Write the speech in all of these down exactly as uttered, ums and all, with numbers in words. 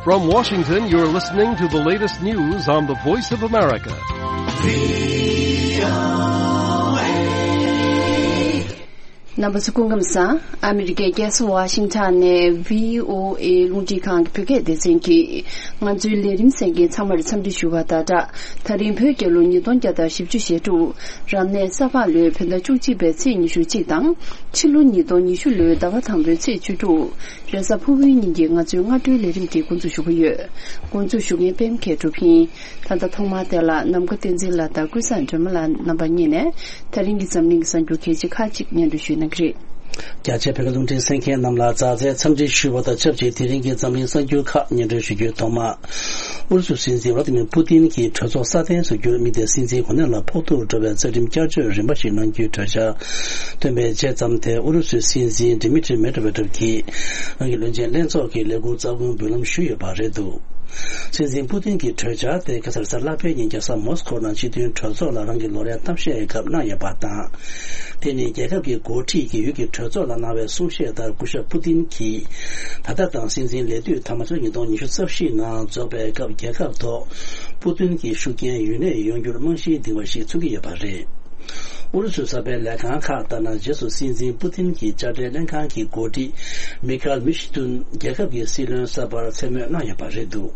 From Washington, you're listening to the latest news on the Voice of America. རྣམ་པ་ཚོ་སྐུ་ཁམས་བཟང་། ཨ་མི་རི་ཀའི་རྒྱལ་ས་ཝ་ཤིང་ཊོན་ནས་བྷི་ཨོ་ཨེ་རླུང་འཕྲིན་ཁང་གི་བོད་སྐད་སྡེ་ཚན་གྱིས་ང་ཚོའི་ལས་རིམ་གསན་མཁན་ཚང་མར་འཚམས་འདྲི་ཞུ་བ་དང་སྦྲགས། ད་རིང་བོད་རྒྱལ་ལོ་ཉིས་སྟོང་བརྒྱ་དང་བཞི་བཅུ་ཞེ་དྲུག་རབ་གནས་ས་ཕག་ལོའི་བོད་ཟླ་བཅུ་གཅིག་པའི་ཚེས་ཉི་ཤུ་གཅིག་དང་། ཕྱི་ལོ་ཉིས་སྟོང་ཉི་ཤུ་ལོའི་ཟླ་བ་དང་པོའི་ཚེས་བཅུ་དྲུག་རེས་གཟའ་ཕུར་བུའི་ཉིན་གྱི་ང་ཚོའི་སྔ་དྲོའི་ལས་རིམ་འདི་འགོ་འཛུགས་ཞུ་གི་ཡོད། འགོ་འཛུགས་ཞུ་མཁན་པད་མ་མཁས་གྲུབ་ཡིན། ད་ལྟ་ཐོག་མར་དེ་ལ་ནམ་མཁའ་བསྟན་འཛིན་ལགས་དང་ཀུན་བཟང་སྒྲོལ་མ་ལགས་རྣམ་པ་གཉིས་ནས་ད་རིང་གི་འཛམ་གླིང་གི་གསར་འགྱུར་གལ་ཆེ་ཁག་ཅིག་སྙན་སྒྲོན་ཞུས་གནང་གི་རེད། རྒྱ་ཆེ་བོད་ཀྱི་རླུང་འཕྲིན་གསན་མཁན་རྣམས་ལ་མཛའ་བརྩེའི་འཚམས་འདྲི་ཞུ་བ་དང་ཆབས་ཅིག་དེ་རིང་གི་འཛམ་གླིང་གསར་འགྱུར་ཁག་སྙན་སྒྲོན་ཞུ་རྒྱུའི་ཐོག་མར། ཨུ་རུ་སུའི་སྲིད་འཛིན་ཝ་ལ་ཏི་མིར་པུ་ཏིན་གྱིས་གྲོས་ཚོགས་སྲ་བརྟན་བཟོ་རྒྱུར་དམིགས་ཏེ་སྲིད་འཛིན་གོ་གནས་ལ་ཕོག་ཐུག་འགྲོ་བའི་རྩ་ཁྲིམས་བསྐྱར་བཅོས་རིམ་པ་ཞིག་གནང་རྒྱུའི་གྲོས་འཆར་བཏོན་པའི་རྗེས་ཙམ་དེ་ཨུ་རུ་སུའི་སྲིད་འཛིན་ཌི་མི་ཏྲི་མེད་ཀྲོ་ཝེ་ཏྲོབ་ཀྱིས་རང་གི་བློན་ཆེན་ལྷན་ཚོགས་ཀྱི་ལས་ཁུངས་རྩ་དགོན་འབུལ་ལམ་ཞུས་ཡོད་པ་རེད་འདུག་སྲིད་འཛིན་པུ་ཏིན་གྱི་གྲོས་འཆར་དེ་ཁ་སང་རེས་གཟའ་ལྷག་པའི་ཉིན་རྒྱལ་ས་མོ་སི་ཁོ་ནང་སྤྱི་མཐུན་གྲོས་ཚོགས་ལ་རང་གི་ལོ་རེའི་གཏམ་བཤད་སྐབས་གནང་ཡོད་པ་དང་། དེ་ནི་རྒྱལ་ཁབ་ཀྱི་འགོ་ཁྲིད་ཀྱིས་ཡུལ་གྱི་གྲོས་ཚོགས་ལ་གནང་བའི་གསུང་བཤད་ལྟར་སྐུ་ཞབས་པུ་ཏིན་གྱིས་ད་ལྟ་དང་སྲིད་འཛིན་ལས་དུས་མཐའ་མ་ཕྱི་ལོ་ཉིས་སྟོང་ཉི་ཤུ་རྩ་བཞི་ནང་རྫོགས་པའི་སྐབས་རྒྱལ་ཁབ་ཐོག་པུ་ཏིན་གྱི་ཤུགས་རྐྱེན་ཡུན་གནས་ཡོང་རྒྱུར་རྨང་གཞི་འདིང་བ་ཞིག་མཚོན་གྱི་ཡོད་པ་རེད། ཨུ་རུ་སུའི་གསར་སྤེལ་ལས་ཁང་ཁག་ལྟར་ན་རྗེས་སུ་སྲིད་འཛིན་པུ་ཏིན་གྱི་དཔྱ་ཁྲལ་ལྷན་ཁང་གི་འགོ་ཁྲིད་མི་ཁལ་མི་ཤི་ཏུན་རྒྱལ་ཁབ་ཀྱི་སྲིད་བློན་གསར་པར་མཚན་སྨོས་གནང་ཡོད་པ་རེད་འདུག་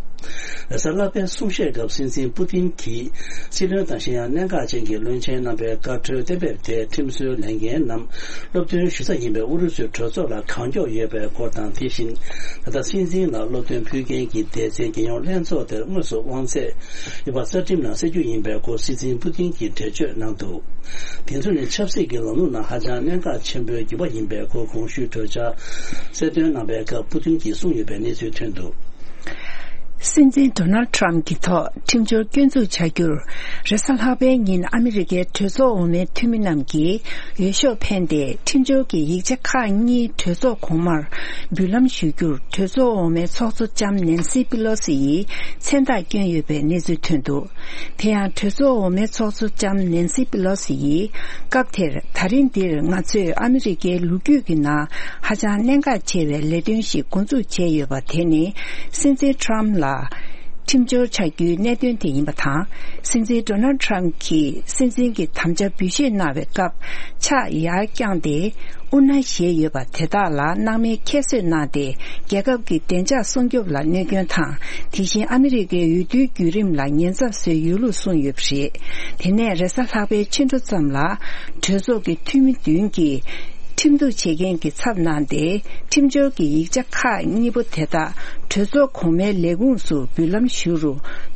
རེས་གཟའ་ལྷག་པའི་གསུང་བཤད་སྐབས་སྲིད་འཛིན་པུ་ཏིན་གྱིས་སྲིད་བློན་དང་གཞན་ཡང་གནད་འགག་ཅན་གྱི་བློན་ཆེན་རྣམ་པའི་བཀའ་འཁྲོལ་གཏན་འབེབས་དེ་ཁྲིམས་བཟོའི་ལས་འགན་ནམ་སློབ་སྟོན་ཞུ་ས་ཡིན་པའི་ཨུ་རུ་སུའི་གྲོས་ཚོགས་ལ་གང་མགྱོགས་ཡོད་པའི་སྐོར་དང་། དེ་བཞིན་ད་ལྟ་སྲིད་འཛིན་ལ་སློབ་སྟོན་ཕུལ་མཁན་གྱི་སྡེ་ཚན་རྒྱལ་ཡོངས་ལྷན་ཚོགས་དེར་དངོས་སུ་དབང་ཚད་ཡོད་པ་རྩ་ཁྲིམས་ནང་གསལ་རྒྱུ་ཡིན་པའི་སྐོར་སྲིད་འཛིན་པུ་ཏིན་གྱིས་འགྲེལ་བརྗོད་གནང་འདུག་དེ་ཚོ་ནི་ཆབ་སྲིད་ཀྱི་ལམ་ལུགས་ནང་ཧ་ཅང་གནད་འགག་ཆེན་པོའི་འགྱུར་བ་ཡིན་པའི་སྐོར་གོང་ཞུས་གྲོས་འཆར་གསལ་སྟོན་གནང་པའི་སྐབས་པུ་ཏིན་གྱིས་གསུངས་ཡོད་པའི་གནས་ཚུལ་ཐོན་འདུག་སྲིད་འཛིན་ཌོ་ནལ་ཌི་ཊརམ་ཕི་གྱི་ཐོག་ཁྲིམས་འཆར་སྐྱོན་འཛུགས་བྱ་རྒྱུར། རེས་གཟའ་ལྷག་པའི་ཉིན་ཨ་མི་རི་ཀའི་གྲོས་ཚོགས་འོག་མའི་འཐུས་མི་རྣམས་ཀྱིས་འོས་ཤོག་འཕེན་ཏེ་ཁྲིམས་འཆར་གྱི་ཡིག་ཆ་ཁག་གཉིས་གྲོས་ཚོགས་གོང་མར་འབུལ་ལམ་ཞུ་རྒྱུར། གྲོས་ཚོགས་འོག་མའི་ཚོགས་གཙོ་ལྕམ་ནན་སི་པི་ལོ་སི་ཡིས་མཚན་རྟགས་བསྐྱོན་ཡོད་པའི་གནས་ཚུལ་ཐོན་འདུག་དེ་ཡང་གྲོས་ཚོགས་འོག་མའི་ཚོགས་གཙོ་ལྕམ་ནན་སི་པི་ལོ་སི་ཡིས། སྐབས་དེར་ད་རིང་འདིར་ང་ཚོས་ཨ་མི་རི་ཀའི་ལོ་རྒྱུས་ཀྱི་ནང་ཧ་ཅང་གནད་འགག་ཆེ་བའི་ལས་དོན་ཞིག་འགོ་འཛུགས་བྱས་ཡོད་པ་དེ་ནི། སྲིད་འཛིན་ཊརམ་ཕི་ལ་ཁྲིམས་འཆར་ཆགས་རྒྱུའི་གནད་དོན་དེ་ཡིན་པ་དང་། སྲིད་འཛིན་ཌོ་ནལ་ཌི་ཊརམ་ཕི་གྱིས་སྲིད་འཛིན་གྱི་དམ་བཅའ་འབུལ་བཞེས་གནང་བའི་སྐབས་ཕྱག་ཡར་བརྐྱངས་ཏེ། དབུ་མནའ་བཞེས་ཡོད་པ་དེ་དག་ལ་སྣང་མེད་ཁྱད་གསོད་གནང་སྟེ། རྒྱལ་ཁབ་ཀྱི་བདེ་འཇགས་སྲུང་སྐྱོབ་ལ་གནོད་སྐྱོན་དང་། དེ་བཞིན་ཨ་མི་རི་ཀའི་འོས་བསྡུའི་བརྒྱུད་རིམ་ལ་ཉེན་ཚབས་བཟོས་ཡོད་ལུགས་གསུངས་ཡོད་པ་རེད། དེ་ནས་རེས་གཟའ་ལྷག་པའི་ཕྱི་དྲོ་ཙམ་ལ། གྲོས་ཚོགས་ཀྱི་འཐུས་མི་བདུན་གྱིས་ཁྲིམས་གཏུག་བྱེད་མཁན་གྱི་ཚབ་གནང་སྟེ། ཁྲིམས་འཆར་གྱི་ཡིག་ཆ་ཁག་གཉིས་པོ་དེ་དག་གྲོས་ཚོགས་གོང་མའི་ལས་ཁུངས་སུ་འབུལ་ལམ་ཞུ་རུ།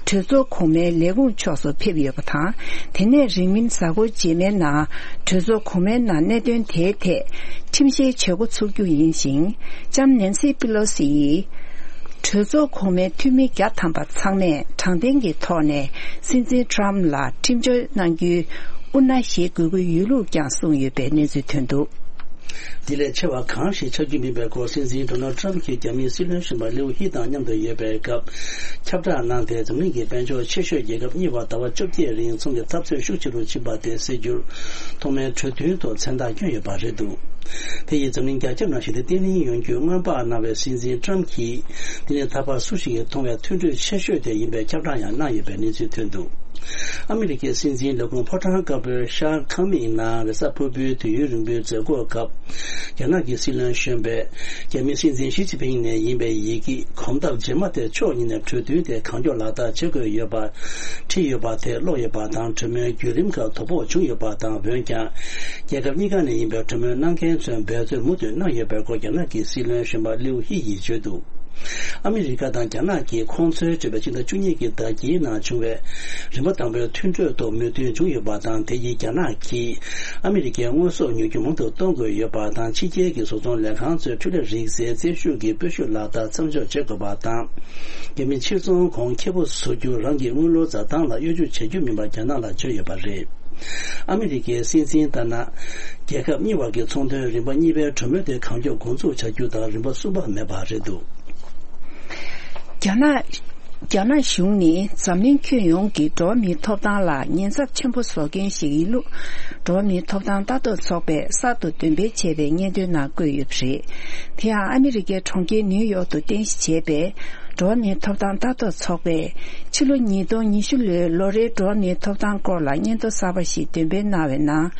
གྲོས་ཚོགས་གོང་མའི་ལས་ཁུངས་ཕྱོགས་སུ་ཕེབས་ཡོད་པ་དང་། དེ་ནས་རིང་མིན་གཟའ་འཁོར་རྗེས་མའི་ནང་གྲོས་ཚོགས་གོང་མའི་ནང་གནད་དོན་དེའི་ཐད་ཁྲིམས་བཤེར་བྱེད་འགོ་ཚུགས་རྒྱུ་ཡིན་ཞིང་། ལྕམ་ནན་སི་པི་ལོ་སི་ཡིས། གྲོས་ཚོགས་གོང་མའི་འཐུས་མི་བརྒྱ་ཐམ་པ་ཚང་མས་དྲང་བདེན་གྱི་ཐོག་ནས་སྲིད་འཛིན་ཊརམ་ཕི་ལ་ཁྲིམས་བཅད་གནང་རྒྱུའི་དབུ་མནའ་བཞེས་དགོས་ཀྱི་ཡོད་ལུགས་ཀྱང་གསུངས་ཡོད་པའི་གནས་ཚུལ་ཐོན་འདུག་འདི་ལས་ཆེ་བ་གང་ཞིག་ཆགས་རྒྱུ་མིན་པའི་སྐོར་སྲིད་འཛིན་ཌོ་ནལ་ཌི་ཊརམ་ཕི་གྱིས་རྒྱ་མིའི་སྲིད་བློན་གཞོན་པ་ལིའུ་ཧི་དང་མཉམ་དུ་ཡོད་པའི་སྐབས་ཁྱབ་བསྒྲགས་གནང་སྟེ། འཛམ་གླིང་གི་དཔལ་འབྱོར་ཆེ་ཤོས་རྒྱལ་ཁབ་གཉིས་བར་ཟླ་བ་བཅོ་བརྒྱད་རིང་ཚོང་གི་འཐབ་རྩོད་ཤུགས་ཆེ་རུ་ཕྱིན་པ་དེ་སེལ་རྒྱུར་ཐོག་མའི་གྲོས་མཐུན་ཐོག་མཚན་རྟགས་བསྐྱོན་ཡོད་པ་རེད་འདུག་དེ་ཡིས་འཛམ་གླིང་རྒྱ་ཁྱབ་ནང་ཞི་བདེ་བརྟན་ལྷིང་ཡོང་རྒྱུའི་སྔོན་དཔག་གནང་བའི་སྲིད་འཛིན་ཊརམ་ཕི་གྱིས། འདི་ནི་ད་བར་སུ་ཞིག་གིས་མཐོང་བའི་མཐུན་གྲོས་ཆེ་ཤོས་དེ་ཡིན་པའི་ཁྱབ་བསྒྲགས་ཡང་གནང་ཡོད་པའི་གནས་ཚུལ་ཐོན་འདུག་ཨ་མི་རི་ཀའི་སྲིད་འཛིན་ལས་ཁུངས་ཕོ་བྲང་དཀར་པོའི་ཤར་ཁང་མིག་ནང་རེས་གཟའ་ཕུར་བུའི་དུས་ཡུན་རིང་པོའི་མཛད་སྒོའི་སྐབས། རྒྱ་ནག་གི་སྲིད་བློན་གཞོན་པས་རྒྱ་མིའི་སྲིད་འཛིན་ཞི་ཅིན་ཕིང་ནས་ཡིན་པའི་ཡི་གེ་གོམ་སྟབས་རྗེས་མ་དེ་ཕྱོགས་གཉིས་ནས་གྲོས་མཐུན་དེ་གང་མགྱོགས་ལག་བསྟར་བྱེད་དགོས་ཡོད་པ་བྲིས་ཡོད་པ་དེ་ཀློག་ཡོད་པ་དང་། གྲོས་མོལ་བརྒྱུད་རིམ་ཁག་དོ་ཕོག་བྱུང་ཡོད་པ་དང་། འོན་ཀྱང་རྒྱལ་ཁབ་གཉིས་ཀ་ནས་ཡིན་པའི་གྲོས་མོལ་གནང་མཁན་ཚོས་འབད་རྩོལ་མུ་མཐུད་གནང་ཡོད་པའི་སྐོར་རྒྱ་ནག་གི་སྲིད་བློན་གཞོན་པ་ལིའུ་ཧི་ཡིས་བརྗོད་འདུག་ཨ་མི་རི་ཀ་དང་རྒྱ་ནག་གིས་ཁོང་ཚོའི་གྲོས་པའི་ཕྱི་ཟླ་བཅུ་གཉིས་ཀྱི་ཟླ་དཀྱིལ་ནང་བྱུང་བའི་རིམ་པ་དང་པོའི་མཐུན་གྲོས་ཐོག་མོས་མཐུན་བྱུང་ཡོད་པ་དང་། དེ་ཡིས་རྒྱ་ནག་གིས་ཨ་མི་རི་ཀའི་དངོས་ཟོག་ཉོ་རྒྱུ་མང་དུ་གཏོང་དགོས་ཡོད་པ་དང་། ཕྱི་རྒྱལ་གྱི་བཟོ་ཚོང་ལས་ཁང་ཚོས་འཕྲུལ་ལས་རིག་རྩལ་རྩིས་ཞུགས་ཀྱི་སྤོས་ཤུགས་ལག་བསྟར་མཚམས་འཇོག་བྱེད་དགོས་པ་དང་། རྒྱ་མི་ཕྱིར་ཚོང་གོང་ཁེ་པོ་བཟོ་རྒྱུ་རང་གི་དངུལ་ལོར་འཛའ་ཐང་ལ་གཡོ་སྒྱུ་བྱེད་རྒྱུ་མིན་པ་རྒྱ་ནག་ལ་བརྗོད་ཡོད་པ་རེད། ཨ་མི་རི་ཀའི་སྲིད་འཛིན་ལྟར་ན། རྒྱལ་ཁབ་གཉིས་བར་གྱི་ཚོང་དོན་རིམ་པ་གཉིས་པའི་གྲོས་མོལ་དེ་གང་མགྱོགས་འགོ་འཛུགས་བྱ་རྒྱུ་དང་རིམ་པ་གསུམ་པ་མེད་པ་རེད་འདུག་རྒྱ་ནག་རྒྱ་ནག་གཞུང་ནི་འཛམ་གླིང་ཁྱོན་ཡོངས་ཀྱི་འགྲོ་བ་མིའི་ཐོབ་ཐང་ལ་ཉེན་ཚབས་ཆེན་པོ་བཟོ་མཁན་ཞིག་ཡིན་ལུགས། འགྲོ་བ་མིའི་ཐོབ་ཐང་ལྟ་རྟོག་ཚོགས་པས་གསར་དུ་འདོན་སྤེལ་བྱས་པའི་སྙན་ཐོའི་ནང་བཀོད་ཡོད་པ་རེད། དེ་ཡང་ཨ་མི་རི་ཀའི་གྲོང་ཁྱེར་ནིའུ་ཡོག་ཏུ་རྟེན་གཞི་བྱས་པའི། འགྲོ་བ་མིའི་ཐོབ་ཐང་ལྟ་རྟོག་ཚོགས་པས་ཕྱི་ལོ་ཉིས་སྟོང་ཉི་ཤུ་ལོའི་ལོ་རེའི་འགྲོ་བ་མིའི་ཐོབ་ཐང་སྐོར་ལ་སྙན་ཐོ་གསར་པ་ཞིག་འདོན་སྤེལ་གནང་བའི་ནང་།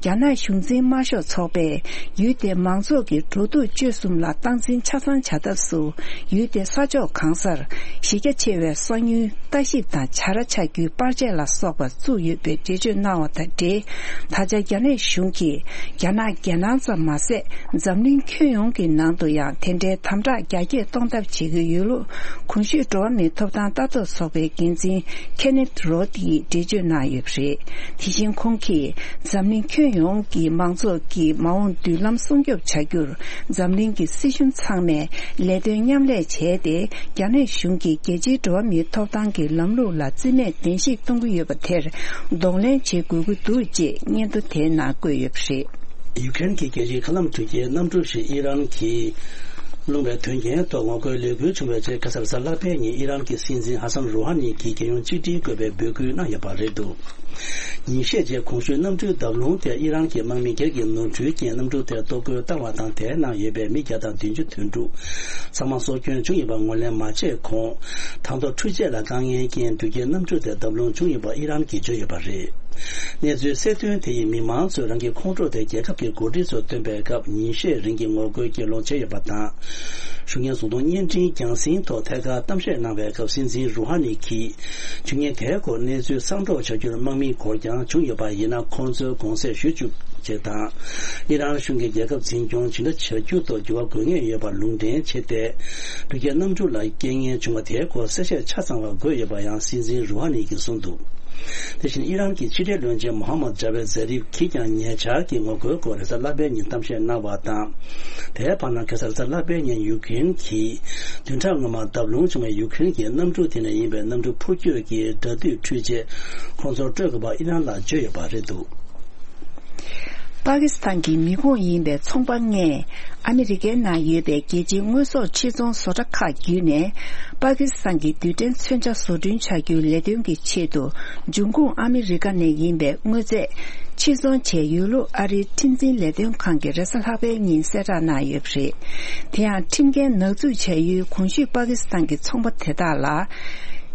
རྒྱ་ནག་གཞུང་འཛིན་དམར་ཤོག་ཚོགས་པས་ཡུལ་དེའི་མང་ཚོགས་ཀྱི་འགྲོ་འདུག་སྤྱོད་གསུམ་ལ་སྟངས་འཛིན་ཆ་ཚང་བྱ་ཐབས་སུ། ཡུལ་དེའི་ས་ཕྱོགས་གང་སར་གཞི་རྒྱ་ཆེ་བའི་གསང་ཉུལ་ལྟ་ཞིབ་དང་བྱ་ར་ཆགས་རྒྱུའི་པར་ཆས་ལ་སོགས་པ་བཙུགས་ཡོད་པའི་འགྲེལ་བརྗོད་གནང་བ་དང་འབྲེལ། ད་ཆ་རྒྱ་ནག་གཞུང་གིས་རྒྱ་ནག་རྒྱལ་ནང་ཙམ་མ་ཟད། འཛམ་གླིང་ཁྱོན་ཡོངས་ཀྱི་ནང་དུ་ཡང་དེ་འདྲའི་དམ་དྲག་རྒྱ་སྐྱེད་གཏོང་ཐབས་བྱེད་ཀྱི་ཡོད་ལུགས། གོང་ཞུས་འགྲོ་བ་མིའི་ཐོབ་ཐང་ལྟ་རྟོག་ཚོགས་པའི་འགན་འཛིན་ཁེ་ནེད་རོད་ཀྱིས་འགྲེལ་བརྗོད་གནང་ཡོད་པ་རེད། དེ་བཞིན་ཁོང་གིས་འཛམ་གླིང་ཁྱོན་ཡོངས་ཀྱི་མང་ཚོགས་ཀྱི་མ་འོངས་མདུན་ལམ་སྲུང་སྐྱོབ་བྱ་རྒྱུར། འཛམ་གླིང་གི་སྲིད་གཞུང་ཚང་མས་ལས་དོན་མཉམ་ལས་བྱས་ཏེ། རྒྱ་ནག་གཞུང་གིས་རྒྱལ་སྤྱིའི་འགྲོ་བ་མིའི་ཐོབ་ཐང་གི་ལམ་ལུགས་ལ་རྩིས་མེད་གདན་ཞིག་གཏོང་གི་ཡོད་པ་དེར་གདོང་ལེན་བྱེད་དགོས་ཀྱི་འདུག་ཅེས་སྙན་ཐོ་དེའི་ནང་བཀོད་ཡོད་པ་རེད། ཡུ་ཀེ་རེན་གྱི་རྒྱལ་སྤྱིའི་མཁའ་ལམ་འགྲུལ་སྐྱེལ་གནམ་གྲུ་ཞིག་ཨི་རན་གྱིས་སློང་བའི་དོན་རྐྱེན་ཐོག་ངོ་རྒོལ་ལས་འགུལ་བྱུང་བའི་རྗེས། ཁ་སང་རེས་གཟའ་ལྷག་པའི་ཉིན་ཨི་རན་གྱི་སྲིད་འཛིན་ཧ་སན་རུ་ཧ་ནི་གྱིས་རྒྱལ་ཡོངས་གཅིག་སྒྲིལ་དགོས་པའི་འབོད་སྐུལ་གནང་ཡོད་པ་རེད་འདུག་ཉིན་ཤས་རྗེས་གོང་ཞུས་གནམ་གྲུའི་བརྡབ་ལྷུང་དེ་ཨི་རན་གྱི་དམག་མི་སྒེར་གྱི་ནོར་འཁྲུལ་རྐྱེན་གནམ་གྲུ་དེར་གཏོར་རྒོལ་བཏང་བ་དང་། དེའི་ནང་ཡོད་པའི་མི་བརྒྱ་དང་བདུན་ཅུ་དོན་དྲུག་ཚང་མ་སྲོག་སྐྱོན་བྱུང་ཡོད་པ་ངོས་ལེན་མ་བྱས་གོང་། དང་ཐོག་འཕྲུལ་ཆས་ལ་དཀའ་ངལ་རྐྱེན་འགྲུལ་སྐྱེལ་གནམ་གྲུ་དེ་བརྡབ་ལྷུང་བྱུང་ཡོད་པ་ཨི་རན་གྱིས་བརྗོད་ཡོད་པ་རེད། གནས་ཚུལ་གསལ་སྟོན་དེ་ཡིས་མི་མང་ཚོས་རང་གི་ཁོང་ཁྲོ་དེ་རྒྱལ་ཁབ་ཀྱི་འགོ་ཁྲིད་ཚོར་བཏོན་པའི་སྐབས། ཉིན་ཤས་རིང་གི་ངོ་རྒོལ་གྱེན་ལོག་བྱས་ཡོད་པ་དང་། གཞུང་གཉེར་བཟུང་གཏོང་བརྙན་འཕྲིན་རྒྱང་སྲིང་ཐོག་ཐད་ཀར་གཏམ་བཤད་གནང་བའི་སྐབས། སྲིད་འཛིན་རུ་ཧ་ནི་གྱིས་བྱུས་ངན་དེའི་སྐོར་གནས་ཚུལ་གསར་སྒྲོག་བྱ་རྒྱུར་དམག་མིའི་འགོར་འགྱངས་བྱུང་ཡོད་པ་ཡིན་ན། ཁོང་ཚོའི་དགོངས་སེལ་ཞུ་བཅུག་ཅེས་དང་། ཨི་རན་གཞུང་གིས་རྒྱལ་ཁབ་འཛིན་སྐྱོང་ཇི་འདྲ་བྱ་རྒྱུ་ཐོག་འགྱུར་བ་དགོས་ངེས་ཡོད་པར་ལུང་འདྲེན་བྱས་ཏེ། འགྲུལ་སྐྱེལ་གནམ་གྲུ་ལ་རྐྱེན་ངན་བྱུང་བ་དེའི་སྐོར་གསལ་བཤད་ཆ་ཚང་བ་དགོས་ཡོད་པ་ཡང་སྲིད་འཛིན་རུ་ཧ་ནི་གྱིས་གསུངས་འདུག་དེ་བཞིན་ཨི་རན་གྱི་ཕྱི་འབྲེལ་བློན་ཆེན་མོ་ཧམ་མད་ཇ་བེད་ཛེ་རིབ་ཀྱིས་ཀྱང་ཉེ་ཆར་གྱི་ངོ་རྒོལ་སྐོར་རེས་གཟའ་ལྷག་པའི་ཉིན་གཏམ་བཤད་གནང་བ་དང་། དེའི་བར་ན་ཁ་སང་རེས་གཟའ་ལྷག་པའི་ཉིན་ཡུ་ཀེ་རེན་གྱིས་བདུན་ཕྲག་སྔོན་མ་བརྡབ་ལྷུང་བྱུང་བའི་ཡུ་ཀེ་རེན་གྱི་གནམ་གྲུ་དེ་ནས་ཡིན་པའི་གནམ་གྲུ་འཕུར་སྐྱོད་ཀྱི་དགྲ་འདུལ་འཕྲུལ་ཆས་ཁོང་ཚོར་སྤྲོད་དགོས་པ་ཨི་རན་ལ་བརྗོད་ཡོད་པ་རེད་འདུག་པ་ཀི་སི་ཐན་གྱི་མི་ཁོངས་ཡིན་པའི་ཚོང་པ་ལྔས་ཨ་མི་རི་ཀའི་ནང་ཡོད་པའི་རྒྱལ་སྤྱིའི་དངོས་ཟོག་ཕྱིར་ཚོང་བཟོ་གྲྭ་ཁག་བརྒྱུད་ནས། པ་ཀི་སི་ཐན་གྱི་རྡུལ་ཕྲན་མཚོན་ཆ་བཟོ་སྐྲུན་བྱ་རྒྱུའི་ལས་དོན་གྱི་ཆེད་དུ། འབྱུང་ཁུངས་ཨ་མི་རི་ཀ་ནས་ཡིན་པའི་དངོས་རྫས་ཕྱིར་ཚོང་བྱས་ཡོད་ལུགས་ཨ་རིའི་ཁྲིམས་འཛིན་ལས་དོན་ཁང་གིས་རེས་གཟའ་ལྷག་པའི་ཉིན་གསལ་བསྒྲགས་གནང་ཡོད་པ་རེད། དེ་ཡང་ཁྲིམས་འགལ་ནག་འཛུགས་བྱ་ཡུལ་གོང་ཞུས་པ་ཀི་སི་ཐན་གྱི་ཚོང་པ་དེ་དག་ལ།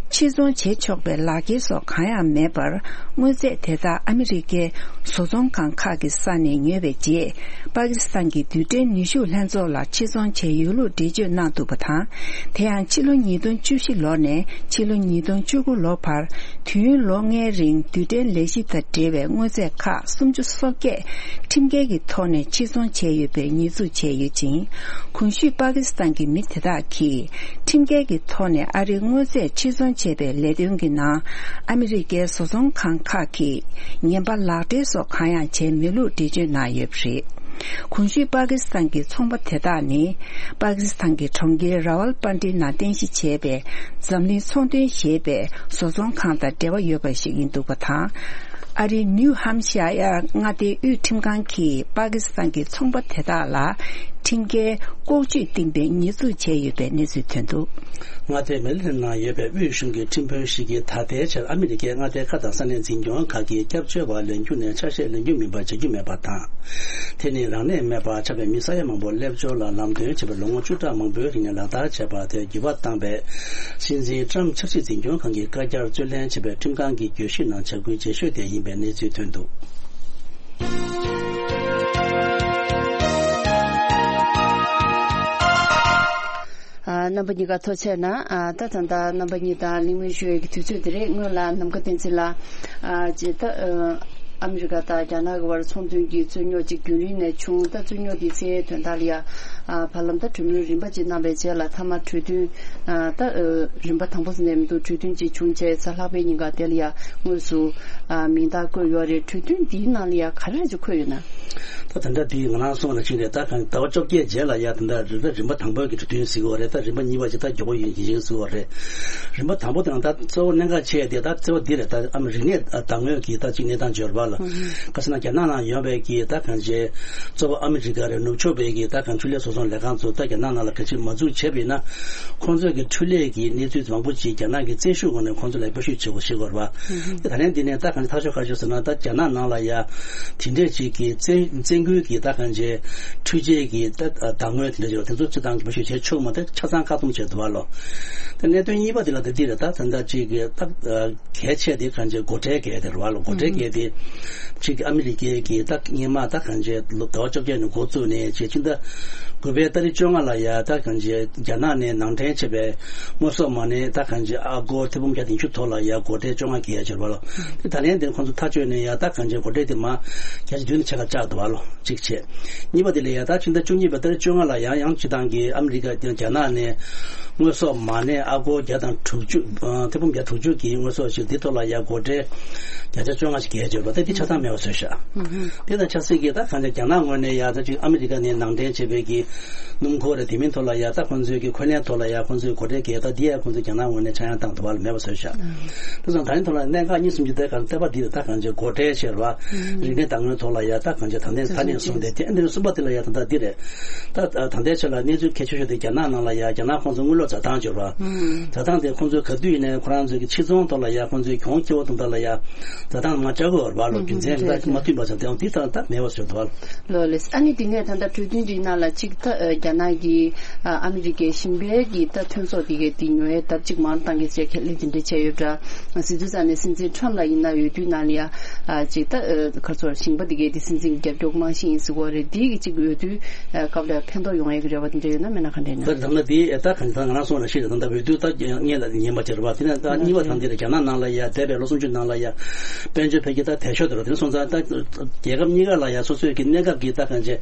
ཕྱིར་ཚོང་བྱེད་ཆོག་པའི་ལག་འཁྱེར་སོགས་གང་ཡང་མེད་པར། དངོས་རྫས་དེ་དག་ཨ་མི་རི་ཀའི་བཟོ་ཚོང་ཁང་ཁག་གི་ས་ནས་ཉོས་པའི་རྗེས། པ་ཀི་སི་ཐན་གྱི་རྡུལ་ཕྲན་ནུས་ཤུགས་ལྷན་ཚོགས་ལ་ཕྱིར་ཚོང་བྱས་ཡོད་ལུགས་འགྲེལ་བརྗོད་གནང་འདུག་པ་དང་། དེ་ཡང་ཕྱི་ལོ་ཉིས་སྟོང་བཅུ་བཞི་ལོ་ནས་ཕྱི་ལོ་ཉིས་སྟོང་བཅུ་དགུ་ལོ་བར། དུས་ཡུན་ལོ་ལྔའི་རིང་རྡུལ་ཕྲན་ལས་གཞི་དང་འབྲེལ་བའི་དངོས་རྫས་ཁག་སུམ་ཅུ་སོ་བརྒྱད་ཁྲིམས་འགལ་གྱི་ཐོག་ནས་ཕྱིར་ཚོང་བྱས་ཡོད་པའི་ཉེས་འཛུགས་བྱས་ཡོད་ཅིང་། གོང་ཞུས་པ་ཀི་སི་ཐན་གྱི་མི་དེ་དག་གིས་ཁྲིམས་འགལ་གྱི་ཐོག་ནས་ཨ་རིའི་དངོས་རྫས་ཕྱིར་ཚོང་བྱས་པའི་ལས་དོན་གྱི་ནང་། ཨ་མི་རི་ཀའི་བཟོ་ཚོང་ཁང་ཁག་གིས་ངན་པ་ལག་སྦྲེལ་སོགས་གང་ཡང་བྱས་མེད་ལུགས་འགྲེལ་བརྗོད་གནང་ཡོད་པ་རེད། གོང་ཞུས་པ་ཀི་སི་ཐན་གྱི་ཚོང་པ་དེ་དག་ནི། པ་ཀི་སི་ཐན་གྱི་གྲོང་ཁྱེར་ར་ཝལ་པན་ཏི་ནང་རྟེན་གཞི་བྱས་པའི་འཛམ་གླིང་ཚོང་དོན་ཞེས་པའི་བཟོ་ཚོང་ཁང་དང་འབྲེལ་བ་ཡོད་པ་ཞིག་ཡིན་འདུག་པ་དང་། ཨ་རིའི་ནིའུ་ཧམ་ཤ་ཡར་མངའ་སྡེའི་དབུས་ཁྲིམས་ཁང་གིས་པ་ཀི་སི་ཐན་གྱི་ཚོང་པ་དེ་དག་ལ་ཁྲིམས་འགལ་ལྐོག་ཇུས་བཏིང་པའི་ཉེས་འཛུགས་བྱས་ཡོད་པའི་གནས་ཚུལ་ཐོན་འདུག་མངའ་སྡེ་མེ་རི་ལེན་ནང་ཡོད་པའི་དབུས་གཞུང་གི་ཁྲིམས་དཔོན་ཞིག་གིས་ད་ལྟའི་ཆར་ཨ་མི་རི་ཀའི་མངའ་སྡེ་ཁག་དང་ས་གནས་འཛིན་སྐྱོང་ཁག་གིས་སྐྱབས་བཅོལ་བ་ལེན་རྒྱུ་ནས་ཆ་ཤས་ལེན་རྒྱུ་མིན་པ་བྱ་རྒྱུ་མེད་པ་དང་། དེ་ནི་རང་ནས་མེད་པར་ཆགས་པའི་མི་ས་ཡ་མང་པོ་སླེབས་འབྱོར་ལ་ལམ་སྟོན་བྱས་པའི་ལོ་ངོ་བཅུ་ཕྲག་མང་པོའི་རིང་ནས་ལག་བསྟར་བྱས་པ་དེར་འགྱུར་བ་བཏང་བའི་སྲིད་འཛིན་ཊམ་ཆབ་སྲིད་འཛིན་སྐྱོང་ཁང་གི་བཀའ་རྒྱར་རྩོད་ལེན་བྱས་པའི་ཁྲིམས་ཁང་གི་གྱོད་གཞི་ནང་བྱ་འགུལ་རྗེས་ཤོས་དེ་ཡིན་པའི་གནས་ཚུལ་ཐོན་འདུག་ཨ། རྣམ་པ་གཉིས་ཀ་ཐུགས་རྗེ་ཆེ་གནང་། ཨ། ད་ད་ལྟ་རྣམ་པ་གཉིས་དང་གླེང་མོལ་ཞུ་ཡས་ཀྱི་དུས་ཚོད་དེ་རེད། སྔོན་ལ་ནམ་མཁའ་བསྟན་འཛིན་ལགས། ཨ། ཅེས་ད། ཨ། ཨ་མི་རི་ཀ་དང་རྒྱ་ནག་གི་བར་ཚོང་དོན་གྱི་རྩོད་རྙོག་ཅིག་རྒྱུན་རིང་ནས་བྱུང་། ད་རྩོད་རྙོག་དེའི་ཚེ་དོན་དག་ལ་ཡ། ཨ། བར་ལམ་ད་གྲོས་མོལ་རིམ་པ་ཅིག་གནང་བའི་རྗེས་ལ་མཐའ་མ་གྲོས་མཐུན། ཨ། ད། ཨ། རིམ་པ་དང་པོ་ཟེར་ནས་མི་འདུག་གྲོས་མཐུན་ཅིག་བྱུང་རྗེས་གཟའ་ལྷག་པའི་ཉིན་ཀ་དེ་ལ་ཡ་དངོས་སུ། ཨ། མིང་རྟགས་བཀོད་ཡོད་རེད། གྲོས་མཐུན་འདིའི་ནང་ལ་ཡ་ག་རེ་རེ་ཅིག་འཁོད་ཡོད་ན། ད་དེ་འདྲ་དེ་ང་རང་གསུངས་ན་ཅིག་རེད། ད་གང་ཟླ་བ་བཅོ་བརྒྱད་རྗེས་ལ་ཡ་དེ་འདྲ་རིམ་པ་རིམ་པ་དང་པོའི་གི་གྲོས་མཐུན་ཟེར་གྱི་ཡོད་རེད། ད་རིམ་པ་གཉིས་པ་ཅིག་ད་མགྱོགས་པོ་ཡིན་གྱི་ཡིན་ཟེར་གྱི་ཡོད་རེད། རིམ་པ་དང་པོ་དེ་ནང་ད་གཙོ་བོ་གནད་འགག་ཆེ་དེ་ད་གཙོ་བོ་འདི་རེད། ད་ཨ་མི་རིག་གནས་དར་ངོས་ཀྱི་ད་ཅིག་གནས་སྟངས་འབྱོར་བ་ལ། ཨུ་ཧུ། ག་ཟེར་ན་རྒྱ་ནག་ནང་ཡོད་པའི་གི་ད་གང་ཅི་གཙོ་བོ་ཨ་མི་རི་ཀ་རེད། ནུབ་ཕྱོགས་པའི་གི་ད་གང་ཆུ་ལྷའི་བཟོ་ཚོང་ ལས་ཁང་ཚོ་ད་རྒྱ་ནག་ནང་ལ་ག་ཅིག་མ་འཛུགས་བྱས་པ་ཡིན་ན། ཁོང་ཚོས་ཀྱི་འཕྲུལ་ལས་ཀྱི་གནས་ཚུལ་མང་པོ་ཅིག་རྒྱ་ནག་གི་བཙན་ཤུགས་ངོས་ནས་ཁོང་ཚོ་ལ་སྤེལ་ཤུགས་བྱེད་དགོས་ཤེས་དགོས་རེད་པ། དེ་ད་ལན་འདི་ནས་ད་གང་ཅི་ཐག་ཆོད་ག་རེ་ཟེར་ན། ད་རྒྱ་ནག་ནང་ལ་ཡ་དེ་འདྲས་ཅིག་གི་བཙན་བཙན་རྒོལ་གྱི་ད་གང་ཅི་འཕྲུལ་ཆས་ཀྱི་ད་བདག་དངོས་དེ་འདྲས་ཅིག་ལ་དེ་ཚོ་སྤྱི་བཏང་གི་སྤེལ་ཤུགས་བྱེད་ཆོག་མ། ད་ཆ་ཚང་བཀག་སྡོམ་བྱས་འདུག་བ་ལོ། ད་གནད་དོན་གཉིས་པ་དེ་ལ་དེ་འདི་རེད། ད་ད་ལྟ་ཅིག་གི་ད་གལ་ཆེ་དེ་གང་ཅི་སྒོ་ཁྲལ་གལ་དེ་རེད་བ་ལོ། སྒོ་ཁྲལ་གལ་དེ་ཅིག་གི་ཨ་མི་རི་ཀའི་གི་ད་སྔོན་མ་ད་གང་ཅི་ལོ་ཟླ་བ་བཅོ་བརྒྱད་ནས་འགོ་བཙུགས་ནས་ཅིག་ཕྱི་ཟླ་དགུ་པའི་ཏ་རིག་བཅོ་ལྔ་ལ་ཡ་ད་གང་ཅི་རྒྱ་ནག་ནས་ནང་འདྲེན་བྱས་པའི་དངོས་ཟོག་མ་ཎི་ད་གང་ཅི་ཨ་སྒོར་ཐེར་འབུམ་བརྒྱ་བདུན་ཅུ་ཐོག་ལ་ཡ་སྒོ་ཁྲལ་བཅོ་ལྔ་བརྒལ་ཡ་ཅིག་རེད་བ་ལོ། དེ་ད་ལན་དེ་ཁོང་ཚོ་ཐག་གཅོད་ནས་ཡ་ད་གང་ཅི་སྒོ་ཁྲལ་དེ་མ་བརྒྱ་ཆ་བདུན་ནས་ཕྱེད་ཀ་བཅག་འདུག་བ་ལོ། གཅིག་བྱས། གཉིས་པ་དེ་ལ་ཡ་ད་ཕྱི་ཟླ་བཅུ་གཉིས་པའི་ཏ་རིག་བཅོ་ལྔ་ལ་ཡང་ཡང་སྤྱི་བཏང་གི་ཨ་མི་རི་ཀ་དང་རྒྱ་ནག་ནས་དངོས་ཟོག་མ་ཎི་ཨ་སྒོར་བརྒྱ་དང་དྲུག་ཅུ། ཨ་ཐེར་འབུམ་བརྒྱ་དྲུག་ཅུ་གི་དངོས་ཟོག་ཞིག་འདི་ཐོག་ལ་ཡ་སྒོ་ཁྲལ་བརྒྱ་ཆ་བཅོ་ལྔ་ཞིག་བརྒལ་བྱས་པ་དེ་འདི་ཆ་ཚང་མེད་པ་བཟོས་ཤག་དེ་དང་ཆབས་སྲིད་ཀྱི་ད་གང་ཅི་རྒྱ་ནག་ངོས་ནས་ཡ་ད་ཅིག་ཨ་མི་རི་ཀ་ནས་ནང་འདྲེན་བྱས་པའི་གི་སྣུམ་འཁོར་རེད། དེ་མིན་ཐོག་ལ་ཡ་ད་ཁོང་ཚོའི་གི་འཁོར་ལེན་ཐོག་ལ་ཡ་ཁོང་ཚོའི་སྒོ་ཁྲལ་བརྒལ། ད་འདི་ཡ་ཁོང་ཚོས་རྒྱ་ནག་ངོས་ནས་ཆག་ཡང་བཏང་འདུག་བ་ལ་མེད་པ་བཟོས་ཤག་དེ་སོང་ད་རིང་ཐོག་ལ་གནད་འགག་གཉིས་གསུམ་གྱི་ཐད་ཀར་བལྟས་པ་འདི་ད་གང་ཅི་སྒོ་ཁྲལ་བྱས་ར་རིག་གནས་བདག་དངོས་ཐོག་ལ་ཡ་ད་གང་ཅི་ད་ལྟའི་ཐ་སྙད་བཟུང་སྟེ། དེ་ཨ་ནི་གསུམ་པ་དེ་ལ་ཡ་ད་ལྟ་འདི་རེད། ད་ད་ལྟའི་ཆ་ལ་གནས་ཚུལ་གལ་ཆེ་ཤོས་དེ་རྒྱ་ནག་ནང་ལ་ཡ་རྒྱ་ནག་ཁོང་ཚོ་དངུལ་ལོར་འཛའ་ཐང་བྱས་ར། འཛའ་ཐང་དེ་ཁོང་ཚོས་ག་དུས་ཡིན་ནའི་ཁོ་རང་ཚོའི་གི་ཕྱི་ཚོང་ཐོག་ལ་ཡ་ཁོང་ཚོའི་གྱོང་ཁྱེར་བ་དང་ད་ལ་ཡ་འཛའ་ཐང་མ་བཅག་དགོས་ར་བ་ལོ། རྒྱུ་མཚན་ད་མ་མཐུན་པ་ཙམ་དེ་འདི་ད་ད་མེད་པ་བཟོས་འདུག་བ། ལོ་ལེ། ཨ་ནི་དེ་ནས་ད་ལྟ་གྲོས་མཐུན་འདིའི་ནང་ལ་གཅིག་ད་ཨ་རྒྱ་ནག་གིས་ཨ་ཨ་མི་རི་ཀའི་ཞིང་པའི་གི་ད་ཐོན་ཟོག་དེ་གའི་དེ་ཉོ་ཡའི་ལྡབ་གཅིག་མང་བཏང་གི་ཟེར་ཁས་ལེན་དེ་འདྲ་བྱས་ཡོད་འདྲ། ཟེར་དུས་ཙང་ནས་སྲིད་འཛིན་ཁྲམ་ལ་ཡིན་ན་འོས་བསྡུའི་ནང་ལ་ཡ་ཨ་གཅིག་ད་ཨ་ག་ཚོད་ཞིང་པ་དེ་གའི་དེ་སྲིད་འཛིན་གྱི་རྒྱབ་སྐྱོར་གྱི་རྨང་གཞི་ཡིན་ཟེར་གོ་རེད། དེ་གི་གཅིག་འོས་བསྡུའི་ཨ་སྐབས་ལ་ཕན་ཐོགས་ཡོང་ཡ་གི་རེ་བ་དེ་འདྲ་ཡོད་ན་མེད་ན་ག་འདྲ་ཡིན་ན། ད་ད་ལྟ་དེ་ད་གང་ད་ང་རང་སོང་ལ་ཤེས་རེད། ད་ལྟ་འོས་བསྡུ་ད་སྔོན་ལ་ཉན་པ་དེ་རེད་བ། དེ་ནས་ད་གཉིས་པ་དང་དེ་ལ་རྒྱ་ནག་ནང་ལ་ཡ་འདས་པའི་ལོ་སུམ་ཅུ་ནང་ལ་ཡ་དཔལ་འབྱོར་འཕེལ་རྒྱས་ད་དལ་ཤོས་དེ་རེད། དེ་སོང་ཙང་ད་རྒྱལ་ཁབ་གཉིས་ཀ་ལ་ཡ་སོ་སོའི་གི་གནས་སྐབས་ཀྱི་ད་གང་ཅི་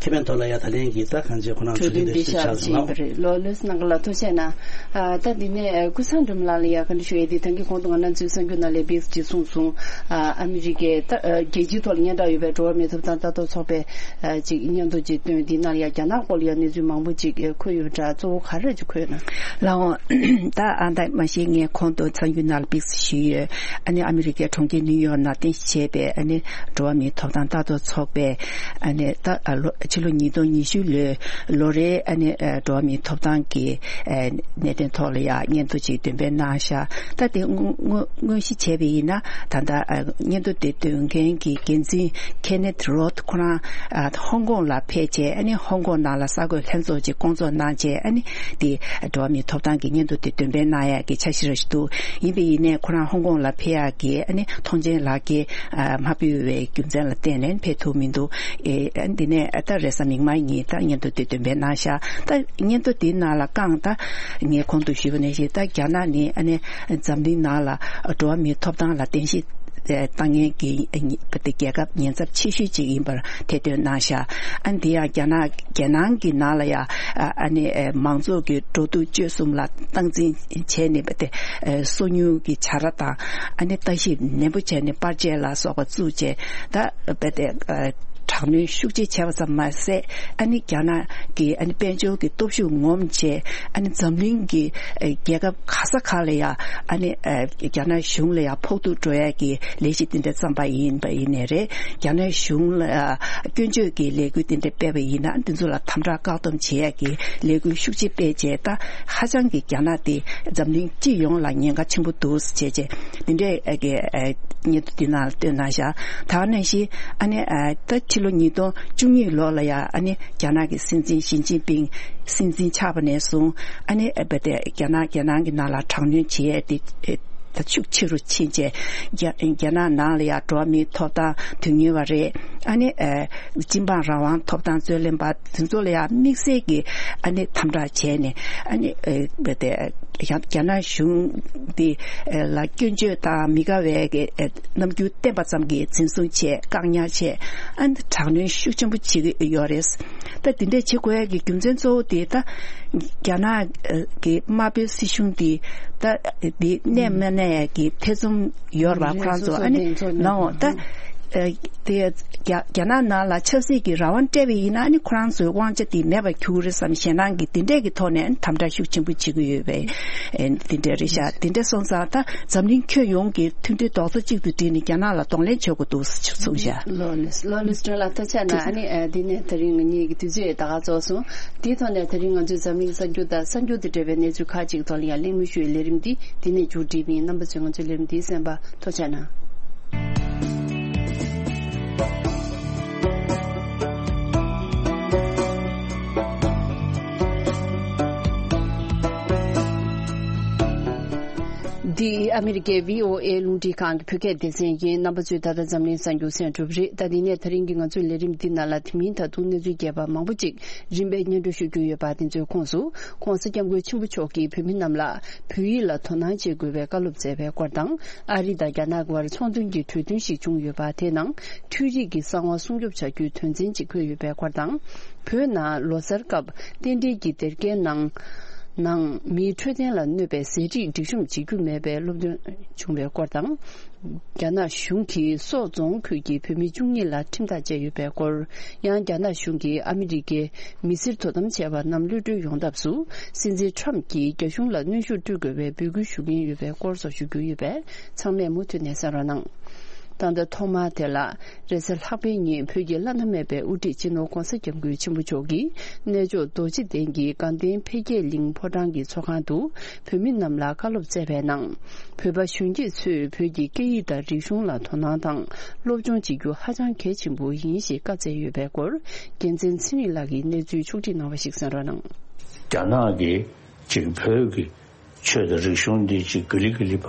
ཁེ་ཕན་ཐོག་ལ་ཡ་ད་ལན་གྱི་ད་གང་ཅི་ཁོ་རང་གྲོས་མཐུན་དེ་ཞིག་ཆགས་སོང་ལ། རེད། ལོ་ལོས་གནང་ག་ལ་ཐུགས་རྗེ་གནང་། ཨ་ད་འདི་ནས་ཨ་ཀུན་བཟང་སྒྲོལ་མ་ལགས་ལ་ཡ་བཀའ་འདྲི་ཞུ་ཡས་དེ་ད་གིན་གོང་དུ་ང་རང་ཚོའི་གསར་འགྱུར་ནང་ལ་བིགས་ཀྱིས་གསུངས་སོང་། ཨ་ཨ་མི་རི་ཀའི་ད་ཨ་རྒྱལ་སྤྱིའི་ཐོག་ལ་སྙན་གྲགས་ཡོད་པའི་འགྲོ་བ་མིའི་ཐོབ་ཐང་ལྟ་རྟོག་ཚོགས་པའི་ཨ་ཅིག་སྙན་ཐོ་ཅིག་བཏོན། དེའི་ནང་ལ་ཡ་རྒྱ་ནག་སྐོར་ལ་ཡ་གནས་ཚུལ་མང་པོ་ཅིག་ཨ་འཁོད་ཡོད་པ་འདྲ། གཙོ་བོ་ག་རེ་ཅིག་འཁོད་ན། ལགས་འོང་། ད་ཨ་ད་མ་གཞི་ངས་གོང་དུ་གསར་འགྱུར་ནང་ལ་བིགས་ཞུས་ཡོད། ཨ་ནི་ཨ་མི་རི་ཀའི་གྲོང་ཁྱེར་ནིའུ་ཡོག་ནང་རྟེན་གཞི་བྱས་པའི་ཨ་ནི་འགྲོ་བ་མིའི་ཐོབ་ཐང་ལྟ་རྟོག་ཚོགས་པས་ཨ་ནི་ད་ཨ་ལོ་ཕྱི་ལོ་ཉིས་སྟོང་ཉི་ཤུ་ལོའི་ལོ་རེའི་ཨ་ནི་ཨ་འགྲོ་བ་མིའི་ཐོབ་ཐང་གི་ཨ་གནད་དོན་ཐོག་ལ་ཡང་སྙན་ཐོ་ཅིག་འདོན་སྤེལ་གནང་ཤག་ད་དེ་དངོས་དངོས་དངོས་གཞི་བྱས་པ་ཡིན་ན་ད་ལྟ་ཨ་སྙན་ཐོ་དེ་འདོན་མཁན་གྱི་འགན་འཛིན་ཁེ་ནེཐ་རོད་ཁོ་རང་ཨ་ཧོང་ཀོང་ལ་ཕེབས་བྱས། ཨ་ནི་ཧོང་ཀོང་ནང་ལ་གསར་འགོད་ལྷན་ཚོགས་ཅིག་བསྐོང་ཚོགས་གནང་བྱས། ཨ་ནི་དེ་འགྲོ་བ་མིའི་ཐོབ་ཐང་གི་སྙན་ཐོ་དེ་འདོན་སྤེལ་གནང་ཡག་གི་འཆར་གཞི་རེ་ཞིག་འདུག་ཡིན་པ་ཡིན་ནའི་ཁོ་རང་ཧོང་ཀོང་ལ་ཕེབས་ཡག་གི་ཨ་ནི་ཐོངས་མཆན་ལག་འཁྱེར་ཨ་མ་ཕུལ་བའི་རྒྱུ་མཚན་ལ་བརྟེན་ནས་ཕེབས་ཐུབ་མི་འདུག་ཨེ་ཨ་འདི་ནས་ཨ་ད་རེས་གཟའ་མིག་དམར་ཉིན་ད་སྙན་ཐོ་དེ་འདོན་སྤེལ་གནང་ཤག་ད་སྙན་ཐོ་དེའི་ནང་ལ་རྐང་ད་ངས་གོང་དུ་ཞུས་པ་ནང་བཞིན་ད་རྒྱ་ནག་ནི་ཨ་ནི་འཛམ་གླིང་ནང་ལ་འགྲོ་བ་མིའི་ཐོབ་ཐང་ལ་རྟེན་གཞི་ཨེ་བཏང་མཁན་གྱི་ཨེ་ཉི་དེ་རྒྱལ་ཁབ་ཉེན་ཚབས་ཆེ་ཤོས་ཅིག་ཡིན་པར་ཐེར་འདོན་གནང་ཤག་ཨ་ནི་དེ་ཡང་རྒྱ་ནག་རྒྱལ་ནང་གི་ནང་ལ་ཡང་ཨ་ཨ་ནི་ཨེ་མང་ཚོགས་ཀྱི་འགྲོ་འདུག་སྤྱོད་གསུམ་ལ་སྟངས་འཛིན་བྱས་ནས་བ་དེ་ཨེ་སོ་ཉུལ་གྱི་བྱ་ར་དང་ཨ་ནི་ལྟ་ཞིབ་ནན་པོ་བྱས་ནས་པར་ཆས་ལ་སོགས་པ་བཙུགས་བྱས་ད་བ་དེ་ཨེ་དྲག་གནོན་ཤུགས་ཆེ་བྱས་པ་ཙམ་མ་ཟད། ཨ་ནི་རྒྱ་ནག་གི་ཨ་ནི་དཔལ་འབྱོར་གྱི་སྟོབས་ཤུགས་ངོམ་བྱས། ཨ་ནི་འཛམ་གླིང་གི་ཨ་རྒྱལ་ཁབ་ག་ས་ག་ལ་ཡ་ཨ་ནི་ཨ་རྒྱ་ནག་གཞུང་ལ་ཡ་ཕོག་ཐུག་འགྲོ་ཡ་གི་ལས་གཞི་དེ་འདྲ་བརྩམས་པ་ཡིན་པ་ཡིན་ནའི་རེད། རྒྱ་ནག་གཞུང་ལ་ཡ་སྐྱོན་བརྗོད་ཀྱི་ལས་འགུལ་དེ་འདྲ་སྤེལ་བ་ཡིན་ན་འདི་ཚོ་ལ་དམ་དྲག་བཀག་སྡོམ་བྱེད་ཡ་གི་ལས་འགུལ་ཤུགས་ཆེ་སྤེལ་བྱས། ད་ཧ་ཅང་གི་རྒྱ་ནག་དེ་འཛམ་གླིང་སྤྱི་ཡོངས་ལ་ཉེན་ཁ་ཆེན་པོ་འདུག་ཟེར་བྱས་བྱས་འདི་འདྲའི་ཨ་གི་ཨ་སྙན་ཐོ་འདི་ནང་ལ་བཏོན་གནང་ཤག་ད་ག་ནང་བཞིན་ཨ་ནི་ཨ་ད་ཕྱི་ལོ་ཉིས་སྟོང་བཅུ་གཉིས་ལོ་ལ་ཡ་ཨ་ནི་རྒྱ་ནག་གི་སྲིད་འཛིན་ཞི་ཅིན་ཕིང་སྲིད་འཛིན་ཆགས་པ་ནས་བཟུང་ཨ་ནི་ཨ་བ་དེ་རྒྱ་ནག་རྒྱལ་ནང་གི་ནང་ལ་དྲག་གནོན་བྱེད་ཡས་དེ་ཨེ་ད་ཤུགས་ཆེ་རུ་ཕྱིན་བྱས། རྒྱ་རྒྱ་ནག་ནང་ལ་ཡ་འགྲོ་བ་མིའི་ཐོབ་ཐང་དོན་གཉེར་བ་རེད། ཨ་ནི་ཨེ་སྤྱི་འབངས་རང་དབང་ཐོབ་ཐང་རྩོད་ལེན་པ་དེ་ཚོ་ལ་ཡ་དམིགས་བསལ་གྱི་ཨ་ནི་དམ་དྲག་བྱས་ནས་ཨ་ནི་ཨེ་བ་དེ་རྒྱ་རྒྱ་ནག་གཞུང་འདི་ལ་སྐྱོན་བརྗོད་དང་མི་དགའ་བའི་རྣམ་འགྱུར་བསྟན་པ་ཙམ་གྱིས་འཛིན་བཟུང་བྱས། བཀག་ཉར་བྱས། ཨ་ནི་དྲག་གནོན་ཤུགས་ཆེན་པོ་བྱེད་ཀྱི་ཡོད་རེད། ད་འདི་འདྲས་བྱེད་དགོས་ཡ་གི་རྒྱུ་མཚན་གཙོ་བོ་དེ་ད་རྒྱ་ནག་གི་དམར་པོའི་སྲིད་གཞུང་འདི་ད་འདི་གནས་མ་གནས་ཡ་གི་ཐེ་ཚོམ་ཡོད་རེད་པ། ཁོ་རང་ཚོ་ཨ་ནི་ལའོ་ད་ ཨ་དེ་རྒྱ་རྒྱ་ནག་ནང་ལ་ཆབ་སྲིད་ཀྱི་རང་དབང་སྤྲད་པ་ཡིན་ན་ཨ་ནི་ཁོ་རང་ཚོའི་དབང་ཆ་དེ་མེད་པར་འགྱུར་གྱི་རེད་བསམ། ཞེད་སྣང་གི་དེ་འདྲས་ཀྱི་ཐོག་ནས་དམ་དྲག་ཤུགས་ཆེན་པོ་བྱེད་ཀྱི་ཡོད་པའི་ཨ་དེ་འདྲས་རེད་ཤག་དེ་འདྲས་སོང་ཙང་ད་འཛམ་གླིང་ཁྱོན་ཡོངས་ཀྱི་མཐུན་སྒྲིལ་རྡོག་རྩ་གཅིག་ཏུ་བསྒྲིལ་ནས་རྒྱ་ནག་ལ་གདོང་ལེན་བྱེད་དགོས་འདུག་གསུངས་ཤག་ལོ་ལེ་ལོ་ལེ་སི་ཏྲོན་ལགས་ཐུགས་རྗེ་གནང་། ཨ་ནི་ཨ་འདི་ནས་ད་རིང་ངེད་ཀྱི་དུས་ཚོད་ད་ག་རྫོགས་སོང་། དེའི་ཐོག་ནས་ད་རིང་ང་ཚོའི་འཛམ་གླིང་གསར་འགྱུར་དང་གསར་འགྱུར་དང་འབྲེལ་བའི་གནས་ཚུལ་ཁག་ཅིག་ཐོག་ལ་ཡང་གླེང་མོལ་ཞུ་བའི་ལས་རིམ་འདི་འདི་ནས་མཇུག་སྒྲིལ་བ་ཡིན། རྣམ་པ་ཚོས་ང་ཚོའི་ལས་རིམ་འདི་གསན་པར་ཐུགས་རྗེ་གནང་། འདི་ཨ་མི་རི་ཀའི་བྷི་ཨོ་ཨེ་རླུང་འཕྲིན་ཁང་གི་བོད་སྐད་སྡེ་ཚན་ཡིན། རྣམ་པ་ཚོས་ད་ལྟ་འཛམ་གླིང་གསར་འགྱུར་གསན་གྲུབ་རེད། ད་འདི་ནས་ད་རིང་གི་ང་ཚོའི་ལས་རིམ་འདི་ནང་ལ་དེ་མིན་ད་དུང་གནས་ཚུལ་རྒྱས་པ་མང་པོ་ཅིག་རིམ་པས་སྙན་སྒྲོན་ཞུ་རྒྱུ་ཡོད་པ་དེ་ཚོའི་ཁོངས་སུ། ྋགོང་ས་ྋསྐྱབས་མགོན་ཆེན་པོ་མཆོག་གིས་བོད་མི་རྣམས་ལ་བོད་ཡིག་ལ་དོ་སྣང་བྱེད་དགོས་པའི་བཀའ་སློབ་སྩལ་བའི་སྐོར་དང་། ཨ་རི་དང་རྒྱ་ནག་དབར་ཚོང་དོན་གྱི་གྲོས་མཐུན་ཞིག་བྱུང་ཡོད་པ་དེའི་ནང་འཕྲུལ་རིག་གི་གསང་བ་སྲུང་སྐྱོབ་བྱ་རྒྱུའི་དོན་ཚན་ཅིག་འཁོད་ཡོད་པའི་སྐོར་དང་། བོད་ནང་ལོ་གསར་སྐབས་རྟེན་འབྲེལ་གྱི་སྡེར་ཁའི་ནང་ནང་མིའི་འཕྲོད་བསྟེན་ལ་གནོད་པའི་ཟས་བྲིས་སྒྲིག་གཤོམ་བྱེད་རྒྱུ་མེད་པའི་སློབ་སྟོན་བྱུང་བའི་སྐོར་དང་། རྒྱ་ནག་གཞུང་གིས་སོག་རྫོང་ཁུལ་གྱི་བོད་མི་བཅུ་གཉིས་ལ་ཁྲིམས་ཐག་བཅད་ཡོད་པའི་སྐོར། ཡང་རྒྱ་ནག་གཞུང་གིས་ཨ་མི་རི་ཀའི་མི་སེར་དོ་དམ་བྱས་པ་རྣམས་གློད་གྲོལ་ཡོང་ཐབས་སུ་སྲིད་འཛིན་ཁྲམ་གྱིས་རྒྱ་གཞུང་ལ་གནོན་ཤུགས་སྤྲོད་དགོས་པའི་འབོད་སྐུལ་ཞུ་གིན་ཡོད་པའི་སྐོར་སོགས་ཞུ་རྒྱུ་ཡོད་པས་ཚང་མས་མུ་མཐུད་ནས་གསན་རོགས་གནང་། ད་ལྟ་ཐོག་མར་དེ་ལ་རེས་གཟའ་ལྷག་པའི་ཉིན་བོད་ཀྱི་བླ་ན་མེད་པའི་དབུ་ཁྲིད་སྤྱི་ནོར་ྋགོང་ས་ྋསྐྱབས་མགོན་ཆེན་པོ་མཆོག་གིས་གནས་མཆོག་རྡོ་རྗེ་གདན་གྱི་དགའ་ལྡན་འཕེལ་རྒྱས་གླིང་ཕོ་བྲང་གི་ཚོགས་ཁང་དུ་བོད་མི་རྣམས་ལ་བཀའ་སློབ་སྩལ་བའི་ནང་། བོད་པ་གཞོན་སྐྱེས་ཚོས་བོད་ཀྱི་སྐད་ཡིག་དང་རིག་གཞུང་ལ་དོ་སྣང་དང་སློབ་སྦྱོང་བྱེད་རྒྱུ་ཧ་ཅང་གལ་ཆེན་པོ་ཡིན་ཞེས་བཀའ་སྩལ་ཡོད་པའི་སྐོར། རྒྱལ་མཚན་ཚེ་རིང་ལགས་ཀྱིས་གནས་ཚུལ་ཕྱོགས་སྒྲིག་གནང་བ་ཞིག་གསན་རོགས་གནང་། རྒྱ་ནག་གིས་ཅིག་བོད་ཀྱི་ཆོས་དང་རིག་གཞུང་འདི་ཅིག་ག་ལེ་ག་ལེ་བ་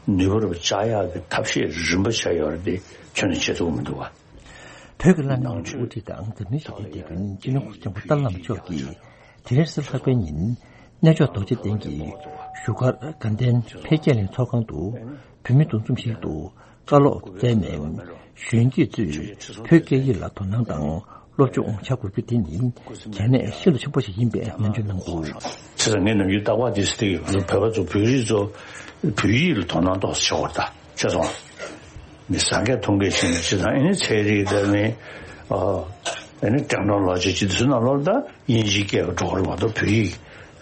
ནུས་པ་རུ་བཅག་ཡག་གི་ཐབས་ཤེས་རིམ་པ་བྱས་ཡོད་རེད་དེ་ཁྱོན་ནས་བྱེད་ཐུབ་ཀྱི་མི་འདུག་བ། བོད་ཀྱི་བླ་ན་མེད་པའི་དབུ་ཁྲིད་དང་འཛམ་གླིང་ཞི་བདེའི་དེད་དཔོན་སྤྱི་ནོར་ྋགོང་ས་ྋསྐྱབས་མགོན་ཏཱ་ལའི་བླ་མ་མཆོག་གིས་དེ་རིང་གཟའ་ལྷག་པའི་ཉིན་གནས་མཆོག་རྡོ་རྗེ་གདན་གྱི་བཞུགས་སྒར་དགའ་ལྡན་འཕེལ་རྒྱས་གླིང་ཚོགས་ཁང་དུ་བོད་མི་འདུ་འཛོམས་ཤིག་ཏུ་བཀའ་སློབ་སྩལ་ནས། གཞོན་སྐྱེས་ཚོས་བོད་སྐད་ཡིག་ལ་དོ་སྣང་དང་སློབ་སྦྱོང་བྱ་དགོས་རྒྱུ་དེ་ནི་གལ་གནད་ཤིན་ཏུ་ཆེན་པོ་ཞིག་ཡིན་པའི་ནན་བརྗོད་གནང་འདུག། བྱས་ཙང་ངས་ནམ་རྒྱུན་རྟག་པར་དེ་ཟེར་གྱི་ཡོད། བོད་པ་ཚོ་བོད་རིགས་ཚོ་བོད་ཡིག་ལ་དོ་སྣང་ཏོག་ཙམ་བྱེད་དགོས་རེད་ད། ཤེས་སོང་། མི་ཟ་མཁན་འཐུང་མཁན་བྱེད་མཁན་བྱེད་དང་ཨ་ནི་ཚན་རིག་དང་ནི་ཨ་ནི་ཊེག་ནོ་ལོ་ཇི་བྱེད་དུས་ནང་ལོགས་ལ་ད་དབྱིན་ཇིའི་སྐད་འགྲོ་གི་རེད་མ་གཏོགས་བོད་ཡིག་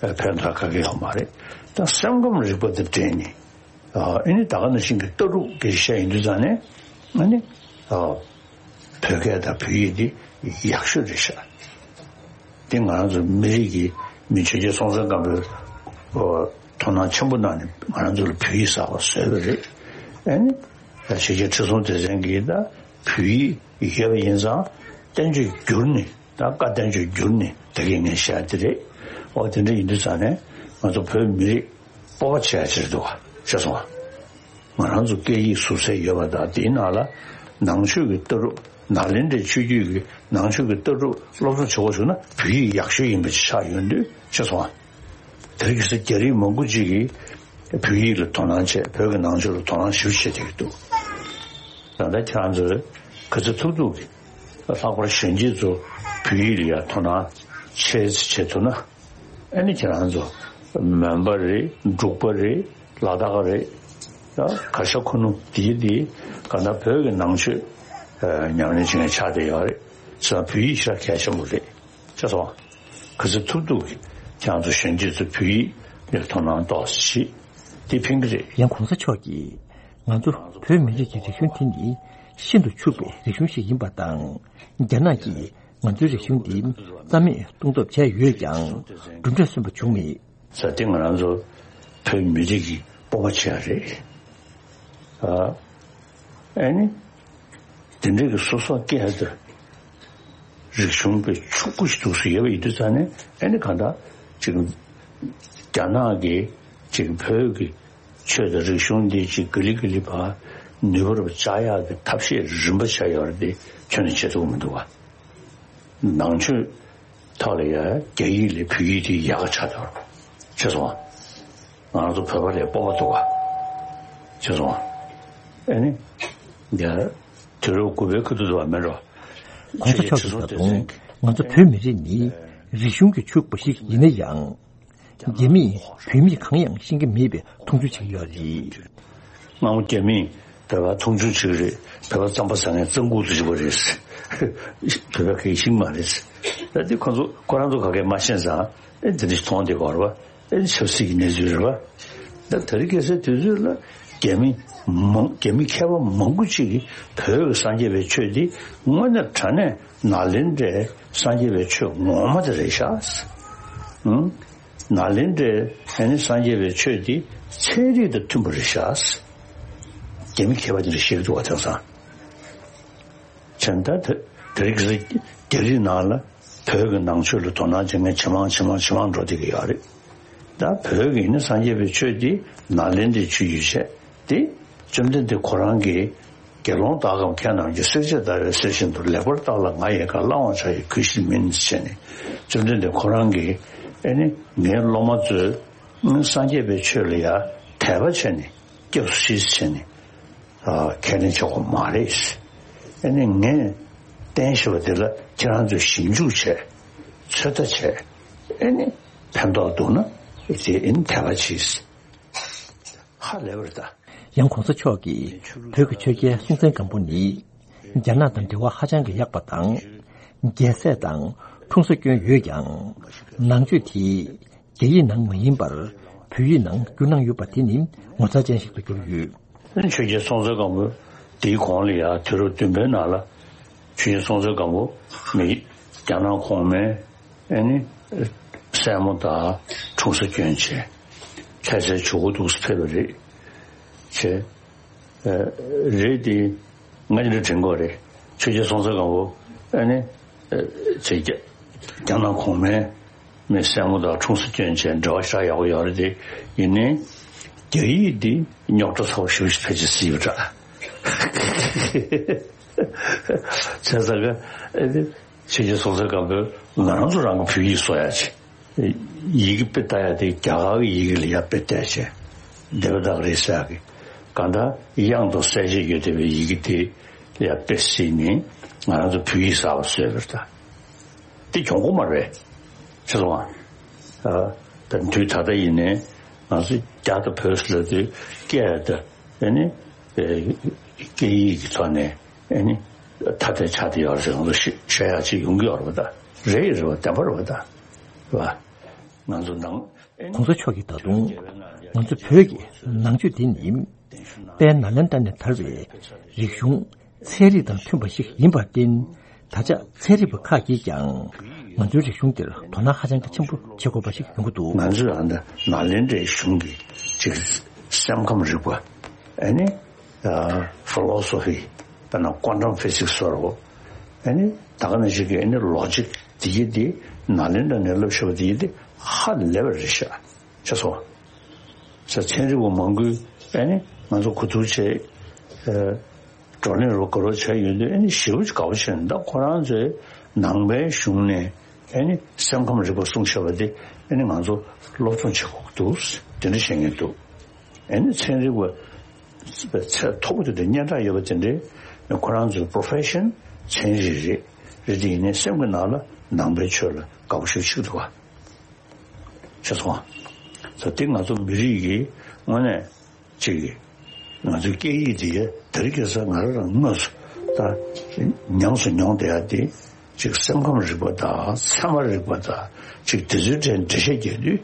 ཕན་ཐོགས་ག་གེ་ཡོད་མ་རེད། ད་སེམས་ཁམས་རིག་པ་དང་འབྲེལ་ནས་ཨ་ནི་ད་ག་ནང་བཞིན་གྱི་ལྟ་གྲུབ་སྐད་ཆ་བཤད་ཡིན་དུས་ཙང་ནས་ཨ་ནི་ཨ། བོད་སྐད་དང་བོད་ཡིག་འདི་ཡག་ཤོས་རེད་ཤག། འདི་ང་རང་ཚོ་མི་རིགས་ཀྱི་མི་ཆོས་རྒྱལ་སྲོང་བཙན་སྒམ་པོས་དོ་སྣང་ཆེན་པོ་གནང་ནས་ང་རང་ཚོ་ལ་བོད་ཡིག་གསར་པ་བཟོས་པ་རེད། ཨ་ནི་ཆོས་རྒྱལ་ཁྲི་སྲོང་ལྡེ་བཙན་གྱིས་ད་བོད་ཡིག་ཡོད་པ་ཡིན་ཙང་བསྟན་བཅོས་བསྒྱུར་ནས་ད་བཀའ་བསྟན་བཅོས་བསྒྱུར་ནས་ད་གིན་ངས་བཤད་དེ་རེད། འོ་དེ་འདྲ་ཡིན་དུས་ཙང་ནས་ང་ཚོ་བོད་མི་རིགས་སྤོབས་པ་བྱེད་ཡ་ཅིག་འདུག་བ། ཤེས་སོང་བ། ང་རང་ཚོ་སྐད་ཡིག་ཟུར་ཚད་ཡོད་པ་དང་དེའི་ནང་ལ་ནང་ཆོས་ཀྱི་ལྟ་གྲུབ་ནཱ་ལེནྡྲའི་ཆོས་བརྒྱུད་ཀྱི་ནང་ཆོས་ཀྱི་ལྟ་གྲུབ་སློབ་གསོ་བྱེད་དགོས་བྱུང་ན་བོད་ཡིག་ཡག་ཤོས་ཡིན་པ་ཅིག་ཆགས་ཡོང་དུས་ཤེས་སོང་ཨ། དེ་རིང་ཁ་སང་རྒྱ་རིགས་མང་པོ་ཅིག་གིས་བོད་ཡིག་ལ་དོ་སྣང་བྱས་བོད་ཀྱི་ནང་ཆོས་ལ་དོ་སྣང་ཞེ་པོ་བྱེད་བསྡད་ཀྱི་འདུག་ད་ལྟ་ཁྱེད་རང་ཚོས་ག་ཚོད་ཐུབ་ཐུབ་ཀྱིས་ལྷག་པར་གཞོན་སྐྱེས་ཚོ་བོད་ཡིག་ལ་ཡང་དོ་སྣང་བྱེད་བྱེད་ཐུབ་ན། ཨ་ནི་ཁྱེད་རང་ཚོ་མོན་པ་རེད། འབྲུག་པ་རེད། ལ་དྭགས་རེད། ད་གར་ཞ་ཁུ་ནུ་དེའི་དེའི་ག་ན་བོད་ཀྱི་ནང་ཆོས་ཉམས་ལེན་བྱེད་མཁན་ཆགས་བསྡད་ཡོད་རེད། བྱས་ཙང་བོད་ཡིག་ཞེ་དྲག་གལ་ཆེན་པོ་རེད། ཤེས་སོང་ཨ། ག་ཚོད་ཐུབ་ཐུབ་ཀྱིས་ཁྱེད་རང་ཚོ་གཞོན་སྐྱེས་ཚོ་བོད་ཡིག་ལ་དོ་སྣང་ཏོག་ཙམ་བྱེད། དེ་ཕན་གྱི་རེད། ཡང་གོང་ས་མཆོག་གིས་ང་ཚོ་བོད་མི་རིགས་ཀྱི་རིག་གཞུང་དེ་ནི་ཤིན་ཏུ་ཕྱུག་པའི་རིག་གཞུང་ཞིག་ཡིན་པ་དང་། རྒྱ་ནག་གིས་ང་ཚོའི་རིག་གཞུང་འདི་རྩ་མེད་གཏོང་ཐབས་བྱས་ཡོད་ཀྱང་གྲུབ་འབྲས་སོན་པ་བྱུང་མེད། ས་སྟེང་ང་རང་ཚོ་བོད་མི་རིགས་ཀྱི་སྤོབས་པ་ཆེ་བ་རེད། ཨ་ཨ་ནི་དེ་འདྲ་གི་སོ་སོ་སྐད་དང་རིག་གཞུང་དཔེ་ཕྱུག་པོ་ཞིག་འདུག་སེ་ཡོད་པ་ཡིན་དུས་ཙང་ནས་ཨ་ནི་གང་ལྟར་ཅིག་རྒྱ་ནག་གིས་ཅིག་བོད་ཀྱི་ཆོས་དང་རིག་གཞུང་འདི་ཅིག་ག་ལེ་ག་ལེ་བ་ནུས་པ་རུ་བཅག་ཡག་གི་ཐབས་ཤེས་རིམ་པ་བྱས་ཡོད་རེད་དེ་ཁྱོན་ནས་བྱེད་ཐུབ་ཀྱི་མི་འདུག་བ། ནང་ཆོས་ཐོག་ལ་ཡང་རྒྱ་ཡིག་ལས་བོད་ཡིག་དེ་ཡག་ག་ཆགས་འདུག་བ། ཤེས་སོང་ང་། ང་རང་ཚོ་བོད་པ་ལས་སྤོབས་པ་འདུག་བ། ཤེས་སོང་ང་། ཨ་ནི། ཡ། དུས་རབས་དགུ་པའི་ཁ་ཐུག་ཏུ་བ་མེད་འགྲོ། གོང་ས་མཆོག་གིས་ད་དུང་ང་ཚོ་བོད་མི་རིགས་ནི་རིག་གཞུང་གིས་ཕྱུག་པ་ཞིག་ཡིན་ན་ཡང་། རྒྱ་མིས་བོད་མི་གང་ཡང་ཤེས་ཀྱི་མེད་པའི་མཐོང་ཆུང་བྱེད་ཀྱི་ཡོད་རེད། སྔ་མོ་རྒྱ་མིས་ བོད་པ་མཐོང་ཆུང་བྱེད་ཀྱི་རེད། བོད་པ་རྩམ་པ་ཟ་མཁན་རྩམ་ཁུག་ཏུ་བཞུགས་པ་རེད། བོད་པ་གི་ཤིང་མ་རེད། ད་དེ་ཁོ་ཚོ་ཁོ་རང་ཚོ་ག་གེ་མ་ཤེས་ཙང་ཨེ་འདི་འདྲ་ཞིག་མཐོང་བསྡད་ཀྱི་ཡོད་རེད་པ། ཨེ་ཆབ་སྲིད་ཀྱི་གནས་ཚུལ་རེད་པ། ད་དེ་རིང་ཁ་སང་དུས་ཚོད་ལ་རྒྱ་མི་མང་རྒྱ་མི་མཁས་པ་མང་པོ་ཅིག་གིས་བོད་ཀྱི་སངས་རྒྱས་པའི་ཆོས་འདི་དངོས་གནས་དྲང་གནས་ནཱ་ལེནྡྲའི་སངས་རྒྱས་པའི་ཆོས་ངོ་མ་དེ་རེད་ཤག་ཨང་། ནཱ་ལེནྡྲའི་ཨ་ནི་སངས་རྒྱས་པའི་ཆོས་འདི་ཚན་རིག་དང་མཐུན་པ་རེད་ཤག་རྒྱ་མི་མཁས་པ་དེ་འདྲ་བཤད་ཀྱི་འདུག་བ། དེང་སང་བྱས་ན་ད་དེ་རིང་ཁ་སང་རྒྱ་རིགས་ནང་ལ་བོད་ཀྱི་ནང་ཆོས་ལ་དོ་སྣང་བྱེད་མཁན་ཇེ་མང་ཇེ་མང་ཇེ་མང་འགྲོ་བསྡད་ཀྱི་ཡོད་རེད། ད་བོད་ཀྱི་ནི་སངས་རྒྱས་པའི་ཆོས་འདི་ནཱ་ལེནྡྲའི་ཆོས་ཡོད་བྱས་ཏེ། བཅོམ་ལྡན་འདས་ཁོ་རང་གིས་དགེ་སློང་དག་གམ་མཁས་རྣམས་ཀྱིས། བསྲེག་བཅད་བརྡར་བའི་གསེར་བཞིན་དུ། ལེགས་པར་བརྟགས་ལ་ང་ཡི་བཀའ། བླང་བར་བྱ་ཡི་གུས་ཕྱིར་མིན། ཟེར་ནས་བཅོམ་ལྡན་འདས་ཁོ་རང་གིས་ཨེ་ནི་ངའི་སློབ་མ་ཚོས་སངས་རྒྱས་པའི་ཆོས་ལ་ཡ་དད་པ་བྱས་ནས་སྐྱབས་སུ་མཆི་ཟེར་ནས་ཁས་ལེན་བྱེད་དགོས་མ་རེད། ཨེ་ནི་ངས་བསྟན་བཞིན་པ་དེ་ལ་ཁྱེད་རང་ཚོས་ཞིབ་འཇུག་བྱས། ཚོད་ལྟ་བྱས། ཨེ་ནི་ཕན་ཐོགས་འདུག་ན་ཨེ་ནི་དད་པ་གྱིས། ཧ་ལས་པ་རེད་ད། ཡང་གོང་ས་མཆོག་གིས་བོད་ཀྱི་ཆོས་རྒྱལ་སྲོང་བཙན་སྒམ་པོ་ནི་རྒྱ་ནག་དང་འབྲེལ་བ་ཧ་ཅང་གི་ཡག་པ་དང་། རྒྱལ་སྲས་དང་འཁྲུངས་ས་སྐྱོན་ཡོད་ཀྱང་། ནང་ཆོས་དེ་རྒྱ་ཡིག་ནང་མ་ཡིན་པར་བོད་ཡིག་ནང་བསྒྱུར་གནང་ཡོད་པ་དེ་ནི་ངོ་མཚར་ཅན་ཞིག་ཏུ་གྱུར་ཡོད། ཆོས་རྒྱལ་སྲོང་བཙན་སྒམ་པོ་དེའི་གོང་ལ་ཡང་དུས་རབས་བདུན་པའི་ནང་ལ་ཆོས་རྒྱལ་སྲོང་བཙན་སྒམ་པོ་མི་རྒྱ་ནག་གོང་མའི་ཨེ་ནི་སྲས་མོ་དང་འཁྲུངས་ས་སྐྱོན་བྱས། ལྷ་སའི་ཇོ་བོ་འདུག་སེ་ཕེབས་པ་རེད། བྱས། ཨ་རེད་དེ། ང་ཡིན་ན་དྲན་གྱི་ཡོད་རེད། ཆོས་རྒྱལ་སྲོང་བཙན་སྒམ་པོ་ཨ་ནི་ཨ་བྱས་རྒྱ་རྒྱ་ནག་གོང་མའི་མི་སྲས་མོ་དང་འཁྲུངས་ས་སྐྱོན་བྱས། འབྲེལ་བ་ཞེ་དྲག་ཡག་པོ་ཡོད་རེད་དེ། ཡིན་ནའི་རྒྱ་ཡིག་འདི་རྙོག་དྲ་ཚ་པོ་ཞེ་པོ་ཞིག་ཕལ་ཆེར་བརྩིས་ཡོད་འདྲ། བྱས་ཙང་ཀ་ཨ་ནི་ཆོས་རྒྱལ་སྲོང་བཙན་སྒམ་པོས་ང་རང་ཚོ་རང་གི་བོད་ཡིག་བཟོ་ཡག་ཅིག་ཡི་གེ་དཔེ་ལྟ་ཡག་དེ་རྒྱ་གར་གྱི་ཡི་གེ་ལ་ཡར་དཔེ་བལྟས་བྱས། དེ་བ་དག་རེད་ཟེར་ཡག་གི་གང་ལྟར་དབྱངས་དང་གསལ་བྱེད་ཡོད་བསྡད་པའི་ཡི་གེ་དེ་ལ་ཡར་དཔེ་གཟིགས་ནས་ང་རང་ཚོ་བོད་ཡིག་གསར་པ་བཟོས་པ་རེད་ད། དེ་གྱོང་པོ་མ་རེད། ཤེས་སོང་ཨ། ཨ་ད་དུས་ད་ལྟ་ཡིན་ནའི་ང་ཚོ་རྒྱ་དང་བོད་ཟེར་ལབ་དུས་སྐད་དང་ཨ་ནི་ཨེ་སྐད་ཡིག་གི་ཐོག་ནས་ཨ་ནི་ཐ་དད་ཆགས་བསྡད་ཡོད་རེད་ཟེར་ང་ཚོ་ཤེས་ཤེས་ཡག་ཅིག་ཡོང་གི་ཡོད་རེད་པ། ད་རེད་རེད་པ། བདེན་པ་རེད་པ། ད་རེད་པ། ང་ཚོ་ནང་ཨེ་ནི། གོང་ས་མཆོག་གིས་ད་དུང་ང་ཚོ་བོད་ཀྱི་ནང་ཆོས་འདི་ནི་དཔལ་ནཱ་ལེནྡྲ་ནས་དར་བའི་རིག་གཞུང་ཚན་རིག་དང་མཐུན་པ་ཞིག་ཡིན་པར་བརྟེན། ད་ཆ་ཚན་རིག་པ་ཁག་གིས་ཀྱང་ང་ཚོའི་རིག་གཞུང་འདིར་དོ་སྣང་ཧ་ཅང་གི་ཆེན་པོ་བྱེད་དགོས་པ་ཞིག་ཡོང་གི་འདུག། ང་ཚོས་ཨ་ནི་ནཱ་ལེནྡྲའི་གཞུང་གི་ཅིག་སེམས་ཁམས་རིག་པ་ཨ་ནི་ཕི་ལོ་སོ་ཕི་དཔེར་ན་ཀོན་ཊམ་ཕི་སིག་སི་ཟེར་རོ། ཨ་ནི་ད་ག་ནང་བཞིན་གྱི་ཨ་ནི་ལོ་ཇིག་དེ་གྱིས་དེ་ནཱ་ལེནྡྲ་ནས་བསླབ་ཤེས་པ་དེ་གྱིས་དེ་ཧ་ལས་པ་རེད་ཤག། ཤེས་སོང་། ས་ཚན་རིག་པ་མང་པོས་ཨ་ནི་ང་ཚོ་གོ་བསྡུར་བྱས། ཨ་བགྲོ་གླེང་རོགས་དགའ་རོགས་བྱས་ཡོང་དུས་ཨ་ནི་ཞེ་པོ་ཅིག་དགའ་པོ་བྱས་ནས། ད་ཁོ་རང་ཚོའི་ནང་པའི་གཞུང་ནས་ཨ་ནི་སེམས་ཁམས་རིག་པ་གསུང་བཤད་པ་དེ་ཨ་ནི་ང་ཚོ་སློབ་སྦྱོང་བྱེད་དགོས་ཀྱི་འདུག། དེ་འདྲ་བཤད་མཁན་འདུག། ཨ་ནི་ཚན་རིག་པ་ཚད་མཐོ་པོ་དེ་འདྲ་སྙན་གྲགས་ཡོད་པ་དེ་འདྲའི་ཁོ་རང་ཚོའི་པོ་རོ་ཕེ་ཤན་ཚན་རིག་རེད། རེད་དེ་ཡིན་ནའི་སེམས་ཀྱི་ནང་ལ་ནང་པའི་ཆོས་ལ་དགའ་པོ་ཞེ་པོ་ཅིག་འདུག་ག། ཤེས་སོང་ཨ། ད་དེ་ང་ཚོ་མི་རིགས་ཀྱི་དངོས་གནས་ཅིག་ང་ཚོའི་སྐད་ཡིག་དེ་དེ་རིང་ཁ་སང་ང་རང་རང་དངོས་སུ་ད་ཉམས་སུ་མྱོང་བསྡད་ཡ་དེ་ཅིག་སེམས་ཁམས་རིག་པ་དང་ཚད་མ་རིག་པ་དང་ཅིག་དེ་ཚོའི་གྲས་འགྲེལ་བཤད་རྒྱག་དུས་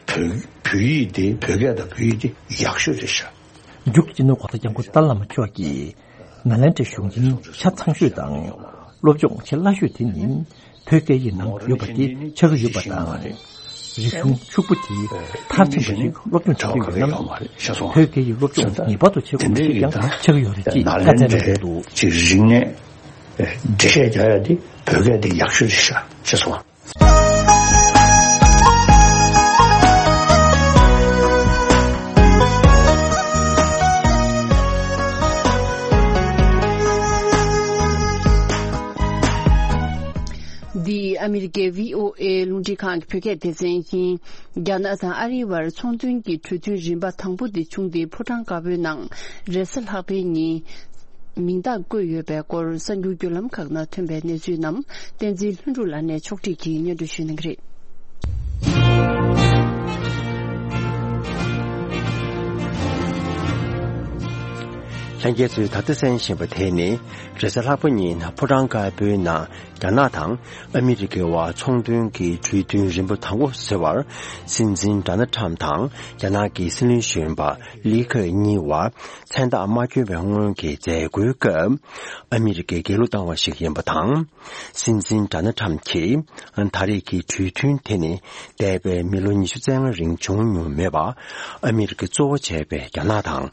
བོད་བོད་ཡིག་དེ་བོད་སྐད་དང་བོད་ཡིག་དེ་ཡག་ཤོས་རེད་ཤག། འཇུག་སྤྱི་ནོར་༸གོང་ས་༸སྐྱབས་མགོན་ཏཱ་ལའི་བླ་མ་མཆོག་གིས་ནཱ་ལེནྡྲའི་གཞུང་ཆེན་ཆ་ཚང་ཤོས་དང་སློབ་སྦྱོང་ཆེས་སླ་ཤོས་དེ་ནི་བོད་སྐད་ཡིག་ནང་ཡོད་པ་དེ་ཆགས་ཀྱི་ཡོད་པ་དང་། རིག་གཞུང་ཕྱུག་པོ་དེ་མཐར་ཕྱིན་པ་ཞིག་སློབ་སྦྱོང་བྱེད་ཀྱི་ཡོད་ན། བོད་སྐད་ཡིག་སློབ་སྦྱོང་ངེས་པར་དུ་བྱེད་དགོས་པ་ཞིག་ཀྱང་ཆགས་ཀྱི་ཡོད་རེད་ཅེས་བཀའ་སྩལ་གནང་གི་འདུག། ཅིག་རིག་གནས་འགྲེལ་བཤད་རྒྱག་ཡ་དེ་བོད་སྐད་དེ་ཡག་ཤོས་རེད་ཤག། ཤེས་སོང་། འདི་ཨ་མི་རི་ཀའི་བྷི་ཨོ་ཨེ་རླུང་འཕྲིན་ཁང་གི་བོད་སྐད་སྡེ་ཚན་ཡིན། རྒྱ་ནག་དང་ཨ་རིའི་བར་ཚོང་དོན་གྱི་གྲོས་མཐུན་རིམ་པ་དང་པོ་དེ་བྱུང་སྟེ། ཕོ་བྲང་དཀར་པོའི་ནང་རེས་གཟའ་ལྷག་པའི་ཉིན་མིང་རྟགས་བཀོད་ཡོད་པའི་སྐོར་གསར་འགྱུར་བརྒྱུད་ལམ་ཁག་ནང་ཐོན་པའི་གནས་ཚུལ་རྣམས་བསྟན་འཛིན་ལྷུན་གྲུབ་ལགས་ནས་ཕྱོགས་སྒྲིག་གིས་སྙན་སྒྲོན་ཞུ་གནང་གི་རེད། ལྷན་རྒྱས་ཚོས་ད་ལྟ་གསན་བཞིན་པ་དེ་ནི། རེས་གཟའ་ལྷག་པ་ཉིན་ཕོ་བྲང་དཀར་པོའི་ནང་རྒྱ་ནག་དང་ཨ་མི་རི་ཀའི་བར་ཚོང་དོན་གྱི་གྲོས་མཐུན་རིམ་པ་དང་པོ་ཟེར་བར། སྲིད་འཛིན་ཌོ་ནལ་ཁྲམ་དང་རྒྱ་ནག་གི་སྲིད་བློན་གཞོན་པ་ལི་ཁེ་གཉིས་བར་མཚན་རྟགས་མ་བསྐྱོན་པའི་སྔོན་གྱི་མཛད་སྒོའི་སྐབས། ཨ་མི་རི་ཀས་འགལ་བསྒྲགས་བཏང་བ་ཞིག་ཡིན་པ་དང་། སྲིད་འཛིན་ཌོ་ནལ་ཁྲམ་གྱིས་ད་རེས་ཀྱི་གྲོས་མཐུན་དེ་ནི། འདས་པའི་མི་ལོ་ཉི་ཤུ་རྩ་ལྔ་རིང་བྱུང་མྱོང་མེད་པ། ཨ་མི་རི་ཀ་གཙོ་བོ་བྱས་པའི་རྒྱ་ནག་དང་།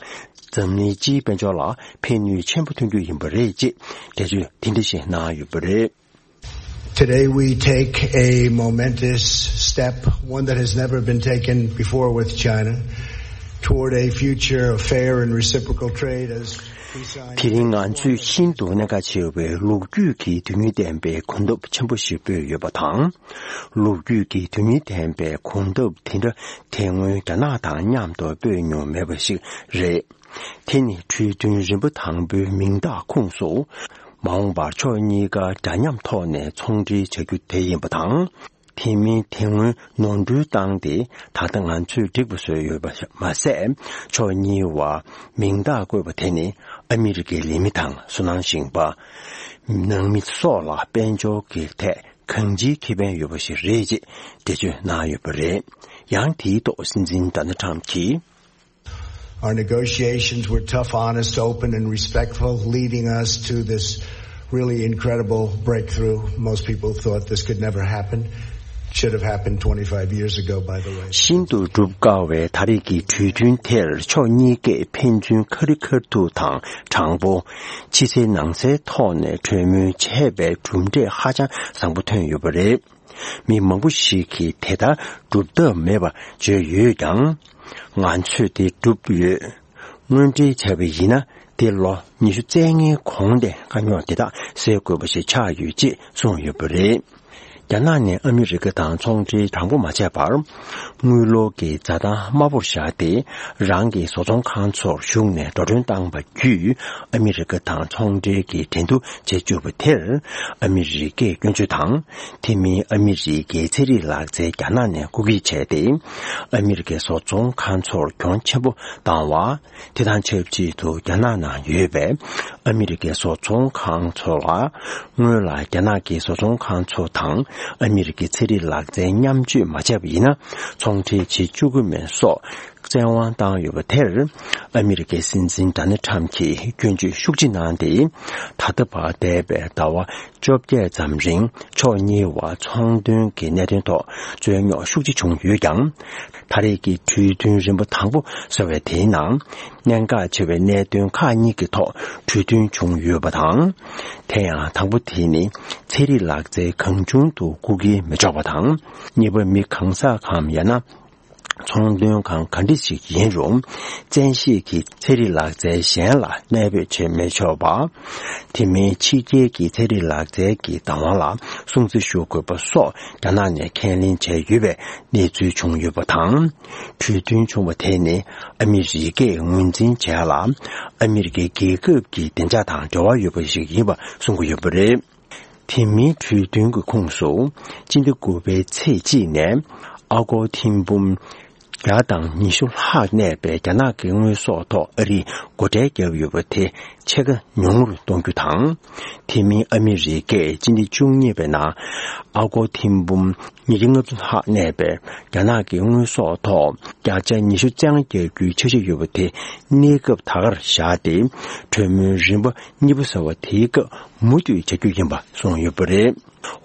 འཛམ་གླིང་སྤྱིའི་དཔལ་འབྱོར་ལ་ཕན་ནུས་ཆེན་པོ་ཐོན་རྒྱུ་ཡིན་པ་རེད་ཅེས་འགྲེལ་བརྗོད་དེ་འདྲ་ཞིག་གནང་ཡོད་པ་རེད། Today we take a momentous step, one that has never been taken before with China, toward a future of fair and reciprocal trade as we sign དེ་རིང་ང་ཚོས་ཤིན་ཏུ་གནད་འགག་ཆེ་བའི་ལོ་རྒྱུས་ཀྱི་དོན་སྙིང་ལྡན་པའི་གོམ་སྟབས་ཆེན་པོ་ཞིག་སྤོས་ཡོད་པ་དང་། ལོ་རྒྱུས་ཀྱི་དོན་སྙིང་ལྡན་པའི་གོམ་སྟབས་དེ་འདྲ་དེ་སྔོན་རྒྱ་ནག་དང་མཉམ་དུ་སྤོས་མྱོང་མེད་པ་ཞིག་རེད། དེ་ནི་གྲོས་མཐུན་རིམ་པ་དང་པོའི་མིང་རྟགས་ཁོངས་སུ། མ་འོངས་པར་ཕྱོགས་གཉིས་ཀ་འདྲ་མཉམ་ཐོག་ནས་ཚོང་འབྲེལ་བྱ་རྒྱུ་དེ་ཡིན་པ་དང་། དེ་མིན་དེ་སྔོན་ནོར་འཁྲུལ་བཏང་སྟེ། ད་ལྟ་ང་ཚོས་འགྲིག་པ་བཟོས་ཡོད་པ་མ་ཟད། ཕྱོགས་གཉིས་བར་མིང་རྟགས་བཀོད་པ་དེ་ནི་ཨ་མི་རི་ཀའི་ལས་མི་དང་བསོད་ནམས་ཞིང་པ། ནང་མི་སོགས་ལ་དཔལ་འབྱོར་གྱི་ཐད་གང་ཅིའི་ཁེ་ཕན་ཡོད་པ་ཞིག་རེད་ཅེས་འགྲེལ་བརྗོད་གནང་ཡོད་པ་རེད། ཡང་དེའི་ཐོག་སྲིད་འཛིན་ཌོ་ནལ་ཁྲམ་གྱིས། Our negotiations were tough, honest, open, and respectful, leading us to this really incredible breakthrough. Most people thought this could never happen. Should have happened twenty-five years ago, by the way. ཤིན་ཏུ་སྒྲུབ་དཀའ་བའི་ད་རེས་ཀྱི་གྲོས་མཐུན་དེར་ཕྱོགས་གཉིས་ཀས་ཕན་ཚུན་ཁ་རི་ཁ་ཐུག་དང་དྲང་པོ། ཕྱི་གསལ་ནང་གསལ་ཐོག་ནས་གྲོས་མོལ་བྱས་པའི་གྲུབ་འབྲས་ཧ་ཅང་བཟང་པོ་ཐོན་ཡོད་པ་རེད། མི་མང་པོ་ཞིག་གིས་དེ་ལྟར་སྒྲུབ་ཐབས་མེད་པ་བརྗོད་ཡོད་ཀྱང་། ང་ཚོས་དེ་བསྒྲུབས་ཡོད། དངོས་འབྲེལ་བྱས་པ་ཡིན་ན། དེ་ལོ་ཉི་ཤུ་རྩ་ལྔའི་གོང་དེ་དཀའ་རྙོག་དེ་དག་སེལ་དགོས་པ་ཞིག་ཆགས་ཡོད་ཅེས་གསུངས་ཡོད་པ་རེད། རྒྱ་ནག་ནས་ཨ་མི་རི་ཀ་དང་ཚོང་འབྲེལ་དྲང་པོ་མ་བྱས་པར། དངུལ་ལོར་གྱི་འཛའ་ཐང་དམའ་པོར་བཞག་སྟེ། རང་གི་བཟོ་ཚོང་ཁང་ཚོར་ཞུགས་ནས་འགྲོ་གྲོན་བཏང་བ་བརྒྱུད། ཨ་མི་རི་ཀ་དང་ཚོང་འབྲེལ་གྱི་འགྲན་བསྡུར་བྱེད་བཅུག་པ་དེར། ཨ་མི་རི་ཀས་སྐྱོན་བརྗོད་དང་། དེ་མིན་ཨ་མི་རི་ཀའི་ཚན་རིག་ལག་རྩལ་རྒྱ་ནག་ནས་རྐུ་འཁྱེར་བྱས་ཏེ། ཨ་མི་རི་ཀའི་བཟོ་ཚོང་ཁང་ཚོར་གྱོང་ཆེན་པོ་བཏང་བ། དེ་དང་ཆབས་ཅིག་ཏུ་རྒྱ་ནག་ནང་ཡོད་པའི་ཨ་མི་རི་ཀའི་བཟོ་ཚོང་ཁང་ཚོ་ལ། སྔོན་ལ་རྒྱ་ནག་གི་བཟོ་ཚོང་ཁང་ཚོ་དང་ཨ་མི་རི་ཀའི་ཚན་རིག་ལག་རྩལ་མཉམ་སྤྱོད་མ་བྱས་པ་ཡིན་ན། ཚོང་འབྲེལ་བྱེད་བཅུག་གི་མིན་སོགས་བཙན་དབང་བཏང་ཡོད་པ་དེར། ཨ་མི་རི་ཀའི་སྲིད་འཛིན་ཌོ་ནལ་ཁྲམ་གྱིས་སྐྱོན་བརྗོད་ཤུགས་ཆེ་གནང་སྟེ། ད་ལྟ་བར་འདས་པའི་ཟླ་བ་བཅོ་བརྒྱད་ཙམ་རིང་ཕྱོགས་གཉིས་བར་ཚོང་དོན་གྱི་གནད་དོན་ཐོག་རྩོད་རྙོག་ཤུགས་ཆེ་བྱུང་ཡོད་ཀྱང་། ད་རེས་ཀྱི་གྲོས་མཐུན་རིམ་པ་དང་པོ་ཟེར་བའི་དེའི་ནང་གནད་འགག་ཆེ་བའི་གནད་དོན་ཁག་གཉིས་ཀྱི་ཐོག་གྲོས་མཐུན་བྱུང་ཡོད་པ་དང་། དེ་ཡང་དང་པོ་དེ་ནི་ཚན་རིག་ལག་རྩལ་གང་བྱུང་དུ་རྐུ་འཁྱེར་མི་ཆོག་པ་དང་། གཉིས་པ་མི་གང་ཟག་གམ་ཡང་ན། ཚོང་དོན་ཁང་ག་འདྲ་ཞིག་ཡིན་རུང་། བཙན་ཤེད་ཀྱིས་ཚན་རིག་ལག་རྩལ་གཞན་ལ་གནས་སྤོས་བྱེད་མི་ཆོག་པ། དེ་མིན་ཕྱི་རྒྱལ་གྱི་ཚན་རིག་ལག་རྩལ་གྱི་བདག་དབང་ལ་སྲུང་བརྩི་ཞུ་དགོས་པ་སོགས་རྒྱ་ནག་ནས་ཁས་ལེན་བྱས་ཡོད་པའི་གནས་ཚུལ་བྱུང་ཡོད་པ་དང་། གྲོས་མཐུན་བྱུང་བ་དེ་ནི་ཨ་མི་རི་ཀས་ངོས་འཛིན་བྱས་ལ། ཨ་མི་རི་ཀའི་རྒྱལ་ཁབ་ཀྱི་བདེ་འཇགས་དང་འབྲེལ་བ་ཡོད་པ་ཞིག་ཡིན་པ་གསུང་གི་ཡོད་པ་རེད། དེ་མིན་གྲོས་མཐུན་གྱི་ཁོངས་སུ། སྤྱི་ཟླ་དགུ་པའི་ཚེས་གཅིག་ནས་ཨ་སྒོར་ཐེར་འབུམ་བརྒྱ་དང་ཉི་ཤུ་ལྷག་གནས་པའི་རྒྱ་ནག་གི་དངོས་ཟོག་ཐོག་ཨ་རིས་སྒོ་ཁྲལ་བརྒྱབ་ཡོད་པ་དེ་ཕྱེད་ཀ་ཉུང་རུ་གཏོང་རྒྱུ་དང་། དེ་མིན་ཨ་མི་རི་ཀས་སྤྱི་ཟླ་བཅུ་གཉིས་པའི་ནང་ཨ་སྒོར་ཐེར་འབུམ་ཉིས་བརྒྱ་ལྔ་བཅུ་ལྷག་གནས་པའི་རྒྱ་ནག་གི་དངོས་ཟོག་ཐོག་བརྒྱ་ཆ་ཉི་ཤུ་རྩ་ལྔ་བརྒྱབ་རྒྱུའི་འཆར་གཞི་ཡོད་པ་དེ་གནས་སྐབས་ད་གར་བཞག་སྟེ། གྲོས་མོལ་རིམ་པ་གཉིས་པ་ཟེར་བ་དེའི་སྐབས་མུ་མཐུད་བྱ་རྒྱུ་ཡིན་པ་གསུངས་ཡོད་པ་རེད།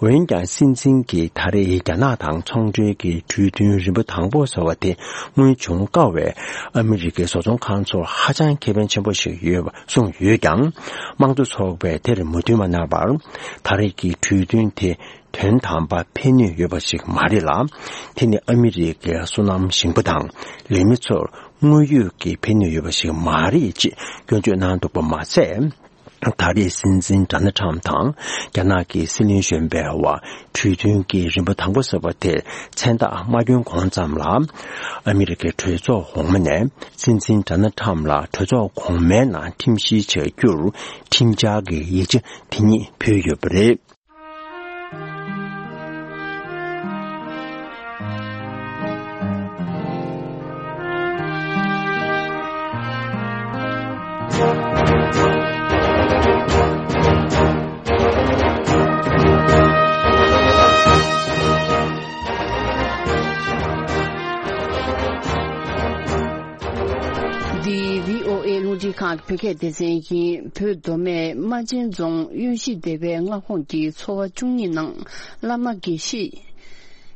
འོན་ཀྱང་སྲིད་འཛིན་གྱིས་ད་རེས་རྒྱ་ནག་དང་ཚོང་འབྲེལ་གྱི་གྲོས་མཐུན་རིམ་པ་དང་པོ་ཟེར་བ་དེ་སྔོན་བྱུང་དཀའ་བས། ཨ་མི་རི་ཀའི་བཟོ་ཚོང་ཁང་ཚོར་ཧ་ཅང་ཁེ་ཕན་ཆེན་པོ་ཞིག་ཡོད་པ་གསུངས་ཡོད་ཀྱང་། དམངས་གཙོ་ཚོགས་པས་དེར་མོས་མཐུན་མ་གནང་བར། ད་རེས་ཀྱི་གྲོས་མཐུན་དེ་དོན་དམ་པར་ཕན་ནུས་ཡོད་པ་ཞིག་མ་རེད་ལ། དེ་ནི་ཨ་མི་རི་ཀའི་བསོད་ནམས་ཞིང་པ་དང་ལས་མི་ཚོར་དངོས་ཡོད་ཀྱི་ཕན་ནུས་ཡོད་པ་ཞིག་མ་རེད་ཅེས་སྐྱོན་བརྗོད་གནང་འདུག་པ་མ་ཟད། ད་རེས་སྲིད་འཛིན་ཌོ་ནལ་ཁྲམ་དང་རྒྱ་ནག་གི་སྲིད་བློན་གཞོན་པའི་དབར་གྲོས་མཐུན་གྱི་རིམ་པ་དང་པོ་ཟེར་བ་དེར་མཚན་རྟགས་མ་བསྐྱོན་གོང་ཙམ་ལ། ཨ་མི་རི་ཀའི་གྲོས་ཚོགས་འོག་མ་ནས་སྲིད་འཛིན་ཌོ་ནལ་ཁྲམ་ལ་གྲོས་ཚོགས་གོང་མའི་ནང་ཁྲིམས་བཤེར་བྱ་རྒྱུར་ཁྲིམས་འཆར་གྱི་ཡིག་ཆ་དེ་ཉིད་ཕུལ་ཡོད་པ་རེད། རླུང་འཕྲིན་ཁང་གི་བོད་སྐད་སྡེ་ཚན་ཡིན། བོད་མདོ་སྨད་རྨ་ཆེན་རྫོང་གཡོན་གཞིས་སྡེ་བའི་མངའ་ཁོངས་ཀྱི་ཚོ་བ་བཅུ་གཉིས་ནང་བླ་མ་དགེ་བཤེས།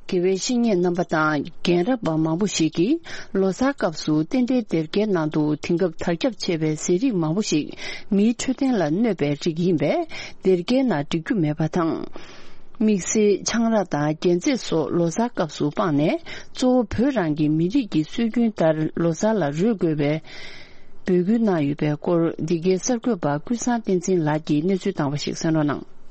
དགེ་བའི་བཤེས་གཉེན་རྣམ་པ་དང་རྒན་རབས་པ་མང་པོ་ཞིག་གིས་ལོ་གསར་སྐབས་སུ་རྟེན་འབྲེལ་སྡེར་ཁའི་ནང་དུ་དེང་སྐབས་དར་ཁྱབ་ཆེ་བའི་ཟས་རིགས་མང་པོ་ཞིག་མིའི་འཕྲོད་བསྟེན་ལ་གནོད་པའི་རིགས་ཡིན་པས། སྡེར་ཁའི་ནང་སྒྲིག་རྒྱུ་མེད་པ་དང་། དམིགས་བསལ་ཆང་རག་དང་རྒྱན་རྫས་སོགས་ལོ་གསར་སྐབས་སུ་སྤངས་ནས། གཙོ་བོ་བོད་རང་གི་མི་རིགས་ཀྱི་སྲོལ་རྒྱུན་ལྟར་ལོ་གསར་ལ་རོལ་དགོས་པའི་འབོད་སྐུལ་གནང་ཡོད་པའི་སྐོར། འདི་གའི་གསར་འགོད་པ་ཀུན་བཟང་བསྟན་འཛིན་ལགས་ཀྱིས་གནས་ཚུལ་བཏང་བ་ཞིག་གསན་རོགས་གནང་།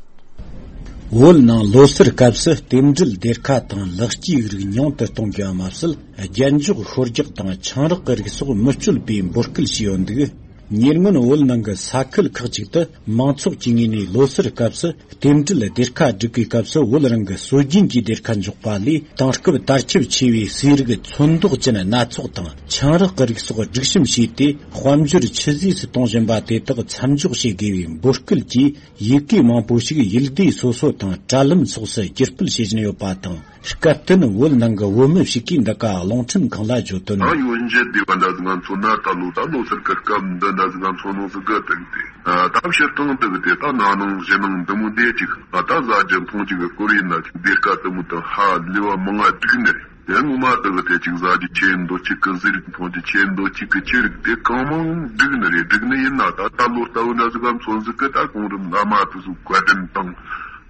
བོད་ནང་ལོ་སར་སྐབས་སུ་རྟེན་འབྲེལ་སྡེར་ཁ་དང་ལེགས་སྐྱེས་རིགས་ཉུང་དུ་གཏོང་དགོས་པ་མ་ཟད། རྒྱན་འཇོག་ཤོ་རྒྱག་དང་ཆང་རག་གི་རིགས་སོགས་མི་སྤྱོད་པའི་འབོད་སྐུལ་བྱས་ཡོད་འདུག། ཉེ་སྔོན་བོད་ནང་གི་ས་ཁུལ་ཁག་ཅིག་ཏུ་མང་ཚོགས་ཀྱི་ངོས་ནས་ལོ་སར་སྐབས་སུ་རྟེན་འབྲེལ་སྡེར་ཁ་སྒྲིག་པའི་སྐབས་སུ། བོད་རང་གི་སྲོལ་རྒྱུན་གྱི་སྡེར་ཁ་འཇོག་པ་ལས། དེང་སྐབས་དར་ཁྱབ་ཆེ་བའི་ཟས་རིགས་ཚོན་མདོག་ཅན་སྣ་ཚོགས་དང་ཆང་རག་གི་རིགས་སོགས་སྒྲིག་གཤོམ་བྱས་ཏེ། དཔལ་འབྱོར་ཆུད་ཟོས་སུ་གཏོང་བཞིན་པ་དེ་དག་མཚམས་འཇོག་བྱེད་དགོས་པའི་འབོད་སྐུལ་གྱིས། ཡི་གེ་མང་པོ་ཞིག་ཡུལ་སྡེ་སོ་སོ་དང་དྲ་ལམ་སོགས་སུ་བསྒྱུར་སྤེལ་བྱེད་བཞིན་ཡོད་པ་དང་། སྐབས་བསྟུན་བོད་ནང་གི་བོད་མི་ཞིག་གིས་འདི་ག་རླུང་འཕྲིན་ཁང་ལ་བརྗོད་དོན། ད་ཡོན་ཞི་སྡེ་བ་འདྲ་ཟིག་ང་མཚོན་ན། ད་ལོ་ད་ལོ་སར་གི་སྐབས་འདི་འདྲ་ཟིག་ང་མཚོན་ནོ་ཟིག་གི་དེ་གི་དེ། ད་ཕྱིར་བཏང་དེ་གི་དེ་ད་ན་ནིང་གཞེས་ནིང་འདི་མོ་འདི་ཅིག་ད་ཟ་རྒྱུ་འཐུང་རྒྱུ་གི་སྐོར་ཡིན་ན། ཅིག་སྡེར་ཁ་དེ་མོ་དང་ཧ་ལས་པ་མང་ང་བསྒྲིགས་ནི་རེད། དེ་ངོ་མ་དེ་གི་དེ་ཅིག་ཟ་རྒྱུ་ཆེ་འདོད་ཅིག་གི། ཟས་རིགས་འཐུང་རྒྱུ་ཆེ་འདོད་ཅིག་གི་ཆེ་རིགས་དེ་གང་མང་བསྒྲིགས་ནི་རེད། བསྒྲིགས་ནི་ཡིན་ན། ད་ད་ལོ་ལྟ་བུ་འདྲ་ཟིག་ག་མཚོན་ཟིག་གི་ད་གོང་རིམ་བླ་མ་དེ་ཚོ་བཀའ་དྲིན་དང་།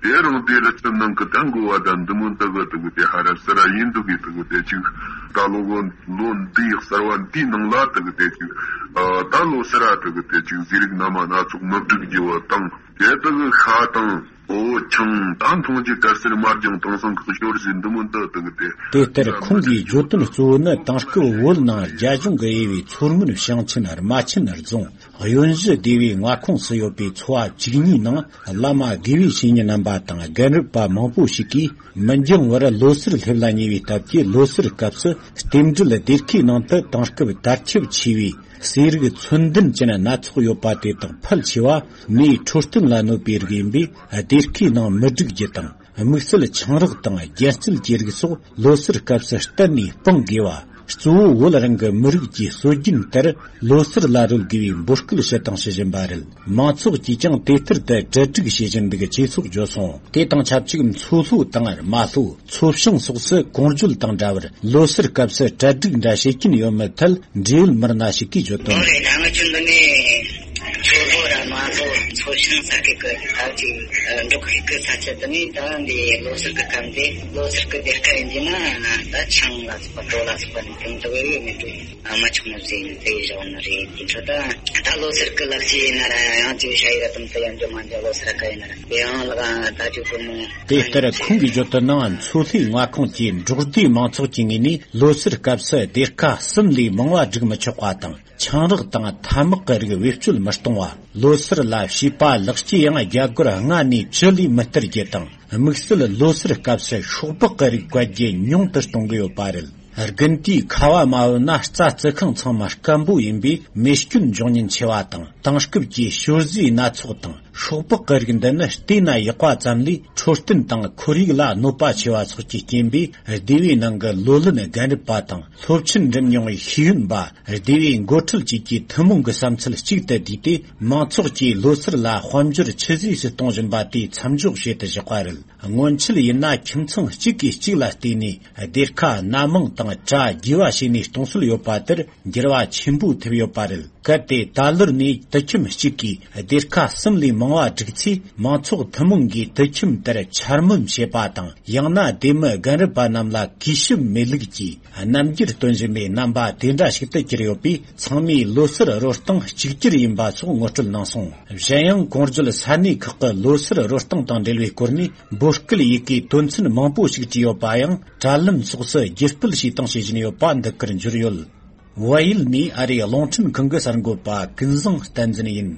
དེ་རིང་དེ་རི་ཆུ་ནང་གི་ད་འགོ་བ་དང་འདི་མོ་འདི་གི་དེ་གི་དེ་ཧ་ར་སི་ར་ཡིན་འདུག་གི་དེ་གི་དེ་ཅིག་ད་ལོ་གོ་ལོ་འདིའི་གསར་བ་འདིའི་ནང་ལ་དེ་གི་དེ་ཅིག་ཨ་ད་ལོ་སི་ར་དེ་གི་དེ་ཅིག་ཟས་རིགས་སྣ་མ་སྣ་ཚོགས་མི་བསྒྲིགས་རྒྱུ་བ་དང་། དེ་དེ་གི་ཤ་དང་འོ་ཆང་ད་འཐུང་རྒྱུ་དཀར་སེར་དམར་ལྗང་དེང་སང་གི་ཞོར་ཟས་འདི་མོ་འདི་དེ་གི་དེ། དེ་ལྟར་ཁོང་གིས་བརྗོད་དོན་གཙོ་བོ་ནི། དེང་སྐབས་བོད་ནང་རྒྱ་གཞུང་གིས་དབྱེ་བའི་མཚོ་སྔོན་ཞིང་ཆེན་རྨ་ཆེན་རྫོང་གཡོན་གཞི་སྡེ་བའི་མངའ་ཁོངས་སུ་ཡོད་པའི་ཚོ་བ་བཅུ་གཉིས་ནང་། བླ་མ་དགེ་བའི་བཤེས་གཉེན་རྣམ་པ་དང་རྒན་རབས་པ་མང་པོ་ཞིག་གིས་མི་འགྱང་བར་ལོ་སར་སླེབས་ལ་ཉེ་བའི་སྟབས་ཀྱིས། ལོ་སར་སྐབས་སུ་རྟེན་འབྲེལ་སྡེར་ཁའི་ནང་དུ་དེང་སྐབས་དར་ཁྱབ་ཆེ་བའི་ཟས་རིགས་ཚོན་ལྡན་ཅན་སྣ་ཚོགས་ཡོད་པ་དེ་དག་ཕལ་ཆེ་བ་མིའི་འཕྲོད་བསྟེན་ལ་གནོད་པའི་རིགས་ཡིན་པས། སྡེར་ཁའི་ནང་མི་བསྒྲིགས་རྒྱུ་དང་། དམིགས་བསལ་ཆང་རག་དང་རྒྱལ་རྩེད་ཀྱི་རིགས་སོགས་ལོ་སར་སྐབས་སུ་གཏན་ནས་སྤང་དགོས་པ། གཙོ་བོ་བོད་རང་གི་མི་རིགས་ཀྱི་སྲོལ་རྒྱུན་ལྟར་ལོ་སར་ལ་རོལ་དགོས་པའི་འབོད་སྐུལ་ཞུ་དང་ཞུ་བཞིན་པ་རེད། མང་ཚོགས་ཀྱིས་ཀྱང་དེ་ལྟར་དུ་གྲ་སྒྲིག་བྱེད་བཞིན་འདུག་ཅེས་སོགས་བརྗོད་སོང་། དེ་དང་ཆབས་ཅིག་མཚོ་ལྷོ་དང་རྨ་ལྷོ། མཚོ་བྱང་སོགས་སུ་གོང་བརྗོད་དང་འདྲ་བར་ལོ་སར་སྐབས་སུ་གྲ་སྒྲིག་འདྲ་བྱེད་ཀྱིན་ཡོད་མེད་ཐད་འབྲེལ་ཡོད་མི་སྣ་ཞིག་གིས་བརྗོད་དོན། ཨོ་རེད། ད་ང་ཚོ་འདི་ནས་མཚོ་ལྷོ་ར་རྨ་ལྷོ་མཚོ་བྱང་ས་ཁུལ་གྱི་ད་ཅིག་འབྲོག་ཁུལ་གྱི་ས་ཆ་འདི་ནས་ད་འདི་ལོ་སར་གྱི་སྐབས་འདི་ལོ་སར་གྱི་སྡེར་ཁ་ཡིན་གྱི་ན་ད་ཆང་ལ་སོགས་པ་གྲོ་ལ་སོགས་པ་ནི་དེ་འདྲ་བའི་མི་འདུག་ཨ་མ་ཆུང་མ་ཟིན་དེ་བཞག་ནི་རེད། དེ་འཕྲོ་ད་ད་ལོ་སར་གྱི་ལག་ཤེས་ཡིན་ན་ར་ཡང་ཅིག་ཤ་ཡི་ར་དམ་དུ་ཡང་འཇོག་མ་འཇོག་ལོ་སར་ག་ཡིན་ན་ར་དེ་ཡང་ལག་ད་ཅིག་གོ་མོ། དེ་ལྟར་ཁོང་གིས་བརྗོད་དོན་ནང་། མཚོ་ལྷོའི་མངའ་ཁོངས་ཀྱི་འབྲོག་སྡེའི་མང་ཚོགས་ཀྱི་ངོས་ནས་ལོ་སར་སྐབས་སུ་སྡེར་ཁ་གསུམ་ལས་མང་བ་སྒྲིག་མི་ཆོག་པ་དང་། ཆང་རག་དང་ཐ་མག་གི་རིགས་བེད་སྤྱོད་མི་གཏོང་བ། ལོ་སར་ལ་བྱིས་པ་ལེགས་སྐྱེས་ཡང་རྒྱ་སྒོར་ལྔ་ནས་བཅུ་ལས་མི་སྟེར་རྒྱུ་དང་། དམིགས་བསལ་ལོ་སར་སྐབས་སུ་ཤོག་སྦག་གི་རིགས་བཀལ་རྒྱུ་ཉུང་དུ་གཏོང་གི་ཡོད་པ་རེད། དགུན་དུས་ཁ་བ་མ་བབས་ན་རྩྭ་རྩི་ཁང་ཚང་མ་སྐམ་པོ་ཡིན་པས་མེ་སྐྱོན་འབྱུང་ཉེན་ཆེ་བ་དང་། དེང་སྐབས་ཀྱི་ཞོར་ཟས་སྣ་ཚོགས་དང་ཤོག་སྦག་གི་རིགས་འདི་ནི་བལྟས་ན་ཡག་པ་ཙམ་ལས་འཕྲོད་བསྟེན་དང་ཁོར་ཡུག་ལ་གནོད་པ་ཆེ་བ་སོགས་ཀྱི་རྐྱེན་པས། སྡེ་བའི་ནང་གི་ལོ་ལོན་རྒན་རབས་པ་དང་སློབ་ཆེན་འགྲིམ་མྱོང་བའི་ཤེས་ཡོན་པ། སྡེ་བའི་འགོ་ཁྲིད་བཅས་ཀྱི་ཐུན་མོང་གི་བསམ་ཚུལ་གཅིག་ཏུ་བསྡུས་ཏེ། མང་ཚོགས་ཀྱིས་ལོ་སར་ལ་དཔལ་འབྱོར་ཆུད་ཟོས་སུ་གཏོང་བཞིན་པ་དེ་མཚམས་འཇོག་བྱེད་དུ་བཞག་པ་རེད། སྔོན་ཆད་ཡིན་ན་ཁྱིམ་ཚང་གཅིག་གིས་གཅིག་ལ་བལྟས་ནས་སྡེར་ཁ་སྣ་མང་དང་གྲྭ་རྒྱས་པ་བྱས་ནས་གཏོང་སྲོལ་ཡོད་པ་དེར་འགྱུར་བ་ཆེན་པོ་ཐེབས་ཡོད་པ་རེད། གལ་ཏེ་ད་ལོར་ནས་དུད་ཁྱིམ་གཅིག་གིས་སྡེར་ཁ་གསུམ་ལས་མང་བ་བསྒྲིགས་ཚེ། མང་ཚོགས་ཐུན་མོང་གིས་དུད་ཁྱིམ་དེར་འཕྱ་སྨོད་བྱེད་པ་དང་། ཡང་ན་སྡེ་མི་རྒན་རབས་པ་རྣམས་ལ་གུས་ཞབས་མེད་ལུགས་ཀྱིས་རྣམ་འགྱུར་སྟོན་བཞིན་པའི་རྣམ་པ་དེ་འདྲ་ཞིག་ཏུ་གྱུར་ཡོད་པས། ཚང་མས་ལོ་སར་རོལ་སྟངས་གཅིག་གྱུར་ཡིན་པ་སོགས་ངོ་སྤྲོད་གནང་སོང་། གཞན་ཡང་གོང་བརྗོད་ས་གནས་ཁག་གི་ལོ་སར་རོལ་སྟངས་དང་འབྲེལ་བའི་སྐོར་ནས་འབོད་སྐུལ་ཡི་གེའི་དོན་ཚན་མང་པོ་ཞིག་བྲིས་ཡོད་པ་ཡང་དྲ་ལམ་སོགས་སུ་བརྒྱུད་སྤེལ་བྱས་དང་བྱེད་བཞིན་ཡོད་པ་འདི་གར་འབྱོར་ཡོད། བལ་ཡུལ་ནས་ཨ་རིའི་རླུང་འཕྲིན་ཁང་གི་གསར་འགོད་པ་ཀུན་བཟང་བསྟན་འཛིན་ཡིན།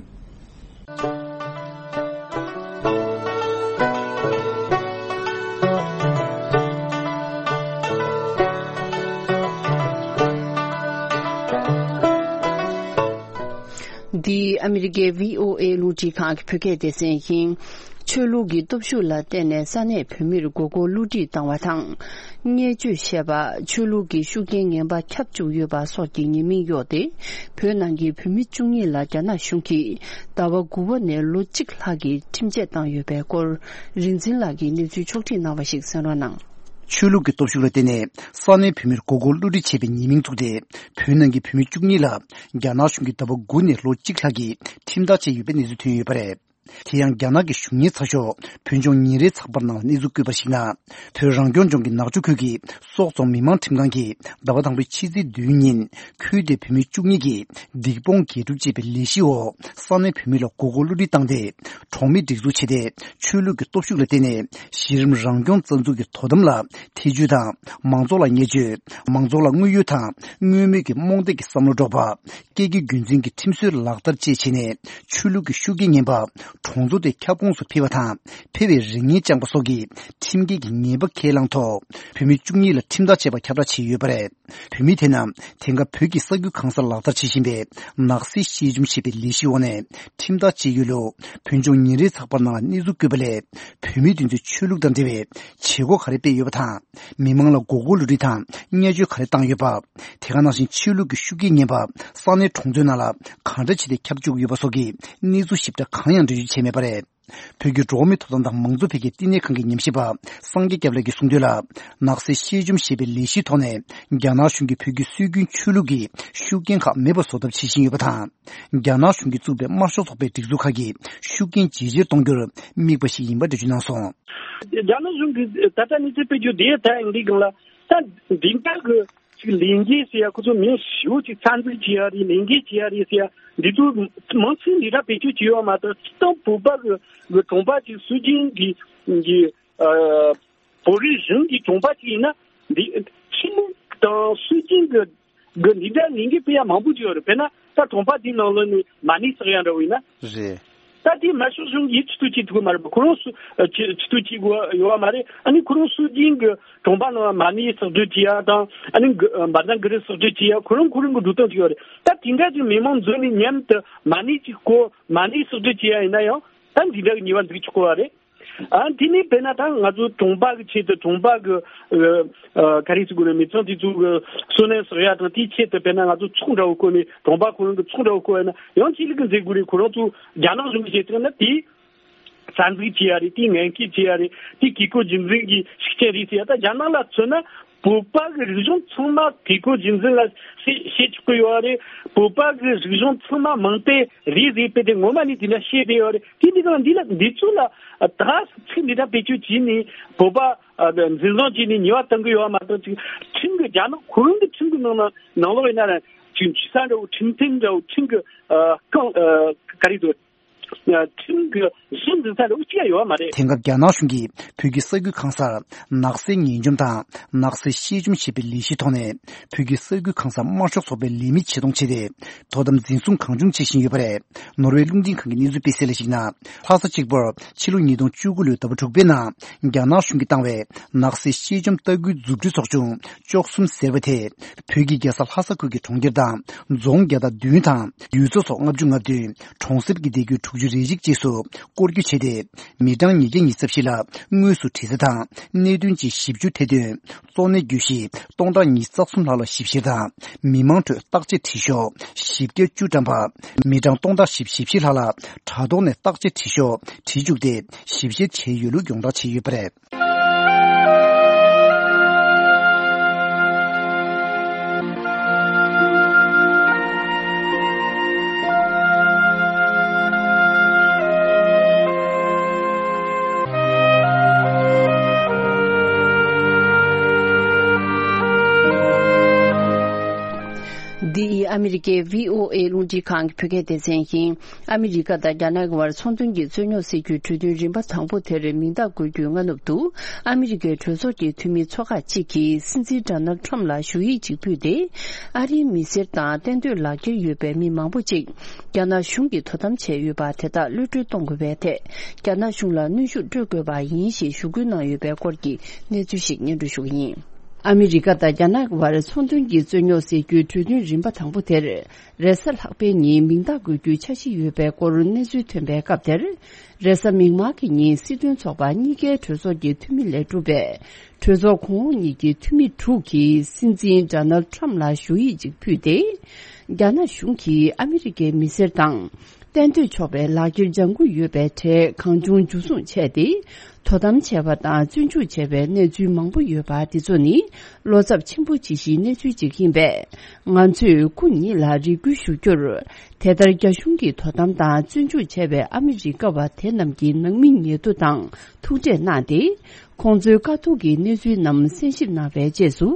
འདི་ཨ་མི་རི་ཀའི་བྷི་ཨོ་ཨེ་རླུང་འཕྲིན་ཁང་གི་བོད་སྐད་སྡེ་ཚན་ཡིན། ཆོས་ལུགས་ཀྱི་སྟོབས་ཤུགས་ལ་བརྟེན་ནས་ས་གནས་བོད་མིར་མགོ་སྐོར་བསླུ་བྲིད་བཏང་བ་དང་། བརྙས་བཅོས་བྱས་པ། ཆོས་ལུགས་ཀྱི་ཤུགས་རྐྱེན་ངན་པ་ཁྱབ་བཅུག་ཡོད་པ་སོགས་ཀྱི་ཉེས་མིང་གཡོགས་ཏེ། བོད་ནང་གི་བོད་མི་བཅུ་གཉིས་ལ་རྒྱ་ནག་གཞུང་གིས་ཟླ་བ་དགུ་པ་ནས་ལོ་གཅིག་ལྷག་གི་ཁྲིམས་ཆད་བཏང་ཡོད་པའི་སྐོར། རིག་འཛིན་ལགས་ཀྱིས་གནས་ཚུལ་ཕྱོགས་བསྒྲིགས་གནང་བ་ཞིག་གསན་རོགས་གནང་། ཆོས་ལུགས་ཀྱི་སྟོབས་ཤུགས་ལ་བརྟེན་ནས་ས་གནས་བོད་མིར་མགོ་སྐོར་བསླུ་བྲིད་བྱས་པའི་ཉེས་མིང་བཙུགས་ཏེ། བོད་ནང་གི་བོད་མི་བཅུ་གཉིས་ལ་རྒྱ་ནག་གཞུང་གིས་ཟླ་བ་དགུ་ནས་ལོ་གཅིག་ལྷག་གི་ཁྲིམས་ཐག་བཅད་ཡོད་པའི་གནས་ཚུལ་ཐོན་ཡོད་པ་རེད། དེ་ཡང་རྒྱ་ནག་གི་གཞུང་གཉེར་ཚགས་ཤོག་བོད་ལྗོངས་ཉིན་རེའི་ཚགས་པར་ནང་ལ་གནས་ཚུལ་བཀོད་པར་གཞིགས་ན། བོད་རང་སྐྱོང་ལྗོངས་ཀྱི་ནག་ཆུ་ཁུལ་གྱི་སོག་རྫོང་མི་དམངས་ཁྲིམས་ཁང་གིས་ཟླ་བ་དང་པོའི་ཕྱི་ཚེས་བདུན་ཉིན་ཁུལ་དེའི་བོད་མི་བཅུ་གཉིས་ཀྱིས་སྡིག་སྤོང་དགེ་སྒྲུབ་ཅེས་པའི་ལས་གཞིའི་འོག་ས་གནས་བོད་མི་ལ་མགོ་སྐོར་བསླུ་བྲིད་བཏང་སྟེ། གྲོང་མི་སྒྲིག་འཛུགས་བྱས་ཏེ། ཆོས་ལུགས་ཀྱི་སྟོབས་ཤུགས་ལ་བརྟེན་ནས་གཞི་རིམ་རང་སྐྱོང་རྩ་འཛུགས་ཀྱི་དོ་དམ་ལ་ཐེ་བྱུས་དང་། མང་ཚོགས་ལ་བརྙས་བཅོས། མང་ཚོགས་ལ་དངོས་ཡོད་དང་དངོས་མེད་ཀྱི་རྨོངས་དད་ཀྱི་བསམ་བློ་སྒྲོག་པ། སྐད་ཀྱི་རྒྱུན་འཛིན་གྱི་ཁྲིམས་སྲོལ་ལག་བསྟར་བཅས་བྱས་ནས། ཆོས་ལུགས་ཀྱི་ཤུགས་རྐྱེན་ངན་པ་གྲོང་ཚོ་དེ་ཁྱབ་ཁོངས་སུ་འཕེལ་བ་དང་། འཕེལ་བའི་རེ་ངན་བཅངས་པ་སོགས་ཀྱི་ཁྲིམས་འགལ་གྱི་ཉེས་པ་ཁས་བླངས་ཐོག་བོད་མི་བཅུ་གཉིས་ལ་ཁྲིམས་ཐག་བཅད་པ་ཁྱབ་བསྒྲགས་བྱས་ཡོད་པ་རེད། བོད་མི་དེ་རྣམས་དེང་སྐབས་བོད་ཀྱི་ས་ཁུལ་གང་སར་ལག་བསྟར་བྱེད་བཞིན་པའི་ནག་སེལ་ཤེས་བྱུང་ཞེས་པའི་ལས་གཞིའི་འོག་ནས་ཁྲིམས་ཐག་བཅད་ཡོད་ལུགས། བོད་ལྗོངས་ཉིན་རེའི་ཚགས་པར་ནང་ལ་གནས་ཚུལ་བཀོད་པ་ལས། བོད་མི་དེ་ཚོས་ཆོས་ལུགས་དང་འབྲེལ་བའི་བྱེད་སྒོ་ག་རེ་སྤེལ་ཡོད་པ་དང་། མི་མང་ལ་མགོ་སྐོར་བསླུ་བྲིད་དང་བརྙས་བཅོས་ག་རེ་བཏང་ཡོད་པ། དེ་ག་ནང་བཞིན་ཆོས་ལུགས་ཀྱི་ཤུགས་རྐྱེན་ངན་པ་ས་གནས་གྲོང་ཚོའི་ནང་ལ་གང་འདྲ་བྱས་ཏེ་ཁྱབ་བཅུག་ཡོད་པ་སོགས་ཀྱི་གནས་ཚུལ་ཞིབ་ཕྲ་གང་ཡང་འགྲེལ་བརྗོད་བྱས་མེད་པ་རེད། བོད་ཀྱི་འགྲོ་བ་མིའི་ཐོབ་ཐང་དང་མང་གཙོ་འཕེལ་རྒྱས་བསྟི་གནས་ཁང་གི་ཉམས་ཞིབ་པ་སངས་རྒྱས་སྐྱབས་ལགས་ཀྱིས་གསུངས་དོན་ལ། ནག་སེལ་ཤེས་བྱུང་ཞེས་པའི་ལས་གཞིའི་ཐོག་ནས་རྒྱ་ནག་གཞུང་གིས་བོད་ཀྱི་སྲོལ་རྒྱུན་ཆོས་ལུགས་ཀྱི་ཤུགས་རྐྱེན་ཁག་མེད་པ་བཟོ་ཐབས་བྱེད་བཞིན་ཡོད་པ་དང་། རྒྱ་ནག་གཞུང་གིས་བཙུགས་པའི་དམར་ཤོག་ཚོགས་པའི་སྒྲིག་འཛུགས་ཁག་གིས་ཤུགས་རྐྱེན་ཇེ་ཆེར་གཏོང་རྒྱུར་དམིགས་པ་ཞིག་ཡིན་པ་འགྲེལ་བརྗོད་གནང་སོང་། རྒྱ་ནག་གཞུང་གིས་ད་ལྟ་གནས་ཚུལ་སྤེལ་རྒྱུ་དེ་ད་ཡང་འདི་སྒང་ལ་ད་འདི་འདྲ་གི་ཅིག་ལས་འགུལ་ཟེར་ཡ། ཁོ་ཚོ་མི་ཞེ་པོ་ཅིག་རྩ་འཛུགས་བྱེད་ཡ་རེད། ལས་འགུལ་བྱེད་ཡ་རེད་ཟེར་ཡ། འདི་ཚོ་མང་ཆེ་འདི་འདྲ་བེད་སྤྱོད་བྱེད་ཡོད་མ་གཏོགས། སྤྱིར་བཏང་བོད་པ་གི་གི་གྲོང་པ་ཅིག་སྲོལ་རྒྱུན་གྱི་གི་ཨ་བོད་རིགས་གཞུང་གི་གྲོང་པ་ཅིག་ཡིན་ན། འདི་ཆོས་ལུགས་དང་སྲོལ་རྒྱུན་གི་གི་འདི་འདྲ་ལས་འགུལ་སྤེལ་ཡ་མང་པོ་ཅིག་ཡོད་རེད། དཔེར་ན་ད་གྲོང་པ་འདིའི་ནང་ལོགས་ནས་མ་ཎི་བསགས་ཡ་འདྲ་བོ་ཡིན་ན། རེད། ད་དེ་དམར་ཤོག་གཞུང་གིས་ཆེ་བསྟོད་བྱེད་ཐུབ་ཀྱི་མ་རེད་པ། ཁོ་རང་སུ་ཨ་ཆེ་ཆེ་བསྟོད་བྱེད་དགོས་ཡོད་པ་མ་རེད། ཨ་ནི་ཁོ་རང་སྲོལ་རྒྱུན་གྱི་གྲོང་པ་ནང་མ་ཎི་བསགས་སྡོད་བྱེད་ཡ་དང་། ཨ་ནི་གི་ཨ་བཛྲ་གུ་རུ་བསགས་སྡོད་བྱེད་ཡ། ཁོ་རང་ཁོ་རང་གི་འགྲོ་སྟངས་ཅིག་ཡོད་རེད། ད་དེ་འདྲ་ཅིག་མི་མང་འཛོམས་ནས་མཉམ་དུ་མ་ཎི་ཅིག་བསྐོར། མ་ཎི་བསགས་སྡོད་བྱེད་ཡ་ཡིན་ན་ཡང་ད་འདི་འདྲ་གི་ཉེས་པ་འཛུགས་ཆོག་གི་རེད། ཨ་དེ་ནས་དཔེར་ན་ད་ང་ཚོ་གྲོང་པ་གི་ཆེད་དུ། གྲོང་པ་གི་ཨ་ཨ་ག་རེ་ཟེར་དགོས་རེད། མི་ཚང་དེ་ཚོ་གི་བསོད་ནམས་བསགས་ཡ་དང་དེའི་ཆེད་དུ། དཔེར་ན་ང་ཚོ་ཚོགས་འདྲ་བོ་བསྐོར་ནས། གྲོང་པ་ཁོ་རང་གི་ཚོགས་འདྲ་བོ་བསྐོར་ཡ་ན་ཡང་ཆེད་ལས་ཀྱི་མཛད་སྒོ་རེད། ཁོ་རང་ཚོ་རྒྱ་ནག་གཞུང་གི་བྱེད་སྟངས་ན་དེ་རྩ་འཛུགས་བྱེད་ཡ་རེད། དེ་ངན་སྐུལ་བྱེད་ཡ་རེད། དེ་བཀས་བཀོད་རྒྱུད་འཛིན་གྱི་ཤུགས་རྐྱེན་རེད་ཟེར་ཡ། ད་རྒྱ་ནག་ལ་མཚོན་ན་བོད་པ་གི་རིག་གཞུང་ཚང་མ་བཀས་བཀོད་རྒྱུད་འཛིན་ལ་བཤད་བཤད་ཆོག་གི་ཡོད་རེད། བོད་པ་གི་རིག་གཞུང་ཚང་མ་མིང་དེབ་རེད་ཟེར་བས་དེ་ངོ་མ་ནས་དེ་འདྲ་བཤད་བསྡད་ཡོད་རེད། དེ་འདི་གང་འདི་ལ་འདི་ཚོ་ལ་ད་ཚིག་འདི་འདྲ་བེད་སྤྱོད་བྱས་ནས་བོད་པ་ཨ་འཛིན་བཟུང་བྱས་ནས་ཉེས་པ་གཏང་གི་ཡོད་མ་གཏོགས། ཅིག་ཁྲིམས་ཀྱི་རྒྱ་ནག་ཁོ་རང་གི་ཁྲིམས་ཀྱི་ནང་ན་ནང་ལོགས་ཡིན་ན་ར་ཅིག་ཇུས་ས་འདྲ་བོ། ཁྲིམས་མཐུན་འདྲ་བོ། ཁྲིམས་ཀྱི་ཨ་རྐང་ཨ་ག་རེ་ཟེར། ཁྲིམས་ཀྱི་གཞི་འཛིན་ས་འདྲ་བོ་ཅི་ཡང་ཡོད་མ་རེད། དེང་སྐབས་རྒྱ་ནག་གཞུང་གིས་བོད་ཀྱི་ས་ཁུལ་གང་སར་ནག་སེལ་ངན་བྱུང་དང་ནག་སེལ་ཤེས་བྱུང་ཞེས་པའི་ལས་གཞིའི་ཐོག་ནས་བོད་ཀྱི་ས་ཁུལ་གང་སར་དམར་ཤོག་ཚོགས་པའི་ལས་མི་ཆེད་གཏོང་བྱས་ཏེ། དོ་དམ་འཛིན་བཟུང་གང་བྱུང་བྱེད་བཞིན་ཡོད་པ་རེད། ནོར་ཝེ་རླུང་འཕྲིན་ཁང་གི་གནས་ཚུལ་སྤེལ་གསལ་ལ་གཞིགས་ན། ལྷ་ས་གཅིག་པུར་ཕྱི་ལོ་ཉིས་སྟོང་བཅུ་དགུ་ལོའི་ཟླ་བ་དྲུག་པའི་ནང་རྒྱ་ནག་གཞུང་གིས་བཏང་བའི་ནག་སེལ་ཤེས་བྱུང་ལྟ་སྐུལ་མཛུབ་ཁྲིད་ཚོགས་ཆུང་བཅུ་གསུམ་ཟེར་བ་དེ། བོད་ཀྱི་རྒྱལ་ས་ལྷ་ས་ཁུལ་གྱི་གྲོང་ཁྱེར་དང་རྫོང་བརྒྱ་དང་བདུན་དང་ཡུལ་ཚོ་སོགས་ལྔ་བཅུ་ང་བདུན། གྲོང་གསེབ་ཀྱི་སྡེ་ཁུལ་དྲུག་ཅུ་རེ་གཅིག་བཅས་སུ་སྐོར་སྐྱོད་བྱས་ཏེ། མི་གྲངས་ཉིས་བརྒྱ་ཉི་ཤུ་རྩ་བཞི་ལ་དངོས་སུ་དྲི་རྩད་དང་གནད་དོན་གྱི་ཞིབ་འཇུག་ཐེར་འདོན། གཙོ་གནད་གྱོད་གཞི་སྟོང་ཕྲག་ཉི་ཤུ་རྩ་གསུམ་ལྷག་ལ་ཞིབ་བཤེར་དང་། མི་མང་ཁྲོད་བརྟག་དཔྱད་དྲི་ཤོག་བཞི་བརྒྱ་བཅུ་བཀྲམ་པ། མི་གྲངས་སྟོང་ཕྲག་བཞི་བཅུ་ཞེ་བཞི་ལྷག་ལ་དྲ་ཐོག་ནས་བརྟག་དཔྱད་དྲི་ཤོག་དྲི་བཅུག་སྟེ། ཞིབ་བཤེར་བྱས་ཡོད་ལུགས་ཡོངས་བསྒྲགས་བྱས་ཡོད་པ་རེད། འདི་ཨ་མི་རི་ཀའི་བྷི་ཨོ་ཨེ་རླུང་འཕྲིན་ཁང་གི་བོད་སྐད་སྡེ་ཚན་ཡིན། ཨ་མི་རི་ཀ་དང་རྒྱ་ནག་གི་དབར་ཚོང་དོན་གྱི་རྩོད་རྙོག་སེལ་རྒྱུའི་གྲོས་མཐུན་རིམ་པ་དང་པོ་དེར་མིང་རྟགས་འགོད་རྒྱུའི་སྔ་ནུབ་ཏུ། ཨ་མི་རི་ཀའི་གྲོས་ཚོགས་ཀྱི་འཐུས་མིའི་ཚོགས་ཁག་ཅིག་གིས་སྲིད་འཛིན་ཌོ་ནལ་ཁྲམ་ལ་ཞུ་ཡིག་ཅིག་ཕུལ་ཏེ། ཨ་རིའི་མི་སེར་དང་གཏན་སྡོད་ལག་འཁྱེར་ཡོད་པའི་མི་མང་པོ་ཅིག་རྒྱ་ནག་གཞུང་གིས་དོ་དམ་བྱས་ཡོད་པ་དེ་དག་གློད་བཀྲོལ་གཏོང་དགོས་པའི་ཐད། རྒྱ་ནག་གཞུང་ལ་གནོན་ཤུགས་སྤྲོད་དགོས་པ་ཡིན་ཞེས་ཞུ་སྐུལ་གནང་ཡོད་པའི་སྐོར་གྱི་གནས་ཚུལ་ཞིག་སྙན་སྒྲོན་ཞུ་གི་ཡིན། ཨ་མི་རི་ཀ་དང་རྒྱ་ནག་གི་བར་ཚོང་དོན་གྱི་རྩོད་རྙོག་སེལ་རྒྱུའི་གྲོས་མཐུན་རིམ་པ་དང་པོ་དེར། རེས་གཟའ་ལྷག་པའི་ཉིན་མིང་རྟགས་འགོད་རྒྱུའི་འཆར་གཞི་ཡོད་པའི་སྐོར་གནས་ཚུལ་ཐོན་པའི་སྐབས་དེར། རེས་གཟའ་མིག་དམར་གྱི་ཉིན་སྲིད་དོན་ཚོགས་པ་གཉིས་ཀའི་གྲོས་ཚོགས་ཀྱི་འཐུས་མི་ལས་གྲུབ་པས། གྲོས་ཚོགས་གོང་འོག་གཉིས་ཀྱི་འཐུས་མི་དྲུག་གིས་སྲིད་འཛིན་ཌོ་ནལ་ཁྲམ་ལ་ཞུ་ཡིག་ཅིག་ཕུལ་ཏེ། རྒྱ་ནག་གཞུང་གིས་ཨ་མི་རི་ཀའི་མི་སེར་དང་། གཏན་སྡོད་ཆོག་པའི་ལག་འཁྱེར་ལྗང་ཁུ་ཡོད་པའི་གྲས་གང་བྱུང་འཇུ་བཟུང་བྱས་ཏེ། དོ་དམ་བྱས་པ་དང་བཙོན་འཇུག་བྱས་པའི་གནས་ཚུལ་མང་པོ་ཡོད་པ་དེ་ཚོ་ནི་བློ་འཚབ་ཆེན་པོ་བྱེད་གཞིའི་གནས་ཚུལ་ཅིག་ཡིན་པས། ང་ཚོས་སྐུ་ཉིད་ལ་རེ་སྐུལ་ཞུ་རྒྱུར། དེ་ལྟར་རྒྱ་གཞུང་གིས་དོ་དམ་དང་བཙོན་འཇུག་བྱས་པའི་ཨ་མི་རི་ཀ་བ་དེ་རྣམས་ཀྱི་ནང་མི་ཉེ་དུ་དང་ཐུག་འཕྲད་གནང་སྟེ། ཁོང་ཚོའི་དཀའ་སྡུག་གི་གནས་ཚུལ་རྣམས་གསན་ཞིབ་གནང་བའི་རྗེས་སུ།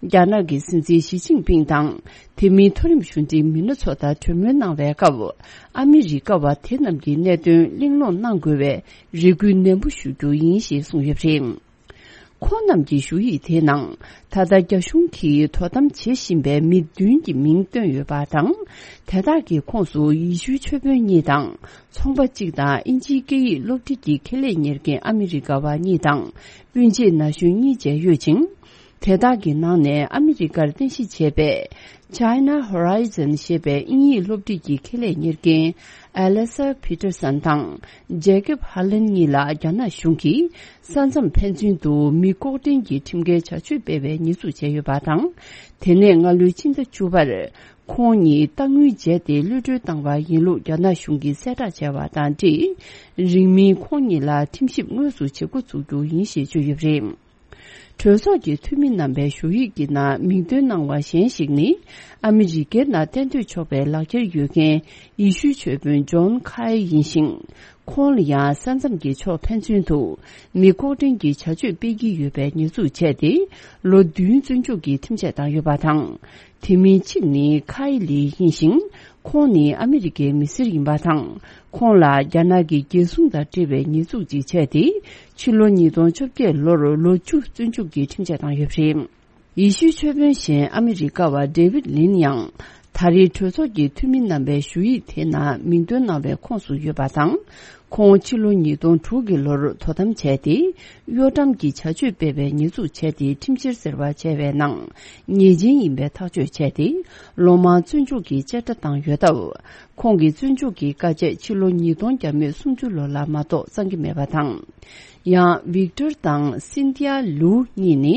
རྒྱ་ནག་གི་སྲིད་འཛིན་ཞི་ཅིན་ཕིང་དང་། དེ་མིན་མཐོ་རིམ་གཞུང་འབྲེལ་མི་སྣ་ཚོ་དང་གྲོས་མོལ་གནང་བའི་སྐབས། ཨ་མི་རི་ཀ་བ་དེ་རྣམས་ཀྱི་གནད་དོན་གླེང་སློང་གནང་དགོས་པའི་རེ་སྐུལ་ནན་པོ་ཞུ་རྒྱུ་ཡིན་ཞེས་གསུངས་ཡོད་པ་རེད། ཁོང་རྣམས་ཀྱི་ཞུ་ཡིག་དེའི་ནང་། ད་ལྟ་རྒྱ་གཞུང་གིས་དོ་དམ་བྱེད་བཞིན་པའི་མི་བདུན་གྱི་མིང་བཏོན་ཡོད་པ་དང་། དེ་དག་གི་ཁོངས་སུ་ཡེ་ཤུའི་ཆོས་དཔོན་གཉིས་དང་། ཚོང་པ་གཅིག་དང་ཨིན་ཇིའི་སྐད་ཡིག་སློབ་ཁྲིད་ཀྱི་ཁེ་ལས་གཉེར་མཁན་ཨ་མི་རི་ཀ་བ་གཉིས་དང་། སྤུན་མཆེད་ན་གཞོན་གཉིས་བཅས་ཡོད་ཅིང་། དེ་དག་གི་ནང་ནས་ཨ་མི་རི་ཀར་རྟེན་གཞི་བྱས་པའི་China Horizon ཞེས་པའི་དབྱིན་ཡིག་སློབ་ཁྲིད་ཀྱི་ཁེ་ལས་གཉེར་མཁན་Alexa Peterson དང་Jacob Harlan གཉིས་ལ་རྒྱ་ནག་གཞུང་གིས་ས་མཚམས་ཕན་ཚུན་དུ་མི་ལྐོག་འདྲེན་གྱི་ཁྲིམས་འགལ་བྱ་སྤྱོད་སྤེལ་བའི་ཉེས་འཛུགས་བྱས་ཡོད་པ་དང་། དེ་ནས་སྔ་ལོའི་ཕྱི་ཟླ་བཅུ་པར། ཁོང་ཉིད་རྟ་དངུལ་འཇལ་ཏེ་གློད་གྲོལ་བཏང་བ་ཡིན་ལུགས་རྒྱ་ནག་གཞུང་གིས་གསལ་བསྒྲགས་བྱས་པ་དང་འབྲེལ། རིང་མིན་ཁོང་ཉིད་ལ་ཁྲིམས་ཞིབ་དངོས་སུ་བྱེད་འགོ་འཛུགས་རྒྱུ་ཡིན་ཞེས་བརྗོད་ཡོད་པ་རེད། གྲོས་ཚོགས་ཀྱི་འཐུས་མི་རྣམ་པའི་ཞུ་ཡིག་གི་ནང་མིང་འདོན་གནང་བ་གཞན་ཞིག་ནི། ཨ་མི་རི་ཀའི་ནང་གཏན་སྡོད་ཆོག་པའི་ལག་འཁྱེར་ཡོད་མཁན་ཡེ་ཤུའི་ཆོས་དཔོན་ཇོན་ཁའེ་ཡིན་ཞིང་། ཁོང་ལ་ཡང་ས་མཚམས་ཀྱི་ཕྱོགས་ཕན་ཚུན་དུ་མི་ལྐོག་འདྲེན་གྱི་བྱ་སྤྱོད་སྤེལ་གྱི་ཡོད་པའི་ཉེས་འཛུགས་བྱས་ཏེ། ལོ་བདུན་བཙོན་འཇུག་གི་ཁྲིམས་ཆད་བཏང་ཡོད་པ་དང་། དེ་མིན་གཅིག་ནི་ཁའི་ལི་ཡིན་ཞིང་། ཁོང་ནི་ཨ་མི་རི་ཀའི་མི་སེར་ཡིན་པ་དང་། ཁོང་ལ་རྒྱ་ནག་གི་རྒྱལ་སྲུང་དང་འབྲེལ་བའི་ཉེས་འཛུགས་ཅིག་བྱས་ཏེ། ཕྱི་ལོ་ཉིས་སྟོང་བཅོ་བརྒྱད་ལོར་ལོ་བཅུ་བཙོན་འཇུག་གི་ཁྲིམས་ཆད་བཏང་ཡོད་པ་རེད། ཡེ་ཤུའི་ཆོས་དཔོན་གཞན་ཨ་མི་རི་ཀ་བ་ཌེ་ཝིད་ལིན་ཡང་། ད་རེས་གྲོས་ཚོགས་ཀྱི་འཐུས་མི་རྣམ་པའི་ཞུ་ཡིག་དེའི་ནང་མིང་འདོན་གནང་བའི་ཁོངས་སུ་ཡོད་པ་དང་། ཁོང་ཕྱི་ལོ་ཉིས་སྟོང་དྲུག་གི་ལོར་དོ་དམ་བྱས་ཏེ། གཡོ་ཁྲམ་གྱི་བྱ་སྤྱོད་སྤེལ་བའི་ཉེས་འཛུགས་བྱས་ཏེ་ཁྲིམས་བཤེར་ཟེར་བ་བྱས་པའི་ནང་ཉེས་ཅན་ཡིན་པའི་ཐག་གཅོད་བྱས་ཏེ། ལོ་མང་བཙོན་འཇུག་གི་བཅད་ཁྲ་བཏང་ཡོད་སྟབས། ཁོང་གི་བཙོན་འཇུག་གི་བཀའ་ཆད་ཕྱི་ལོ་ཉིས་སྟོང་བརྒྱ་མེད་སུམ་ཅུ་ལོ་ལ་མ་གཏོགས་གཙང་གི་མེད་པ་དང་། ཡང་། ཝིག་ཏོར་དང་སིན་ཐི་ཡ་ལུའུ་གཉིས་ནི་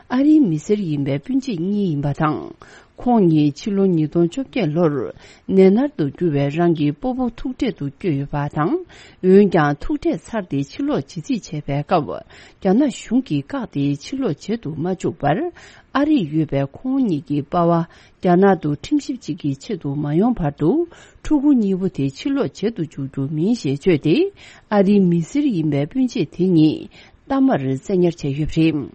ཨ་རིའི་མི་སེར་ཡིན་པའི་སྤུན་མཆེད་གཉིས་ཡིན་པ་དང་། ཁོང་གཉིས་ཕྱི་ལོ་ཉིས་སྟོང་བཅོ་བརྒྱད་ལོར་ནད་མནར་དུ་གྱུར་བའི་རང་གི་སྤོ་བོ་ཐུག་འཕྲད་དུ་བསྐྱོད་ཡོད་པ་དང་། འོན་ཀྱང་ཐུག་འཕྲད་ཚར་ཏེ་ཕྱིར་ལོག་བྱེད་རྩིས་བྱས་པའི་སྐབས། རྒྱ་ནག་གཞུང་གིས་བཀག་སྟེ་ཕྱིར་ལོག་བྱེད་དུ་མ་བཅུག་པར། ཨ་རིར་ཡོད་པའི་ཁོང་གཉིས་ཀྱི་པ་ཕ། རྒྱ་ནག་ཏུ་ཁྲིམས་ཞིབ་ཅིག་གི་ཆེད་དུ་མ་ཡོང་བར་དུ། ཕྲུ་གུ་གཉིས་པོ་དེ་ཕྱིར་ལོག་བྱེད་དུ་འཇུག་རྒྱུ་མིན་ཞེས་བརྗོད་དེ། ཨ་རིའི་མི་སེར་ཡིན་པའི་སྤུན་མཆེད་དེ་གཉིས་གཏའ་མར་བཙན་ཉར་བྱས་ཡོད་པ་རེད།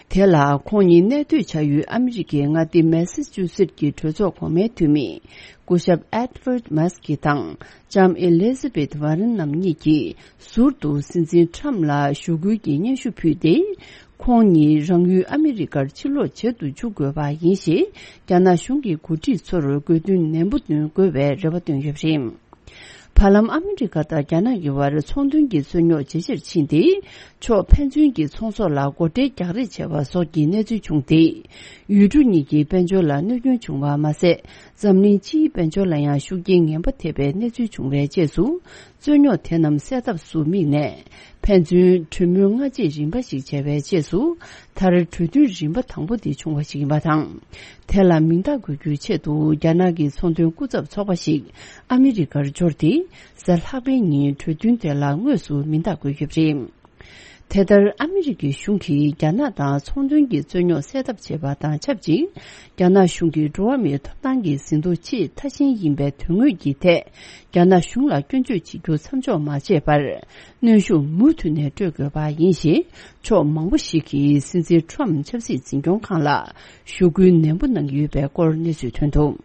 དེ་ལ་ཁོང་ཉིད་གནས་སྡོད་བྱ་ཡུལ་ཨ་མི་རི་ཀའི་མངའ་སྡེ་མེ་སི་ཅུ་སེད་ཀྱི་གྲོས་ཚོགས་གོང་མའི་འཐུས་མི། སྐུ་ཞབས་ཨེད་ཝར་མཱ་སི་ཀི་དང་ལྕམ་ཨེ་ལི་ཟ་བེད་ཝར་རན་རྣམ་གཉིས་ཀྱིས་ཟུར་དུ་སྲིད་འཛིན་ཁྲམ་ལ་ཞུ་སྐུལ་གྱི་སྙན་ཞུ་ཕུལ་ཏེ། ཁོང་ཉིད་རང་ཡུལ་ཨ་མི་རི་ཀར་ཕྱིར་ལོག་བྱེད་དུ་འཇུག་དགོས་པ་ཡིན་ཞེས། རྒྱ་ནག་གཞུང་གི་འགོ་ཁྲིད་ཚོར་དགོས་འདུན་ནན་པོ་འདོན་དགོས་པའི་རེ་བ་བཏོན་ཡོད་པ་རེད། བར་ལམ་ཨ་མི་རི་ཀ་དང་རྒྱ་ནག་གི་བར་ཚོང་དོན་གྱི་རྩོད་རྙོག་ཇེ་ཆེར་ཕྱིན་ཏེ། ཕྱོགས་ཕན་ཚུན་གྱི་ཚོང་ཟོག་ལ་སྒོ་ཁྲལ་རྒྱག་རེས་བྱས་པ་སོགས་ཀྱི་གནས་ཚུལ་བྱུང་སྟེ། ཡུལ་གྲུ་གཉིས་ཀྱི་དཔལ་འབྱོར་ལ་གནོད་སྐྱོན་བྱུང་བ་མ་ཟད། འཛམ་གླིང་སྤྱིའི་དཔལ་འབྱོར་ལ་ཡང་ཤུགས་རྐྱེན་ངན་པ་ཐེབས་པའི་གནས་ཚུལ་བྱུང་བའི་རྗེས་སུ། རྩོད་རྙོག་དེ་རྣམས་སེལ་ཐབས་སུ་དམིགས་ནས། ཕན་ཚུན་གྲོས་མོལ་སྔ་རྗེས་རིམ་པ་ཞིག་བྱས་པའི་རྗེས་སུ། མཐར་གྲོས་མཐུན་རིམ་པ་དང་པོ་དེ་བྱུང་བ་ཞིག་ཡིན་པ་དང་། དེ་ལ་མིང་རྟགས་འགོད་རྒྱུའི་ཆེད་དུ་རྒྱ་ནག་གི་ཚོང་དོན་སྐུ་ཚབ་ཚོགས་པ་ཞིག་ཨ་མི་རི་ཀར་འབྱོར་ཏེ། གཟའ་ལྷག་པའི་ཉིན་གྲོས་མཐུན་དེ་ལ་དངོས་སུ་མིང་རྟགས་འགོད་ཡོད་པ་རེད། དེ་ལྟར་ཨ་མི་རི་ཀའི་གཞུང་གིས་རྒྱ་ནག་དང་ཚོང་དོན་གྱི་རྩོད་རྙོག་སེལ་ཐབས་བྱེད་པ་དང་ཆབས་ཅིག་རྒྱ་ནག་གཞུང་གིས་འགྲོ་བ་མིའི་ཐོབ་ཐང་གི་ཟིན་ཐོ་ཆེས་མཐའ་ཞན་ཡིན་པའི་དོན་དངོས་ཀྱི་ཐད། རྒྱ་ནག་གཞུང་ལ་སྐྱོན་བརྗོད་བྱེད་རྒྱུ་མཚམས་འཇོག་མ་བྱས་པར། གནོན་ཤུགས་མུ་མཐུད་ནས་སྤྲོད་དགོས་པ་ཡིན་ཞེས། ཕྱོགས་མང་པོ་ཞིག་གིས་སྲིད་འཛིན་ཁྲོམ་ཆབ་སྲིད་འཛིན་སྐྱོང་ཁང་ལ་ཞུ་སྐུལ་ནན་པོ་གནང་གི་ཡོད་པའི་སྐོར་གནས་ཚུལ་ཐོན་འདུག་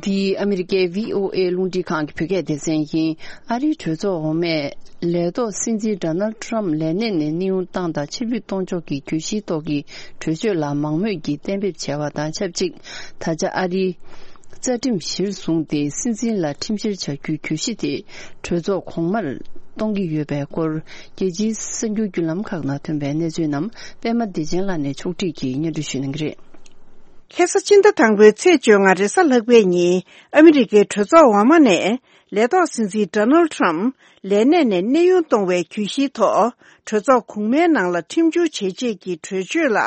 འདི་ཨ་མི་རི་ཀའི་བྷི་ཨོ་ཨེ་རླུང་འཕྲིན་ཁང་གི་བོད་སྐད་སྡེ་ཚན་ཡིན། ཨ་རིའི་གྲོས་ཚོགས་འོག་མས་ལས་ཐོག་སྲིད་འཛིན་ཌོ་ནལ་ཊམ་ལས་གནས་ནས་གནས་དབྱུང་བཏང་དང་ཕྱིར་འབུད་གཏོང་ཕྱོགས་ཀྱི་གྱོད་གཞིའི་ཐོག་གི་གྲོས་ཆོད་ལ་མང་མོས་ཀྱིས་གཏན་འབེབས་བྱས་པ་དང་ཆབས་ཅིག་ད་ཆ་ཨ་རིའི་རྩ་ཁྲིམས་གཞིར་བཟུང་སྟེ་སྲིད་འཛིན་ལ་ཁྲིམས་བཤེར་བྱ་རྒྱུའི་གྱོད་གཞི་དེ་གྲོས་ཚོགས་གོང་མར་གཏོང་གི་ཡོད་པའི་སྐོར། རྒྱལ་སྤྱིའི་གསར་འགྱུར་བརྒྱུད་ལམ་ཁག་ནང་ཐོན་པའི་གནས་ཚུལ་རྣམས་པད་མ་བདེ་ཆེན་ལགས་ནས་ཕྱོགས་སྒྲིག་གིས་སྙན་སྒྲོན་ཞུ་གནང་གི་རེད། ཁ་སང་ཕྱི་ཟླ་དང་པོའི་ཚེས་བཅོ་ལྔ་རེས་གཟའ་ལྷག་པའི་ཉིན་ཨ་མི་རི་ཀའི་གྲོས་ཚོགས་འོག་མ་ནས་ལས་ཐོག་སྲིད་འཛིན་ཌོ་ནལ་ཊམ་ལས་གནས་ནས་གནས་དབྱུང་གཏོང་བའི་གྱོད་གཞིའི་ཐོག་གྲོས་ཚོགས་གོང་མའི་ནང་ལ་ཁྲིམས་བསྒྱུར་བྱེད་ཆེད་ཀྱི་གྲོས་ཆོད་ལ་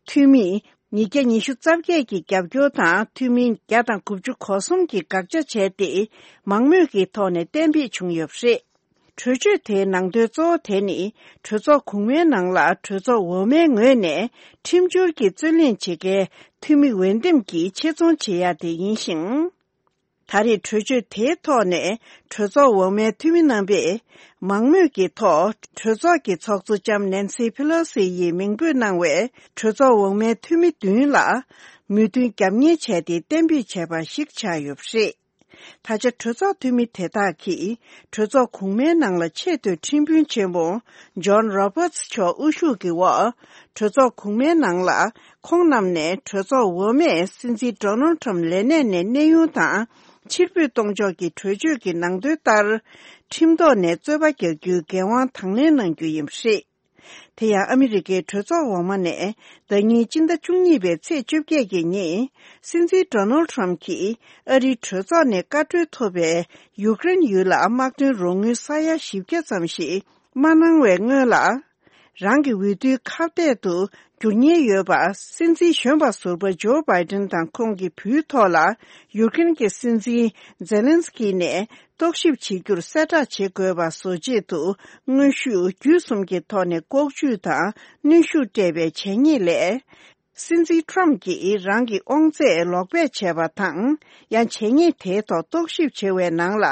འཐུས་མི་ཉིས་བརྒྱ་ཉི་ཤུ་རྩ་བརྒྱད་ཀྱི་རྒྱབ་སྐྱོར་དང་འཐུས་མི་བརྒྱ་དང་དགུ་བཅུ་གོ་གསུམ་གྱིས་དགག་བྱ་བྱས་ཏེ་མང་མོས་ཀྱི་ཐོག་ནས་གཏན་འབེབས་བྱུང་ཡོད་པ་རེད། གྲོས་ཆོད་དེའི་ནང་དོན་གཙོ་བོ་དེ་ནི་གྲོས་ཚོགས་གོང་མའི་ནང་ལ་གྲོས་ཚོགས་འོག་མའི་ངོས་ནས་ཁྲིམས་སྦྱོར་གྱི་རྩོད་གླེང་བྱེད་མཁན་འཐུས་མི་འོས་འདེམས་ཀྱིས་ཆེད་རྫོང་བྱེད་ཡ་དེ་ཡིན་ཞིང་། ད་རེས་གྲོས་ཆོད་དེའི་ཐོག་ནས་གྲོས་ཚོགས་འོག་མའི་འཐུས་མི་རྣམ་པས་མང་མོས་ཀྱི་ཐོག་གྲོས་ཚོགས་ཀྱི་ཚོགས་གཙོ་ལྕམ་ནན་སི་ཕི་ལོ་སི་ཡིས་མིང་འབོད་གནང་བའི་གྲོས་ཚོགས་འོག་མའི་འཐུས་མི་བདུན་ལ་མོས་མཐུན་རྒྱབ་གཉེར་བྱས་ཏེ་གཏན་འབེབས་བྱས་པ་ཞིག་ཆགས་ཡོད་པ་རེད། ད་ཆ་གྲོས་ཚོགས་འཐུས་མི་དེ་དག་གིས་གྲོས་ཚོགས་གོང་མའི་ནང་ལ་ཆེས་མཐོའི་ཁྲིམས་དཔོན་ཆེན་མོ་ཇོན་རོ་བར་ཊི་མཆོག་དབུ་བཞུགས་ཀྱི་འོག་གྲོས་ཚོགས་གོང་མའི་ནང་ལ་ཁོང་རྣམས་ནས་གྲོས་ཚོགས་འོག་མས་སྲིད་འཛིན་ཌོ་ནལ་ཊམ་ལས་གནས་ནས་གནས་དབྱུང་དང་ཕྱིར་འབུད་གཏོང་ཕྱོགས་ཀྱི་གྲོས་ཆོད་ཀྱི་ནང་དོན་ལྟར་ཁྲིམས་ཐོག་ནས་རྩོད་པ་རྒྱག་རྒྱུའི་འགན་དབང་དང་ལེན་གནང་རྒྱུ་ཡིན་པ་རེད། དེ་ཡང་ཨ་མི་རི་ཀའི་གྲོས་ཚོགས་འོག་མ་ནས་ཟླ་ཉིན་སྤྱི་ཟླ་བཅུ་གཉིས་པའི་ཚེས་བཅོ་བརྒྱད་ཀྱི་ཉིན་སྲིད་འཛིན་ཌོ་ནལ་ཊམ་གྱིས་ཨ་རིའི་གྲོས་ཚོགས་ནས་བཀའ་འཁྲོལ་ཐོབ་པའི་ཡུཀ་རེན་ཡུལ་ལ་དམག་དོན་རོགས་དངུལ་ས་ཡ་བཞི་བརྒྱ་ཙམ་ཞིག་མ་གནང་བའི་སྔོན་ལ། རང་གི་འོས་བསྡུའི་ཁ་གཏད་དུ་འགྱུར་ཉེན་ཡོད་པ་སྲིད་འཛིན་གཞོན་པ་ཟུར་པ་ཇོ་བྷའི་ཌེན་དང་ཁོང་གི་བུའི་ཐོག་ལ་ཡུཀ་རེན་གྱི་སྲིད་འཛིན་ཛེ་ལན་སི་ཀི་ནས་རྟོག་ཞིབ་བྱེད་རྒྱུར་གསལ་བསྒྲགས་བྱེད་དགོས་པ་བཟོ་ཆེད་དུ་དངོས་ཤུགས་བརྒྱུད་གསུམ་གྱི་ཐོག་ནས་ལྐོག་ཇུས་དང་གནོན་ཤུགས་སྤྲད་པའི་བྱས་ཉེས་ལས། སྲིད་འཛིན་ཊམ་གྱིས་རང་གི་དབང་ཚད་ལོག་སྤེལ་བྱས་པ་དང་། ཡང་བྱས་ཉེས་དེའི་ཐོག་རྟོག་ཞིབ་བྱེད་པའི་ནང་ལ་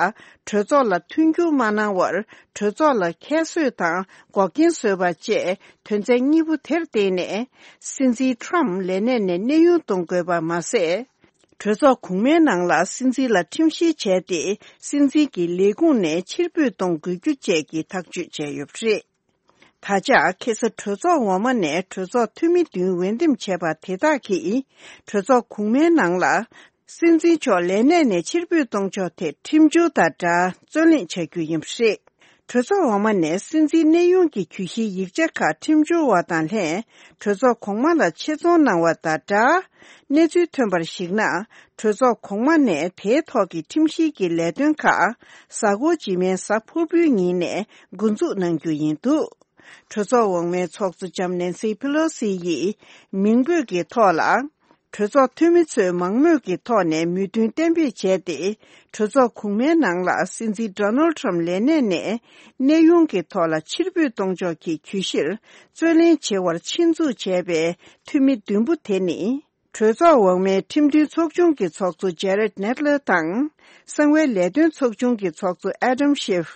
གྲོས་ཚོགས་ལ་མཐུན་འགྱུར་མ་གནང་བར་གྲོས་ཚོགས་ལ་ཁྱད་གསོད་དང་འགོག་རྐྱེན་བཟོས་པ་བཅས་དོན་ཚན་གཉིས་པོ་དེར་བརྟེན་ནས་སྲིད་འཛིན་ཊམ་ལས་གནས་ནས་གནས་དབྱུང་གཏོང་དགོས་པ་མ་ཟད། གྲོས་ཚོགས་གོང་མའི་ནང་ལ་སྲིད་འཛིན་ལ་ཁྲིམས་བཤེར་བྱས་ཏེ་སྲིད་འཛིན་གྱི་ལས་ཁུངས་ནས་ཕྱིར་འབུད་གཏོང་དགོས་རྒྱུ་བཅས་ཀྱི་ཐག་གཅོད་བྱས་ཡོད་པ་རེད། ད་ཆ་ཁ་སང་གྲོས་ཚོགས་འོག་མ་ནས་གྲོས་ཚོགས་འཐུས་མི་བདུན་འོས་འདེམས་བྱས་པ་དེ་དག་གིས་གྲོས་ཚོགས་གོང་མའི་ནང་ལ་སྲིད་འཛིན་མཆོག་ལས་གནས་ནས་ཕྱིར་འབུད་གཏོང་ཕྱོགས་ཐད་ཁྲིམས་སྦྱོར་དང་སྦྲགས་རྩོད་གླེང་བྱ་རྒྱུ་ཡིན་པ་རེད། གྲོས་ཚོགས་འོག་མ་ནས་སྲིད་འཛིན་གནས་དབྱུང་གི་གྱོད་གཞིའི་ཡིག་ཆ་ཁག་ཁྲིམས་སྦྱོར་བ་དང་ལྷན་གྲོས་ཚོགས་གོང་མ་ལ་ཆེད་རྫོང་གནང་བ་དང་སྦྲགས། གནས་ཚུལ་ཐོན་པར་གཞིགས་ན། གྲོས་ཚོགས་གོང་མ་ནས་དེའི་ཐོག་གི་ཁྲིམས་བཤེར་གྱི་ལས་དོན་ཁག་གཟའ་འཁོར་རྗེས་མའི་གཟའ་ཕུར་བུའི་ཉིན་ནས་འགོ་འཛུགས་གནང་རྒྱུ་ཡིན་འདུག་གྲོས་ཚོགས་འོག་མའི་ཚོགས་གཙོ་ལྕམ་ནན་སི་ཕེ་ལོ་སི་ཡིས་མིང་འབོད་ཀྱི་ཐོག་ལ། གྲོས་ཚོགས་འཐུས་མི་ཚོས་མང་མོས་ཀྱི་ཐོག་ནས་མོས་མཐུན་གཏན་འབེབས་བྱས་ཏེ། གྲོས་ཚོགས་གོང་མའི་ནང་ལ་སྲིད་འཛིན་ཌོ་ནལ་ཊམ་ལས་གནས་ནས་གནས་དབྱུང་གི་ཐོག་ལ་ཕྱིར་འབུད་གཏོང་ཕྱོགས་ཀྱི་གྱོད་གཞིར་རྩོད་གླེང་བྱེད་པར་ཆེད་འཛུགས་བྱས་པའི་འཐུས་མི་བདུན་པོ་དེ་ནི། གྲོས་ཚོགས་འོག་མའི་ཁྲིམས་མཐུན་ཚོགས་ཆུང་གི་ཚོགས་གཙོ་ཇེ་རེད་ནེད་ལར་དང་། གསང་བའི་ལས་དོན་ཚོགས་ཆུང་གི་ཚོགས་གཙོ་ཨེ་ཌམ་ཤིབ།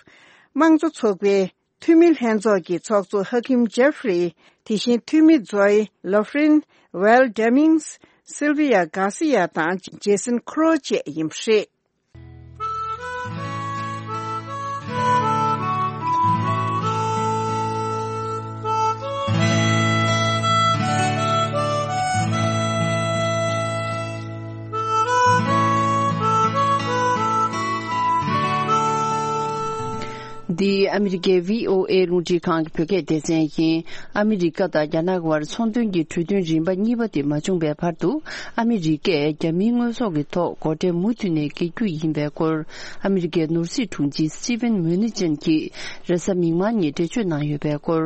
དམངས་གཙོ་ཚོགས་པའི་འཐུས་མི་ལྷན་ཚོགས་ཀྱི་ཚོགས་གཙོ་ཧ་ཁིམ་ཇེ་ཧྥི་རི། དེ་བཞིན་འཐུས་མི་ཛོའི་ལོ་ཧྥི་རིན། ཝེལ་ཌེ་མིང་སི། སིལ་བི་ཡ་གྷར་སི་ཡ་དང་ཇེ་སན་ཁོ་རོ་བཅས་ཡིན་པ་རེད། འདི་ཨ་མི་རི་ཀའི་བྷི་ཨོ་ཨེ་རླུང་འཕྲིན་ཁང་གི་བོད་སྐད་སྡེ་ཚན་ཡིན། ཨ་མི་རི་ཀ་དང་རྒྱ་ནག་དབར་ཚོང་དོན་གྱི་གྲོས་མཐུན་རིམ་པ་གཉིས་པ་དེ་མ་བྱུང་བའི་བར་དུ། ཨ་མི་རི་ཀས་རྒྱ་མིའི་དངོས་ཟོག་གི་ཐོག་སྒོ་ཁྲལ་མུ་མཐུད་ནས་འགེལ་རྒྱུ་ཡིན་པའི་སྐོར། ཨ་མི་རི་ཀའི་ནོར་སྲིད་དྲུང་ཆེ་སི་ཊི་ཝེན་མུ་ནི་ཅན་གྱིས་རེས་གཟའ་མིག་དམར་ཉིན་འགྲེལ་བརྗོད་གནང་ཡོད་པའི་སྐོར།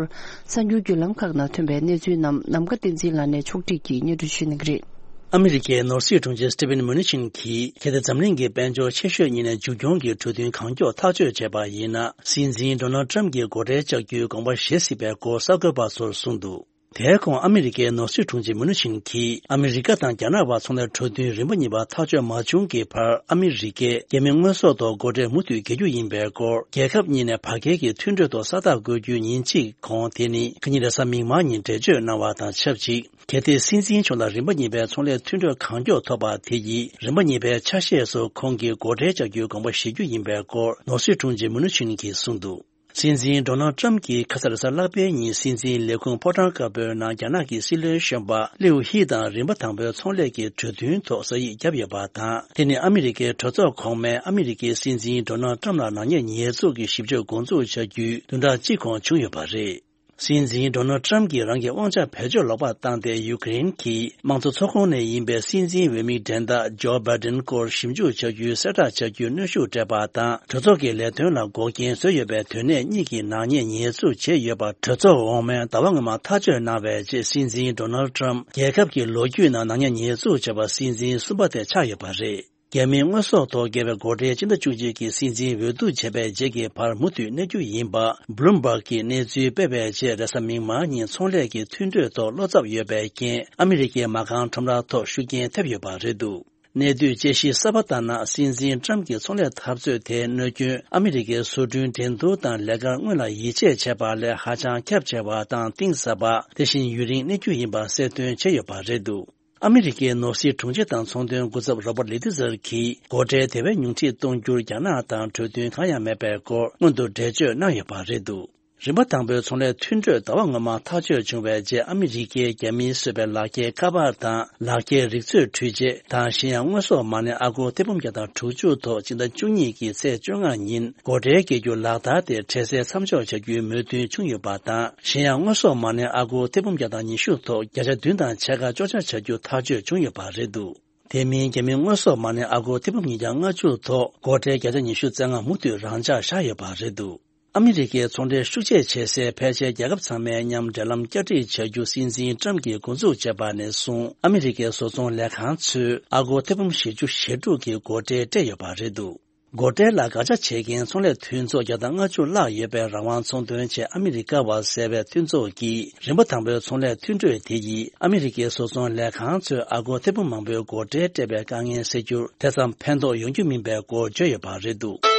གསར་འགྱུར་བརྒྱུད་ལམ་ཁག་ནང་ཐོན་པའི་གནས་ཚུལ་རྣམས་ནམ་མཁའ་བསྟན་འཛིན་ལགས་ནས་ཕྱོགས་སྒྲིག་གིས་སྙན་སྒྲོན་ཞུ་གནང་གི་རེད། ཨ་མི་རི་ཀའི་ནོར་སྲིད་དྲུང་ཆེ་སི་ཊི་ཝེན་མུ་ནི་ཅན་གྱིས་གལ་ཏེ་འཛམ་གླིང་གི་དཔལ་འབྱོར་ཆེ་ཤོས་གཉིས་ནས་མཇུག་སྐྱོང་གི་གྲོས་མཐུན་གང་མགྱོགས་ཐག་གཅོད་བྱས་པ་ཡིན་ན། སྲིད་འཛིན་ཌོ་ནལ་ཊམ་གྱིས་སྒོ་ཁྲལ་བཅག་རྒྱུའི་དགོངས་པ་བཞེས་སྲིད་པའི་སྐོར་གསར་འགོད་པ་ཚོར་གསུངས་འདུག་དེའི་གོང་ཨ་མི་རི་ཀའི་ནོར་སྲིད་དྲུང་ཆེ་མུ་ནུ་ཆིན་གྱིས་ཨ་མི་རི་ཀ་དང་རྒྱ་ནག་བར་ཚོང་ལས་གྲོས་མཐུན་རིམ་པ་གཉིས་པ་ཐག་གཅོད་མ་བྱུང་གི་བར་ཨ་མི་རི་ཀས་རྒྱ་མིའི་དངོས་ཟོག་ཐོག་སྒོ་ཁྲལ་མུ་མཐུད་འགེལ་རྒྱུ་ཡིན་པའི་སྐོར་རྒྱལ་ཁབ་གཉིས་ནས་བར་བརྒལ་གྱི་མཐུན་གྲོས་ཐོག་ས་རྟགས་བཀོད་རྒྱུའི་ཉིན་གཅིག་གོང་དེ་ནི་ཁ་ཉིན་རེས་གཟའ་མིག་དམར་ཉིན་འགྲེལ་བརྗོད་གནང་བ་དང་ཆབས་ཅིག་གལ་ཏེ་སྲིད་འཛིན་མཆོག་ལ་རིམ་པ་གཉིས་པའི་ཚོང་ལས་མཐུན་གྲོས་གང་མགྱོགས་ཐོབ་པ་དེ་ཡིས་རིམ་པ་གཉིས་པའི་ཆ་ཤས་སུ་ཁོང་གིས་སྒོ་ཁྲལ་བཅག་རྒྱུའི་དགོངས་པ་བཞེས་རྒྱུ་ཡིན་པའི་སྐོར་ནོར་སྲིད་དྲུང་ཆེ་མུ་ནུ་ཆིན་གྱིས་གསུངས་འདུག་སྲིད་འཛིན་ཌོ་ནལ་ཏྲམ་གྱིས་ཁ་ས་རེས་གཟའ་ལྷག་པའི་ཉིན་སྲིད་འཛིན་ལས་ཁུངས་ཕོ་བྲང་དཀར་པོའི་ནང་རྒྱ་ནག་གི་སྲིད་བློན་གཞོན་པ་ལིའུ་ཧི་དང་རིམ་པ་དང་པོའི་ཚོང་ལས་ཀྱི་གྲོས་མཐུན་ཐོག་ས་ཡིག་བརྒྱབ་ཡོད་པ་དང་། དེ་ནི་ཨ་མི་རི་ཀའི་གྲོས་ཚོགས་གོང་མས་ཨ་མི་རི་ཀའི་སྲིད་འཛིན་ཌོ་ནལ་ཏྲམ་ལ་ནག་ཉེས་ཉེས་འཛུགས་ཀྱི་ཞིབ་དཔྱོད་འགོ་འཛུགས་བྱ་རྒྱུའི་བདུན་ཕྲག་གཅིག་གོང་བྱུང་ཡོད་པ་རེད། སྲིད་འཛིན་ཌོ་ནལ་ཏྲམ་གྱིས་རང་གི་དབང་ཆ་བེད་སྤྱོད་ལོག་པར་བཏང་སྟེ་ཡུ་ཀེ་རེན་གྱི་དམངས་གཙོ་ཚོགས་ཁོངས་ནས་ཡིན་པའི་སྲིད་འཛིན་འོས་མི་འགྲན་ཟླ་ཇོ་བྷའི་ཌེན་སྐོར་ཞིབ་འཇུག་བྱ་རྒྱུའི་གསལ་བསྒྲགས་བྱ་རྒྱུའི་གནོན་ཤུགས་སྤྲད་པ་དང་། གྲོས་ཚོགས་ཀྱི་ལས་དོན་ལ་འགོག་རྐྱེན་བཟོས་ཡོད་པའི་དོན་གནད་གཉིས་ཀྱི་ནག་ཉེས་ཉེས་འཛུགས་བྱས་ཡོད་པ་གྲོས་ཚོགས་འོག་མས་ཟླ་བ་སྔོན་མ་ཐག་གཅོད་གནང་བའི་རྗེས། སྲིད་འཛིན་ཌོ་ནལ་ཏྲམ་རྒྱལ་ཁབ་ཀྱི་ལོ་རྒྱུས་ནང་ནག་ཉེས་ཉེས་འཛུགས་བྱས་པ་སྲིད་འཛིན་གསུམ་པ་དེ་ཆགས་ཡོད་པ་རེད། རྒྱ་མིའི་དངོས་ཟོག་ཐོག་བཀལ་བའི་སྒོ་ཁྲལ་སྤྱི་ཟླ་བཅུ་གཅིག་གི་སྲིད་འཛིན་འོས་བསྡུ་བྱས་པའི་རྗེས་ཀྱི་བར་མུ་མཐུད་གནས་རྒྱུ་ཡིན་པ་བྷི་ལུམ་བྷག་གིས་གནས་ཚུལ་སྤེལ་བའི་རྗེས། རེས་གཟའ་མིག་དམར་ཉིན་ཚོང་ལས་ཀྱི་མཐུན་གྲོས་ཐོག་བློ་འཚབ་ཡོད་པའི་རྐྱེན། ཨ་མི་རི་ཀའི་མ་རྐང་ཁྲོམ་ར་ཐོག་ཤུགས་རྐྱེན་ཐེབས་ཡོད་པ་རེད་འདུག་གནས་སྡུད་དཔྱད་གཞི་གསར་པ་ལྟར་ན། སྲིད་འཛིན་ཏྲམ་གྱི་ཚོང་ལས་འཐབ་རྩོད་དེའི་གནོད་སྐྱོན་ཨ་མི་རི་ཀའི་བཟོ་སྐྲུན་འགྲན་བསྡུར་དང་ལས་ཀར་སྔོན་ལ་ཡིད་ཆེས་བྱས་པ་ལས་ཧ་ཅང་ཁྱབ་ཆེ་བ་དང་གཏིང་ཟབ་པ། དེ་བཞིན་ཡུན་རིང་གནས་རྒྱུ་ཡིན་པ་གསལ་སྟོན་བྱས་ཡོད་པ་རེད་འདུག་ཨ་མི་རི་ཀའི་ནོར་སྲིད་དྲུང་ཆེ་དང་ཚོང་དོན་སྐུ་ཚབ་རོ་པར་ལི་ཏི་ཛར་གྱིས་སྒོ་ཁྲལ་དེ་བས་ཉུང་འཕྲི་གཏོང་རྒྱུར་རྒྱ་ནག་དང་གྲོས་མཐུན་གང་ཡང་མེད་པའི་སྐོར་སྔོན་དུ་འགྲེལ་བརྗོད་གནང་ཡོད་པ་རེད་འདུག་རིམ་པ་དང་པོའི་ཚོང་ལས་མཐུན་གྲོས་ཟླ་བ་སྔོན་མ་ཐག་གཅོད་བྱུང་བའི་རྗེས། ཨ་མི་རི་ཀས་རྒྱ་མིས་བཟོས་པའི་ལག་འཁྱེར་ཁ་པར་དང་ལག་འཁྱེར་རིག་མཛོད་འཕྲུལ་ཆས་དང་གཞན་ཡང་དངོས་ཟོག་མ་ཎི་ཨ་སྒོར་ཐེར་འབུམ་བརྒྱ་དང་དྲུག་ཅུ་ཐོག་སྤྱི་ཟླ་བཅུ་གཉིས་ཀྱི་ཚེས་བཅོ་ལྔ་ཉིན་སྒོ་ཁྲལ་འགེལ་རྒྱུ་ལག་བསྟར་དེ་འཕྲལ་སེལ་མཚམས་འཇོག་བྱ་རྒྱུའི་མོས་མཐུན་བྱུང་ཡོད་པ་དང་། གཞན་ཡང་དངོས་ཟོག་མ་ཎི་ཨ་སྒོར་ཐེར་འབུམ་བརྒྱ་དང་ཉི་ཤུ་ཐོག་བརྒྱ་ཆ་བདུན་དང་ཕྱེད་ཀ་གཅོག་ཆ་བྱ་རྒྱུ་ཐག་གཅོད་བྱུང་ཡོད་པ་རེད་འདུག་དེ་མིན་རྒྱ་མིའི་དངོས་ཟོག་མ་ཎི་ཨ་སྒོར་ཐེར་འབུམ་ཉིས་བརྒྱ་ལྔ་བཅུ་ཐོག་སྒོ་ཁྲལ་བརྒྱ་ཆ་ཉི་ཤུ་རྩ་ལྔ་མུ་མཐུད་རང་འཇགས་བཞག་ཡོད་པ་རེད་འདུག་ཨ་མི་རི་ཀའི་ཚོང་འབྲེལ་ཤུགས་ཆེ་བྱེད་སའི་ཕལ་ཆེར་རྒྱལ་ཁབ་ཚང་མའི་མཉམ་འབྲེལ་ལམ་བསྐྱར་སྒྲིག་བྱ་རྒྱུ་སྲིད་འཛིན་ཏྲམ་གྱིས་འགོ་འཛུགས་བྱས་པ་ནས་བཟུང་། ཨ་མི་རི་ཀའི་བཟོ་ཚོང་ལས་ཁང་ཚོས་ཨ་སྒོར་ཐེར་འབུམ་བཞི་བཅུ་ཞེ་དྲུག་གི་སྒོ་ཁྲལ་སྤྲད་ཡོད་པ་རེད་འདུག་སྒོ་ཁྲལ་ལ་དགག་བྱ་བྱེད་མཁན་ཚོང་ལས་མཐུན་ཚོགས་བརྒྱ་དང་ལྔ་བཅུ་ལྷག་ཡོད་པའི་རང་དབང་ཚོང་དོན་ཆེད་ཨ་མི་རི་ཀ་བ་ཟེར་བའི་མཐུན་ཚོགས་ཀྱིས་རིམ་པ་དང་པོའི་ཚོང་ལས་མཐུན་གྲོས་དེ་ཡིས་ཨ་མི་རི་ཀའི་བཟོ་ཚོང་ལས་ཁང་ཚོས་ཨ་སྒོར་ཐེར་འབུམ་མང་པོའི་སྒོ་ཁྲལ་སྤྲད་པའི་དཀའ་ངལ་སེལ་རྒྱུར་དེ་ཙམ་ཕན་ཐོགས་ཡོང་རྒྱུ་མིན་པའི་སྐོར་བརྗོད་ཡོད་པ་རེད་འདུག་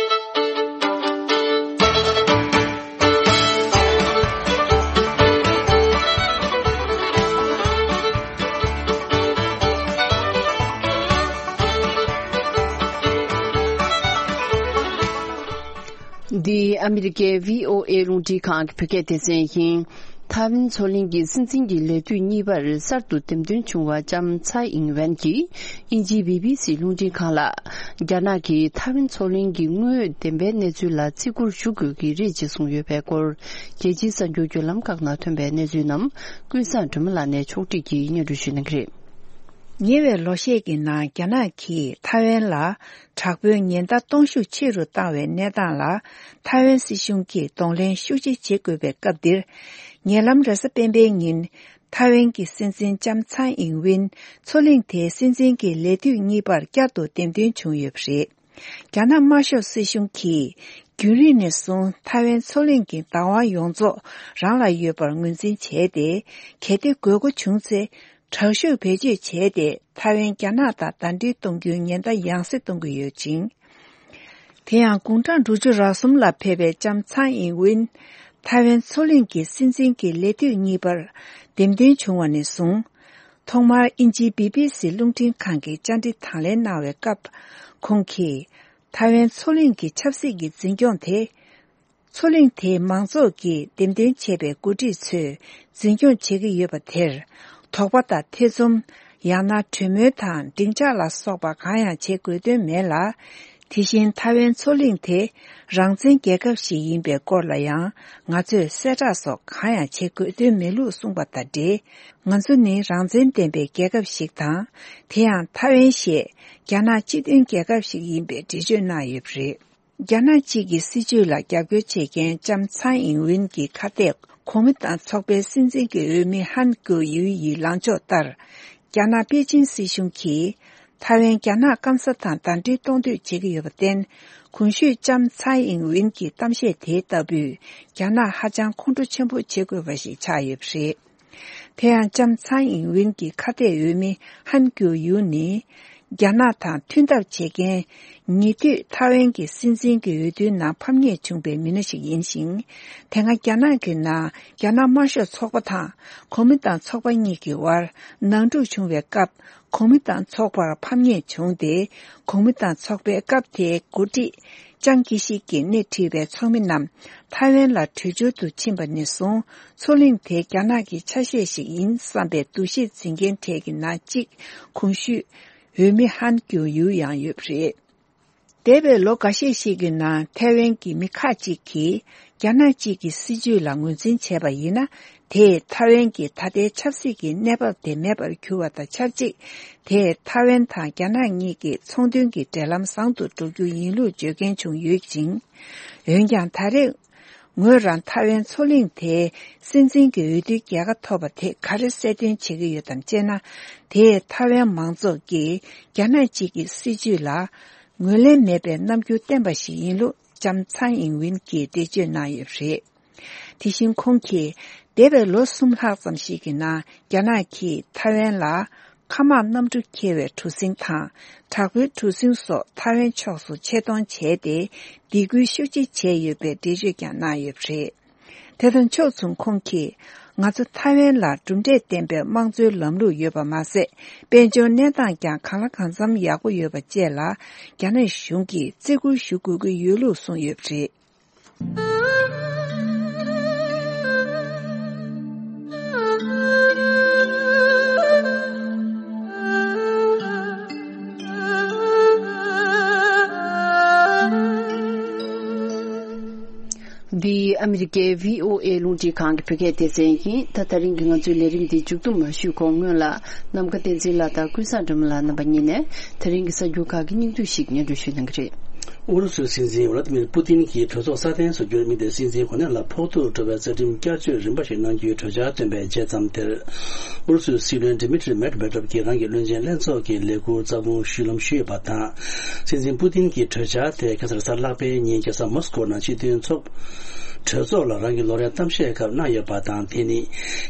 འདི་ཨ་མི་རི་ཀའི་བྷི་ཨོ་ཨེ་རླུང་འཕྲིན་ཁང་གི་བོད་སྐད་སྡེ་ཚན་ཡིན། ཐའེ་ཝན་མཚོ་གླིང་གི་སྲིད་འཛིན་གྱི་ལས་དུས་གཉིས་པར་གསར་དུ་འདེམས་ཐོན་བྱུང་བ་ལྕམ་ཚའེ་ཨིང་ཝེན་གྱིས་དབྱིན་ཇིའི་བྷི་བྷི་སི་རླུང་འཕྲིན་ཁང་ལ། རྒྱ་ནག་གིས་ཐའེ་ཝན་མཚོ་གླིང་གི་དངོས་ཡོད་བདེན་པའི་གནས་ཚུལ་ལ་བརྩི་བཀུར་ཞུ་དགོས་ཀྱི་རེད་ཅེས་གསུངས་ཡོད་པའི་སྐོར། རྒྱལ་སྤྱིའི་གསར་འགྱུར་བརྒྱུད་ལམ་ཁག་ནང་ཐོན་པའི་གནས་ཚུལ་རྣམས་ཀུན་བཟང་སྒྲོལ་མ་ལགས་ནས་ཕྱོགས་སྒྲིག་གིས་སྙན་སྒྲོན་ཞུ་གནང་གི་རེད། ཉེ་བའི་ལོ་ཤས་ཀྱི་ནང་རྒྱ་ནག་གིས་ཐའེ་ཝན་ལ་དྲག་པོའི་ཉེན་བརྡ་གཏོང་ཤུགས་ཆེ་རུ་བཏང་བའི་གནས་སྟངས་ལ། ཐའེ་ཝན་སྲིད་གཞུང་གིས་གདོང་ལེན་ཤུགས་ཆེ་བྱེད་དགོས་པའི་སྐབས་འདིར། ཉེ་ལམ་རེས་གཟའ་སྤེན་པའི་ཉིན། ཐའེ་ཝན་གྱི་སྲིད་འཛིན་ལྕམ་ཚའེ་ཨིང་ཝིན་མཚོ་གླིང་དེའི་སྲིད་འཛིན་གྱི་ལས་དུས་གཉིས་པར་བསྐྱར་དུ་འདེམས་ཐོན་བྱུང་ཡོད་པ་རེད། རྒྱ་ནག་དམར་ཤོག་སྲིད་གཞུང་གིས་རྒྱུན་རིང་ནས་བཟུང་ཐའེ་ཝན་མཚོ་གླིང་གི་བདག་དབང་ཡོངས་རྫོགས་རང་ལ་ཡོད་པར་ངོས་འཛིན་བྱས་ཏེ། གལ་ཏེ་དགོས་མཁོ་བྱུང་ཚེ། དྲག་ཤུགས་བེད་སྤྱོད་བྱས་ཏེ། ཐའེ་ཝན་རྒྱ་ནག་དང་ཟླ་སྒྲིལ་གཏོང་རྒྱུའི་ཉེན་བརྡ་ཡང་སེ་གཏོང་གི་ཡོད་ཅིང་། དེ་ཡང་དགུང་གྲངས་དྲུག་ཅུ་རེ་གསུམ་ལ་ཕེབས་པའི་ལྕམ་ཚའེ་ཨིང་ཝིན། ཐའེ་ཝན་མཚོ་གླིང་གི་སྲིད་འཛིན་གྱི་ལས་དུས་གཉིས་པར་འདེམས་ཐོན་བྱུང་བ་ནས་བཟུང་། ཐོག་མར་དབྱིན་ཇིའི་བྷི་བྷི་སི་རླུང་འཕྲིན་ཁང་གིས་བཅར་འདྲི་དང་ལེན་གནང་བའི་སྐབས། ཁོང་གིས། ཐའེ་ཝན་མཚོ་གླིང་གི་ཆབ་སྲིད་ཀྱི་འཛིན་སྐྱོང་དེ། མཚོ་གླིང་དེའི་མང་ཚོགས་ཀྱིས་འདེམས་ཐོན་བྱས་པའི་འགོ་ཁྲིད་ཚོས་འཛིན་སྐྱོང་བྱེད་ཀྱི་ཡོད་པ་དེར། དོགས་པ་དང་ཐེ་ཚོམ། ཡང་ན་གྲོས་མོལ་དང་སྡིངས་ཆ་ལ་སོགས་པ་གང་ཡང་བྱེད་དགོས་དོན་མེད་ལ། དེ་བཞིན་ཐའེ་ཝན་མཚོ་གླིང་དེ་རང་བཙན་རྒྱལ་ཁབ་ཞིག་ཡིན་པའི་སྐོར་ལ་ཡང་ང་ཚོས་གསལ་བསྒྲགས་སོགས་གང་ཡང་བྱེད་དགོས་དོན་མེད་ལུགས་གསུངས་པ་དང་འབྲེལ། ང་ཚོ་ནི་རང་བཙན་ལྡན་པའི་རྒྱལ་ཁབ་ཞིག་དང་། དེ་ཡང་ཐའེ་ཝན་ཞེས་རྒྱ་ནག་སྤྱི་མཐུན་རྒྱལ་ཁབ་ཞིག་ཡིན་པའི་འགྲེལ་བརྗོད་གནང་ཡོད་པ་རེད། རྒྱ་ནག་གཅིག་གི་སྲིད་བྱུས་ལ་རྒྱབ་སྐྱོར་བྱེད་མཁན་ལྕམ་ཚའེ་ཨིང་ཝིན་གྱི་ཁ་གཏད་གོང་མ་དང་ཚོགས་པའི་སྲིད་འཛིན་གྱི་འོས་མི་ཧན་ཀོ་ཡུའི་ཡི་ལངས་ཕྱོགས་ལྟར། རྒྱ་ནག་པེ་ཅིན་སྲིད་གཞུང་གིས་ཐའེ་ཝན་རྒྱ་ནག་སྐམ་ས་དང་ཟླ་སྒྲིལ་གཏོང་འདོད་བྱེད་ཀྱི་ཡོད་པར་བརྟེན། གོང་ཞུས་ལྕམ་ཚའེ་ཨིང་ཝིན་གྱི་གཏམ་བཤད་དེ་ལྟ་བུས་རྒྱ་ནག་ཧ་ཅང་ཁོང་ཁྲོ་ཆེན་པོ་བྱེད་དགོས་པ་ཞིག་ཆགས་ཡོད་པ་རེད། དེ་ཡང་ལྕམ་ཚའེ་ཨིན་ཝིན་གྱི་ཁ་གཏད་འོས་མི་ཧན་ཀྱུ་ཡུ་ནི། རྒྱ་ནག་དང་མཐུན་ཐབས་བྱེད་མཁན་ཉེ་དུས་ཐའེ་ཝན་གྱི་སྲིད་འཛིན་གྱི་འོས་བསྡུའི་ནང་ཕམ་ཉེས་བྱུང་པའི་མི་སྣ་ཞིག་ཡིན་ཞིང་། དེ་སྔ་རྒྱ་ནག་གི་ནང་རྒྱ་ནག་དམར་ཤོག་ཚོགས་པ་དང་གོ་མིན་ཏང་ཚོགས་པ་གཉིས་ཀྱི་དབར་ནང་འཁྲུག་བྱུང་བའི་སྐབས། གོ་མིན་ཏང་ཚོགས་པར་ཕམ་ཉེས་བྱུང་སྟེ། གོ་མིན་ཏང་ཚོགས་པའི་སྐབས་དེའི་འགོ་ཁྲིད་ཅང་ཀི་ཤིག་གིས་སྣེ་ཁྲིད་པའི་ཚོགས་མི་རྣམས་ཐའེ་ཝན་ལ་བྲོས་བྱོལ་དུ་ཕྱིན་པ་ནས་བཟུང་། མཚོ་གླིང་དེ་རྒྱ་ནག་གི་ཆ་ཤས་ཤིག་ཡིན་བསམ་པའི་འདུ་ཤེས་འཛིན་མཁན་གྲས་ཀྱི་ནང་གཅིག་གོང་ཞུས་འོས་མི་ཧན་ཀྱུ་ཡུ་ཡང་ཡོད་པ་རེད། འདས་པའི་ལོ་འགའ་ཤས་ཤིག་གི་ནང་ཐའེ་ཝན་གྱི་མི་ཁག་ཅིག་གིས་རྒྱ་ནག་གཅིག་གི་སྲིད་ཇུས་ལ་ངོས་འཛིན་བྱས་པ་ཡིན་ན། དེས་ཐའེ་ཝན་གྱི་ད་ལྟའི་ཆབ་སྲིད་ཀྱི་གནས་བབ་དེ་མེད་པར་གྱུར་བ་དང་ཆབས་ཅིག་དེས་ཐའེ་ཝན་དང་རྒྱ་ནག་གཉིས་ཀྱི་ཚོང་དོན་གྱི་འབྲེལ་ལམ་བཟང་དུ་འགྲོ་རྒྱུ་ཡིན་ལུགས་བརྗོད་མཁན་བྱུང་ཡོད་ཅིང་། འོན་ཀྱང་། ད་རེས་ངོས་རང་ཐའེ་ཝན་མཚོ་གླིང་དེའི་སྲིད་འཛིན་གྱི་འོས་བསྡུའི་རྒྱལ་ཁ་ཐོབ་པ་དེ་ག་རེ་གསལ་སྟོན་བྱེད་ཀྱི་ཡོད་དམ་ཅེ་ན། དེས་ཐའེ་ཝན་མང་ཚོགས་ཀྱིས་རྒྱ་ནག་གཅིག་གི་སྲིད་ཇུས་ལ་ངོས་ལེན་མེད་པའི་རྣམ་འགྱུར་བསྟན་པ་ཞིག་ཡིན་ལུགས་ལྕམ་ཚའེ་ཨིན་ཝིན་གྱིས་འགྲེལ་བརྗོད་གནང་ཡོད་པ་རེད། དེ་བཞིན་ཁོང་གིས་འདས་པའི་ལོ་གསུམ་ལྷག་ཙམ་ཞིག་གི་ནང་རྒྱ་ནག་གིས་ཐའེ་ཝན་ལ་མཁའ་དམག་གནམ་གྲུ་འཁྱེར་བའི་གྲུ་གཟིངས་དང་དྲག་པོའི་གྲུ་གཟིངས་སོགས་ཐའེ་ཝན་ཕྱོགས་སུ་ཆེད་གཏོང་བྱས་ཏེ། སྡིགས་སྐུལ་ཤུགས་ཆེ་བྱས་ཡོད་པའི་འགྲེལ་བརྗོད་ཀྱང་གནང་ཡོད་པ་རེད། དེ་དང་ཕྱོགས་མཚུངས་ཁོང་གིས། ང་ཚོ་ཐའེ་ཝན་ལ་གྲུབ་འབྲས་ལྡན་པའི་དམངས་གཙོའི་ལམ་ལུགས་ཡོད་པ་མ་ཟད། དཔལ་འབྱོར་གནས་སྟངས་ཀྱང་གང་ལ་གང་འཚམ་ཡག་པོ་ཡོད་པ་བཅས་ལ། རྒྱ་ནག་གཞུང་གིས་བརྩི་བཀུར་ཞུ་དགོས་ཀྱི་ཡོད་ལུགས་གསུངས་ཡོད་པ་རེད། འདི་ཨ་མི་རི་ཀའི་བྷི་ཨོ་ཨེ་རླུང་འཕྲིན་ཁང་གི་བོད་སྐད་སྡེ་ཚན་ཡིན། ད་དེ་རིང་གི་ང་ཚོའི་ལས་རིམ་འདི་མཇུག་བསྡོམས་མ་ཞུས་གོང་སྔོན་ལ། ནམ་མཁའ་བསྟན་འཛིན་ལགས་དང་ཀུན་བཟང་སྒྲོལ་མ་ལགས་རྣམ་པ་གཉིས་ནས་དེ་རིང་གི་གསར་འགྱུར་ཁག་གི་སྙིང་བསྡུས་ཤིག་སྙན་སྒྲོན་ཞུ་གནང་གི་རེད། ཨུ་རུ་སུའི་སྲིད་འཛིན་ཝ་ལ་ཏི་མིར་པུ་ཏིན་གྱིས་གྲོས་ཚོགས་སྲ་བརྟན་བཟོ་རྒྱུར་དམིགས་ཏེ། སྲིད་འཛིན་གོ་གནས་ལ་ཕོག་ཐུག་འགྲོ་བའི་རྩ་ཁྲིམས་བསྐྱར་བཅོས་རིམ་པ་ཞིག་གནང་རྒྱུའི་གྲོས་འཆར་བཏོན་པའི་རྗེས་ཙམ་དེར། ཨུ་རུ་སུའི་སྲིད་བློན་ཌི་མི་ཏྲི་མེད་བྷེ་ཏྲོབ་ཀྱིས་རང་གི་བློན་ཆེན་ལྷན་ཚོགས་ཀྱི་ལས་ཁུར་རྩ་དགོངས་ཞུས་ཡོད་པ་དང་། སྲིད་འཛིན་པུ་ཏིན་གྱི་གྲོས་འཆར་དེ་ཁ་སང་རེས་གཟའ་ལྷག་པའི་ཉིན་རྒྱལ་ས་མོ་སི་ཀོ་ནང་སྤྱི་མཐུན་ཚོགས་གྲོས་ཚོགས་ལ་རང་གི་ལོ་རེའི་གཏམ་བཤད་སྐབས་གནང་ཡོད་པ་དང་། དེ་ནི་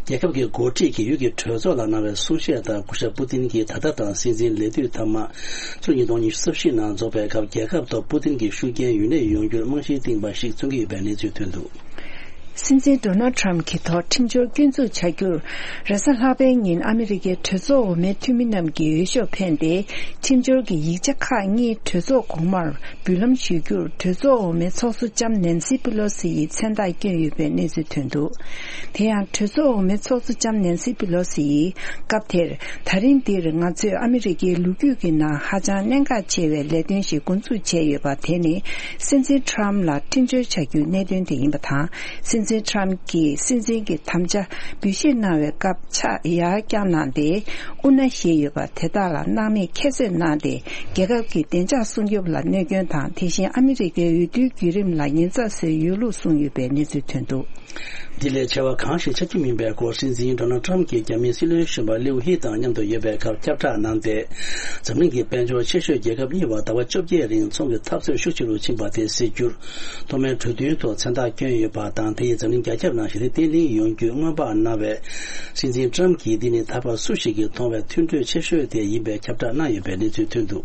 རྒྱལ་ཁབ་ཀྱི་འགོ་ཁྲིད་ཀྱིས་ཡུལ་གྱི་གྲོས་ཚོགས་ལ་གནང་བའི་གསུང་བཤད་ལྟར། སྐུ་ཞབས་པུ་ཏིན་གྱིས་ད་ལྟ་དང་སྲིད་འཛིན་ལས་དུས་མཐའ་མ་ཕྱི་ལོ་ཉིས་སྟོང་ཉི་ཤུ་རྩ་བཞི་ནང་རྫོགས་པའི་སྐབས། རྒྱལ་ཁབ་ཐོག་པུ་ཏིན་གྱི་ཤུགས་རྐྱེན་ཡུན་གནས་ཡོང་རྒྱུར་རྨང་གཞི་བཏིང་བ་ཞིག་མཚོན་གྱི་ཡོད་པའི་གནས་ཚུལ་ཐོན་འདུག། སྲིད་འཛིན་ཌོ་ནལ་ཊམ་གྱི་ཐོག་ཁྲིམས་སྦྱོར་སྐྱོན་འཛུགས་བྱ་རྒྱུར། རེས་གཟའ་ལྷག་པའི་ཉིན་ཨ་མི་རི་ཀའི་གྲོས་ཚོགས་འོག་མའི་འཐུས་མི་རྣམས་ཀྱིས་འོས་ཤོག་འཕེན་ཏེ། ཁྲིམས་སྦྱོར་གྱི་ཡིག་ཆ་ཁག་གཉིས་གྲོས་ཚོགས་གོང་མར་འབུལ་ལམ་ཞུ་རྒྱུར། གྲོས་ཚོགས་འོག་མའི་ཚོགས་གཙོ་ལྕམ་ནན་སི་པི་ལོ་སི་ཡིས་མཚན་རྟགས་བསྐྱོན་ཡོད་པའི་གནས་ཚུལ་ཐོན་འདུག། དེ་ཡང་གྲོས་ཚོགས་འོག་མའི་ཚོགས་གཙོ་ལྕམ་ནན་སི་པི་ལོ་སི་ཡིས། སྐབས་དེར། ད་རིང་འདིར་ང་ཚོས་ཨ་མི་རི་ཀའི་ལོ་རྒྱུས་ཀྱི་ནང་ཧ་ཅང་གནད་འགག་ཆེ་བའི་ལས་དོན་ཞིག་འགོ་འཛུགས་བྱས་ཡོད་པ། དེ་ནི་སྲིད་འཛིན་ཊམ་ལ་ཁྲིམས་སྦྱོར་བྱ་རྒྱུའི་གནད་དོན་དེ་ཡིན་པ་དང་། སྲིད་འཛིན་ཊམ་གྱིས་སྲིད་འཛིན་གྱི་དམ་བཅའ་འབུལ་བཞེས་གནང་བའི་སྐབས་ཕྱག་ཡར་བརྐྱངས་གནང་སྟེ། དབུ་མནའ་བཞེས་ཡོད་པ་དེ་དག་ལ་སྣང་མེད་ཁྱད་གསོད་གནང་སྟེ། རྒྱལ་ཁབ་ཀྱི་བདེ་འཇགས་སྲུང་སྐྱོབ་ལ་གནོད་སྐྱོན་དང་། དེ་བཞིན་ཨ་མི་རི་ཀའི་འོས་བསྡུའི་བརྒྱུད་རིམ་ལ་ཉེན་ཚབས་བཟོས་ཡོད་ལུགས་གསུངས་ཡོད་པའི་གནས་ཚུལ་ཐོན་འདུག། འདི་ལས་ཆེ་བ་གང་ཞིག་ཆགས་ཀྱི་མིན་པའི་སྐོར། སྲིད་འཛིན་ཌོ་ནལ་ཊམ་གྱིས་རྒྱ་མིའི་སྲིད་བློན་གཞོན་པ་ལིའུ་ཧི་དང་མཉམ་དུ་ཡོད་པའི་སྐབས་ཁྱབ་བསྒྲགས་གནང་སྟེ། འཛམ་གླིང་གི་དཔལ་འབྱོར་ཆེ་ཤོས་རྒྱལ་ཁབ་གཉིས་བར་ཟླ་བ་བཅོ་བརྒྱད་རིང་ཚོང་གི་འཐབ་རྩོད་ཤུགས་ཆེ་རུ་ཕྱིན་པ་དེ་སེལ་རྒྱུར། ཐོག་མའི་གྲོས་མཐུན་ཐོག་མཚན་རྟགས་བསྐྱོན་ཡོད་པ་དང་། དེ་ཡིས་འཛམ་གླིང་རྒྱ་ཁྱབ་ནང་ཞི་བདེ་བརྟན་ལྷིང་ཡོང་རྒྱུ་སྔོན་དཔག་གནང་བས། སྲིད་འཛིན་ཊམ་གྱིས་འདི་ནི་ད་བར་སུ་ཞིག་གིས་མཐོང་བའི་མཐུན་གྲོས་ཆེ་ཤོས་དེ་ཡིན་པའི་ཁྱབ་བསྒྲགས་གནང་ཡོད་པའི་གནས་ཚུལ་ཐོན་འདུག།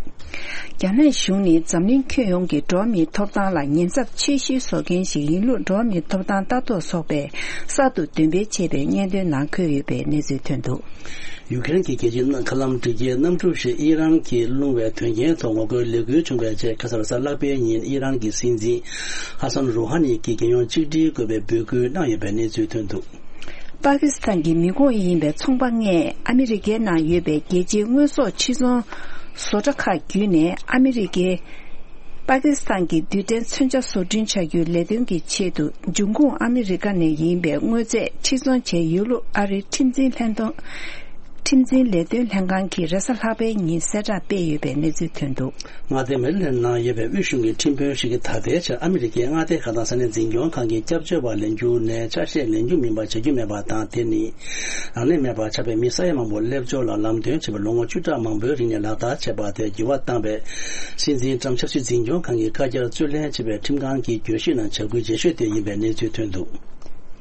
རྒྱ་ནག་གཞུང་ནི་འཛམ་གླིང་ཁྱོན་ཡོངས་ཀྱི་འགྲོ་བ་མིའི་ཐོབ་ཐང་ལ་ཉེན་ཚབས་ཆེ་ཤོས་བཟོ་མཁན་ཞིག་ཡིན་ལུགས། འགྲོ་བ་མིའི་ཐོབ་ཐང་ལྟ་རྟོག་ཚོགས་པས་གསར་དུ་འདོན་སྤེལ་བྱས་པའི་སྙན་ཐོའི་ནང་འཁོད་ཡོད་པའི་གནས་ཚུལ་ཐོན་འདུག། ཡུ་ཀེ་རེན་གྱི་རྒྱལ་སྤྱིའི་མཁའ་ལམ་འགྲུལ་སྐྱེལ་གནམ་གྲུ་ཞིག་ཨི་རན་གྱིས་བླུང་བའི་དོན་རྐྱེན་ཐོག་ངོ་རྒོལ་ལས་འགུལ་བྱུང་བའི་རྗེས། ཁ་སང་རེས་གཟའ་ལྷག་པའི་ཉིན་ཨི་རན་གྱི་སྲིད་འཛིན་ཧ་སན་རུ་ཧ་ནི་གྱིས་རྒྱལ་ཡོངས་གཅིག་སྒྲིལ་དགོས་པའི་འབོད་སྐུལ་གནང་ཡོད་པའི་གནས་ཚུལ་ཐོན་འདུག། པ་ཀི་སི་ཐན་གྱི་མི་ཁོངས་ཡིན་པའི་ཚོང་པ་ལྔས་ཨ་མི་རི་ཀའི་ནང་ཡོད་པའི་རྒྱལ་སྤྱིའི་དངོས་ཟོག་ཕྱིར་ཚོང་བཟོ་གྲྭ་ཁག་བརྒྱུད་ནས་ཨ་མི་རི་ཀའི་པ་ཀི་སི་ཐན་གྱི་རྡུལ་ཕྲན་མཚོན་ཆ་བཟོ་སྐྲུན་བྱ་རྒྱུའི་ལས་དོན་གྱི་ཆེད་དུ། འབྱུང་ཁུངས་ཨ་མི་རི་ཀ་ནས་ཡིན་པའི་དངོས་རྫས་ཕྱིར་ཚོང་བྱས་ཡོད་ལུགས་ཨ་རིའི་ཁྲིམས་འཛིན་ལྷན་ཐོང་། ཁྲིམས་འཛིན་ལས་དོན་ལྷན་ཁང་གིས་རེས་གཟའ་ལྷག་པའི་ཉིན་གསལ་བསྒྲགས་སྤེལ་ཡོད་པའི་གནས་ཚུལ་ཐོན་འདུག། མངའ་སྡེ་མེ་རི་ལེན་ནང་ཡོད་པའི་དབུས་གཞུང་གི་ཁྲིམས་དཔོན་ཞིག་གིས་ད་ལྟའི་ཆར་ཨ་མི་རི་ཀའི་མངའ་སྡེ་ཁག་དང་ས་གནས་འཛིན་སྐྱོང་ཁང་གི་སྐྱབས་བཅོལ་བ་ལེན་རྒྱུ་ནས་ཆ་ཤས་ལེན་རྒྱུ་མིན་པ་བྱ་རྒྱུ་མེད་པ་དང་། དེ་ནི་རང་ལས་མེད་པར་ཆགས་པའི་མི་ས་ཡ་མང་པོ་སླེབས་འབྱོར་ལ་ལམ་སྟོན་བྱེད་པར་ལོ་ངོ་བཅུ་ཕྲག་མང་པོའི་རིང་ནས་ལག་བསྟར་བྱས་པ་དེར་འགྱུར་བ་བཏང་བས། སྲིད་འཛིན་ཊམ་ཆབ་སྲིད་འཛིན་སྐྱོང་ཁང་གི་བཀའ་རྒྱར་རྩོད་ལེན་བྱེད་པའི་ཁྲིམས་ཁང་གི་གྱོད་གཞི་ནང་བྱ་འགུལ་རྗེས་ཤོས་དེ་ཡིན་པའི་གནས་ཚུལ་ཐོན་འདུག།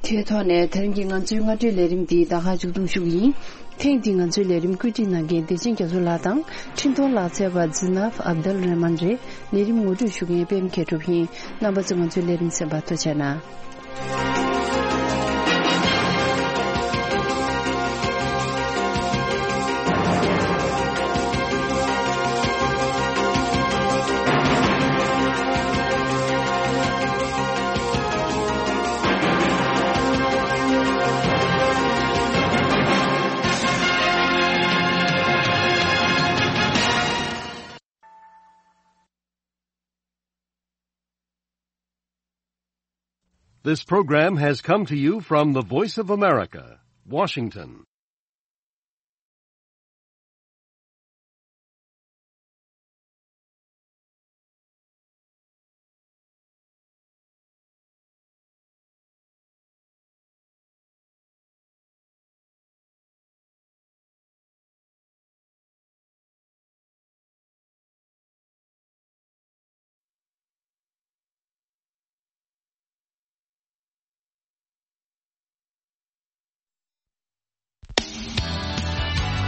དེའི་ཐོག་ནས་དེ་རིང་གི་ང་ཚོའི་སྔ་དྲོའི་ལས་རིམ་འདི་ད་ག་མཇུག་སྡོམ་ཞུ་གི་ཡིན། ཐེངས་འདིའི་ང་ཚོའི་ལས་རིམ་བཀོད་སྒྲིག་གནང་མཁན་བདེ་ཆེན་རྒྱ་མཚོ་ལགས་དང་འཕྲིན་གཏོང་ལག་རྩལ་བ་ཛི་ནབ་ཨབ་དལ་རེ་མན་རེད། ལས་རིམ་ངོ་སྤྲོད་ཞུ་མཁན་པད་མ་མཁས་གྲུབ་ཡིན། རྣམ་པ་ཚོས་ང་ཚོའི་ལས་རིམ་གསན་པར་ཐུགས་རྗེ་གནང་། This program has come to you from the Voice of America, Washington.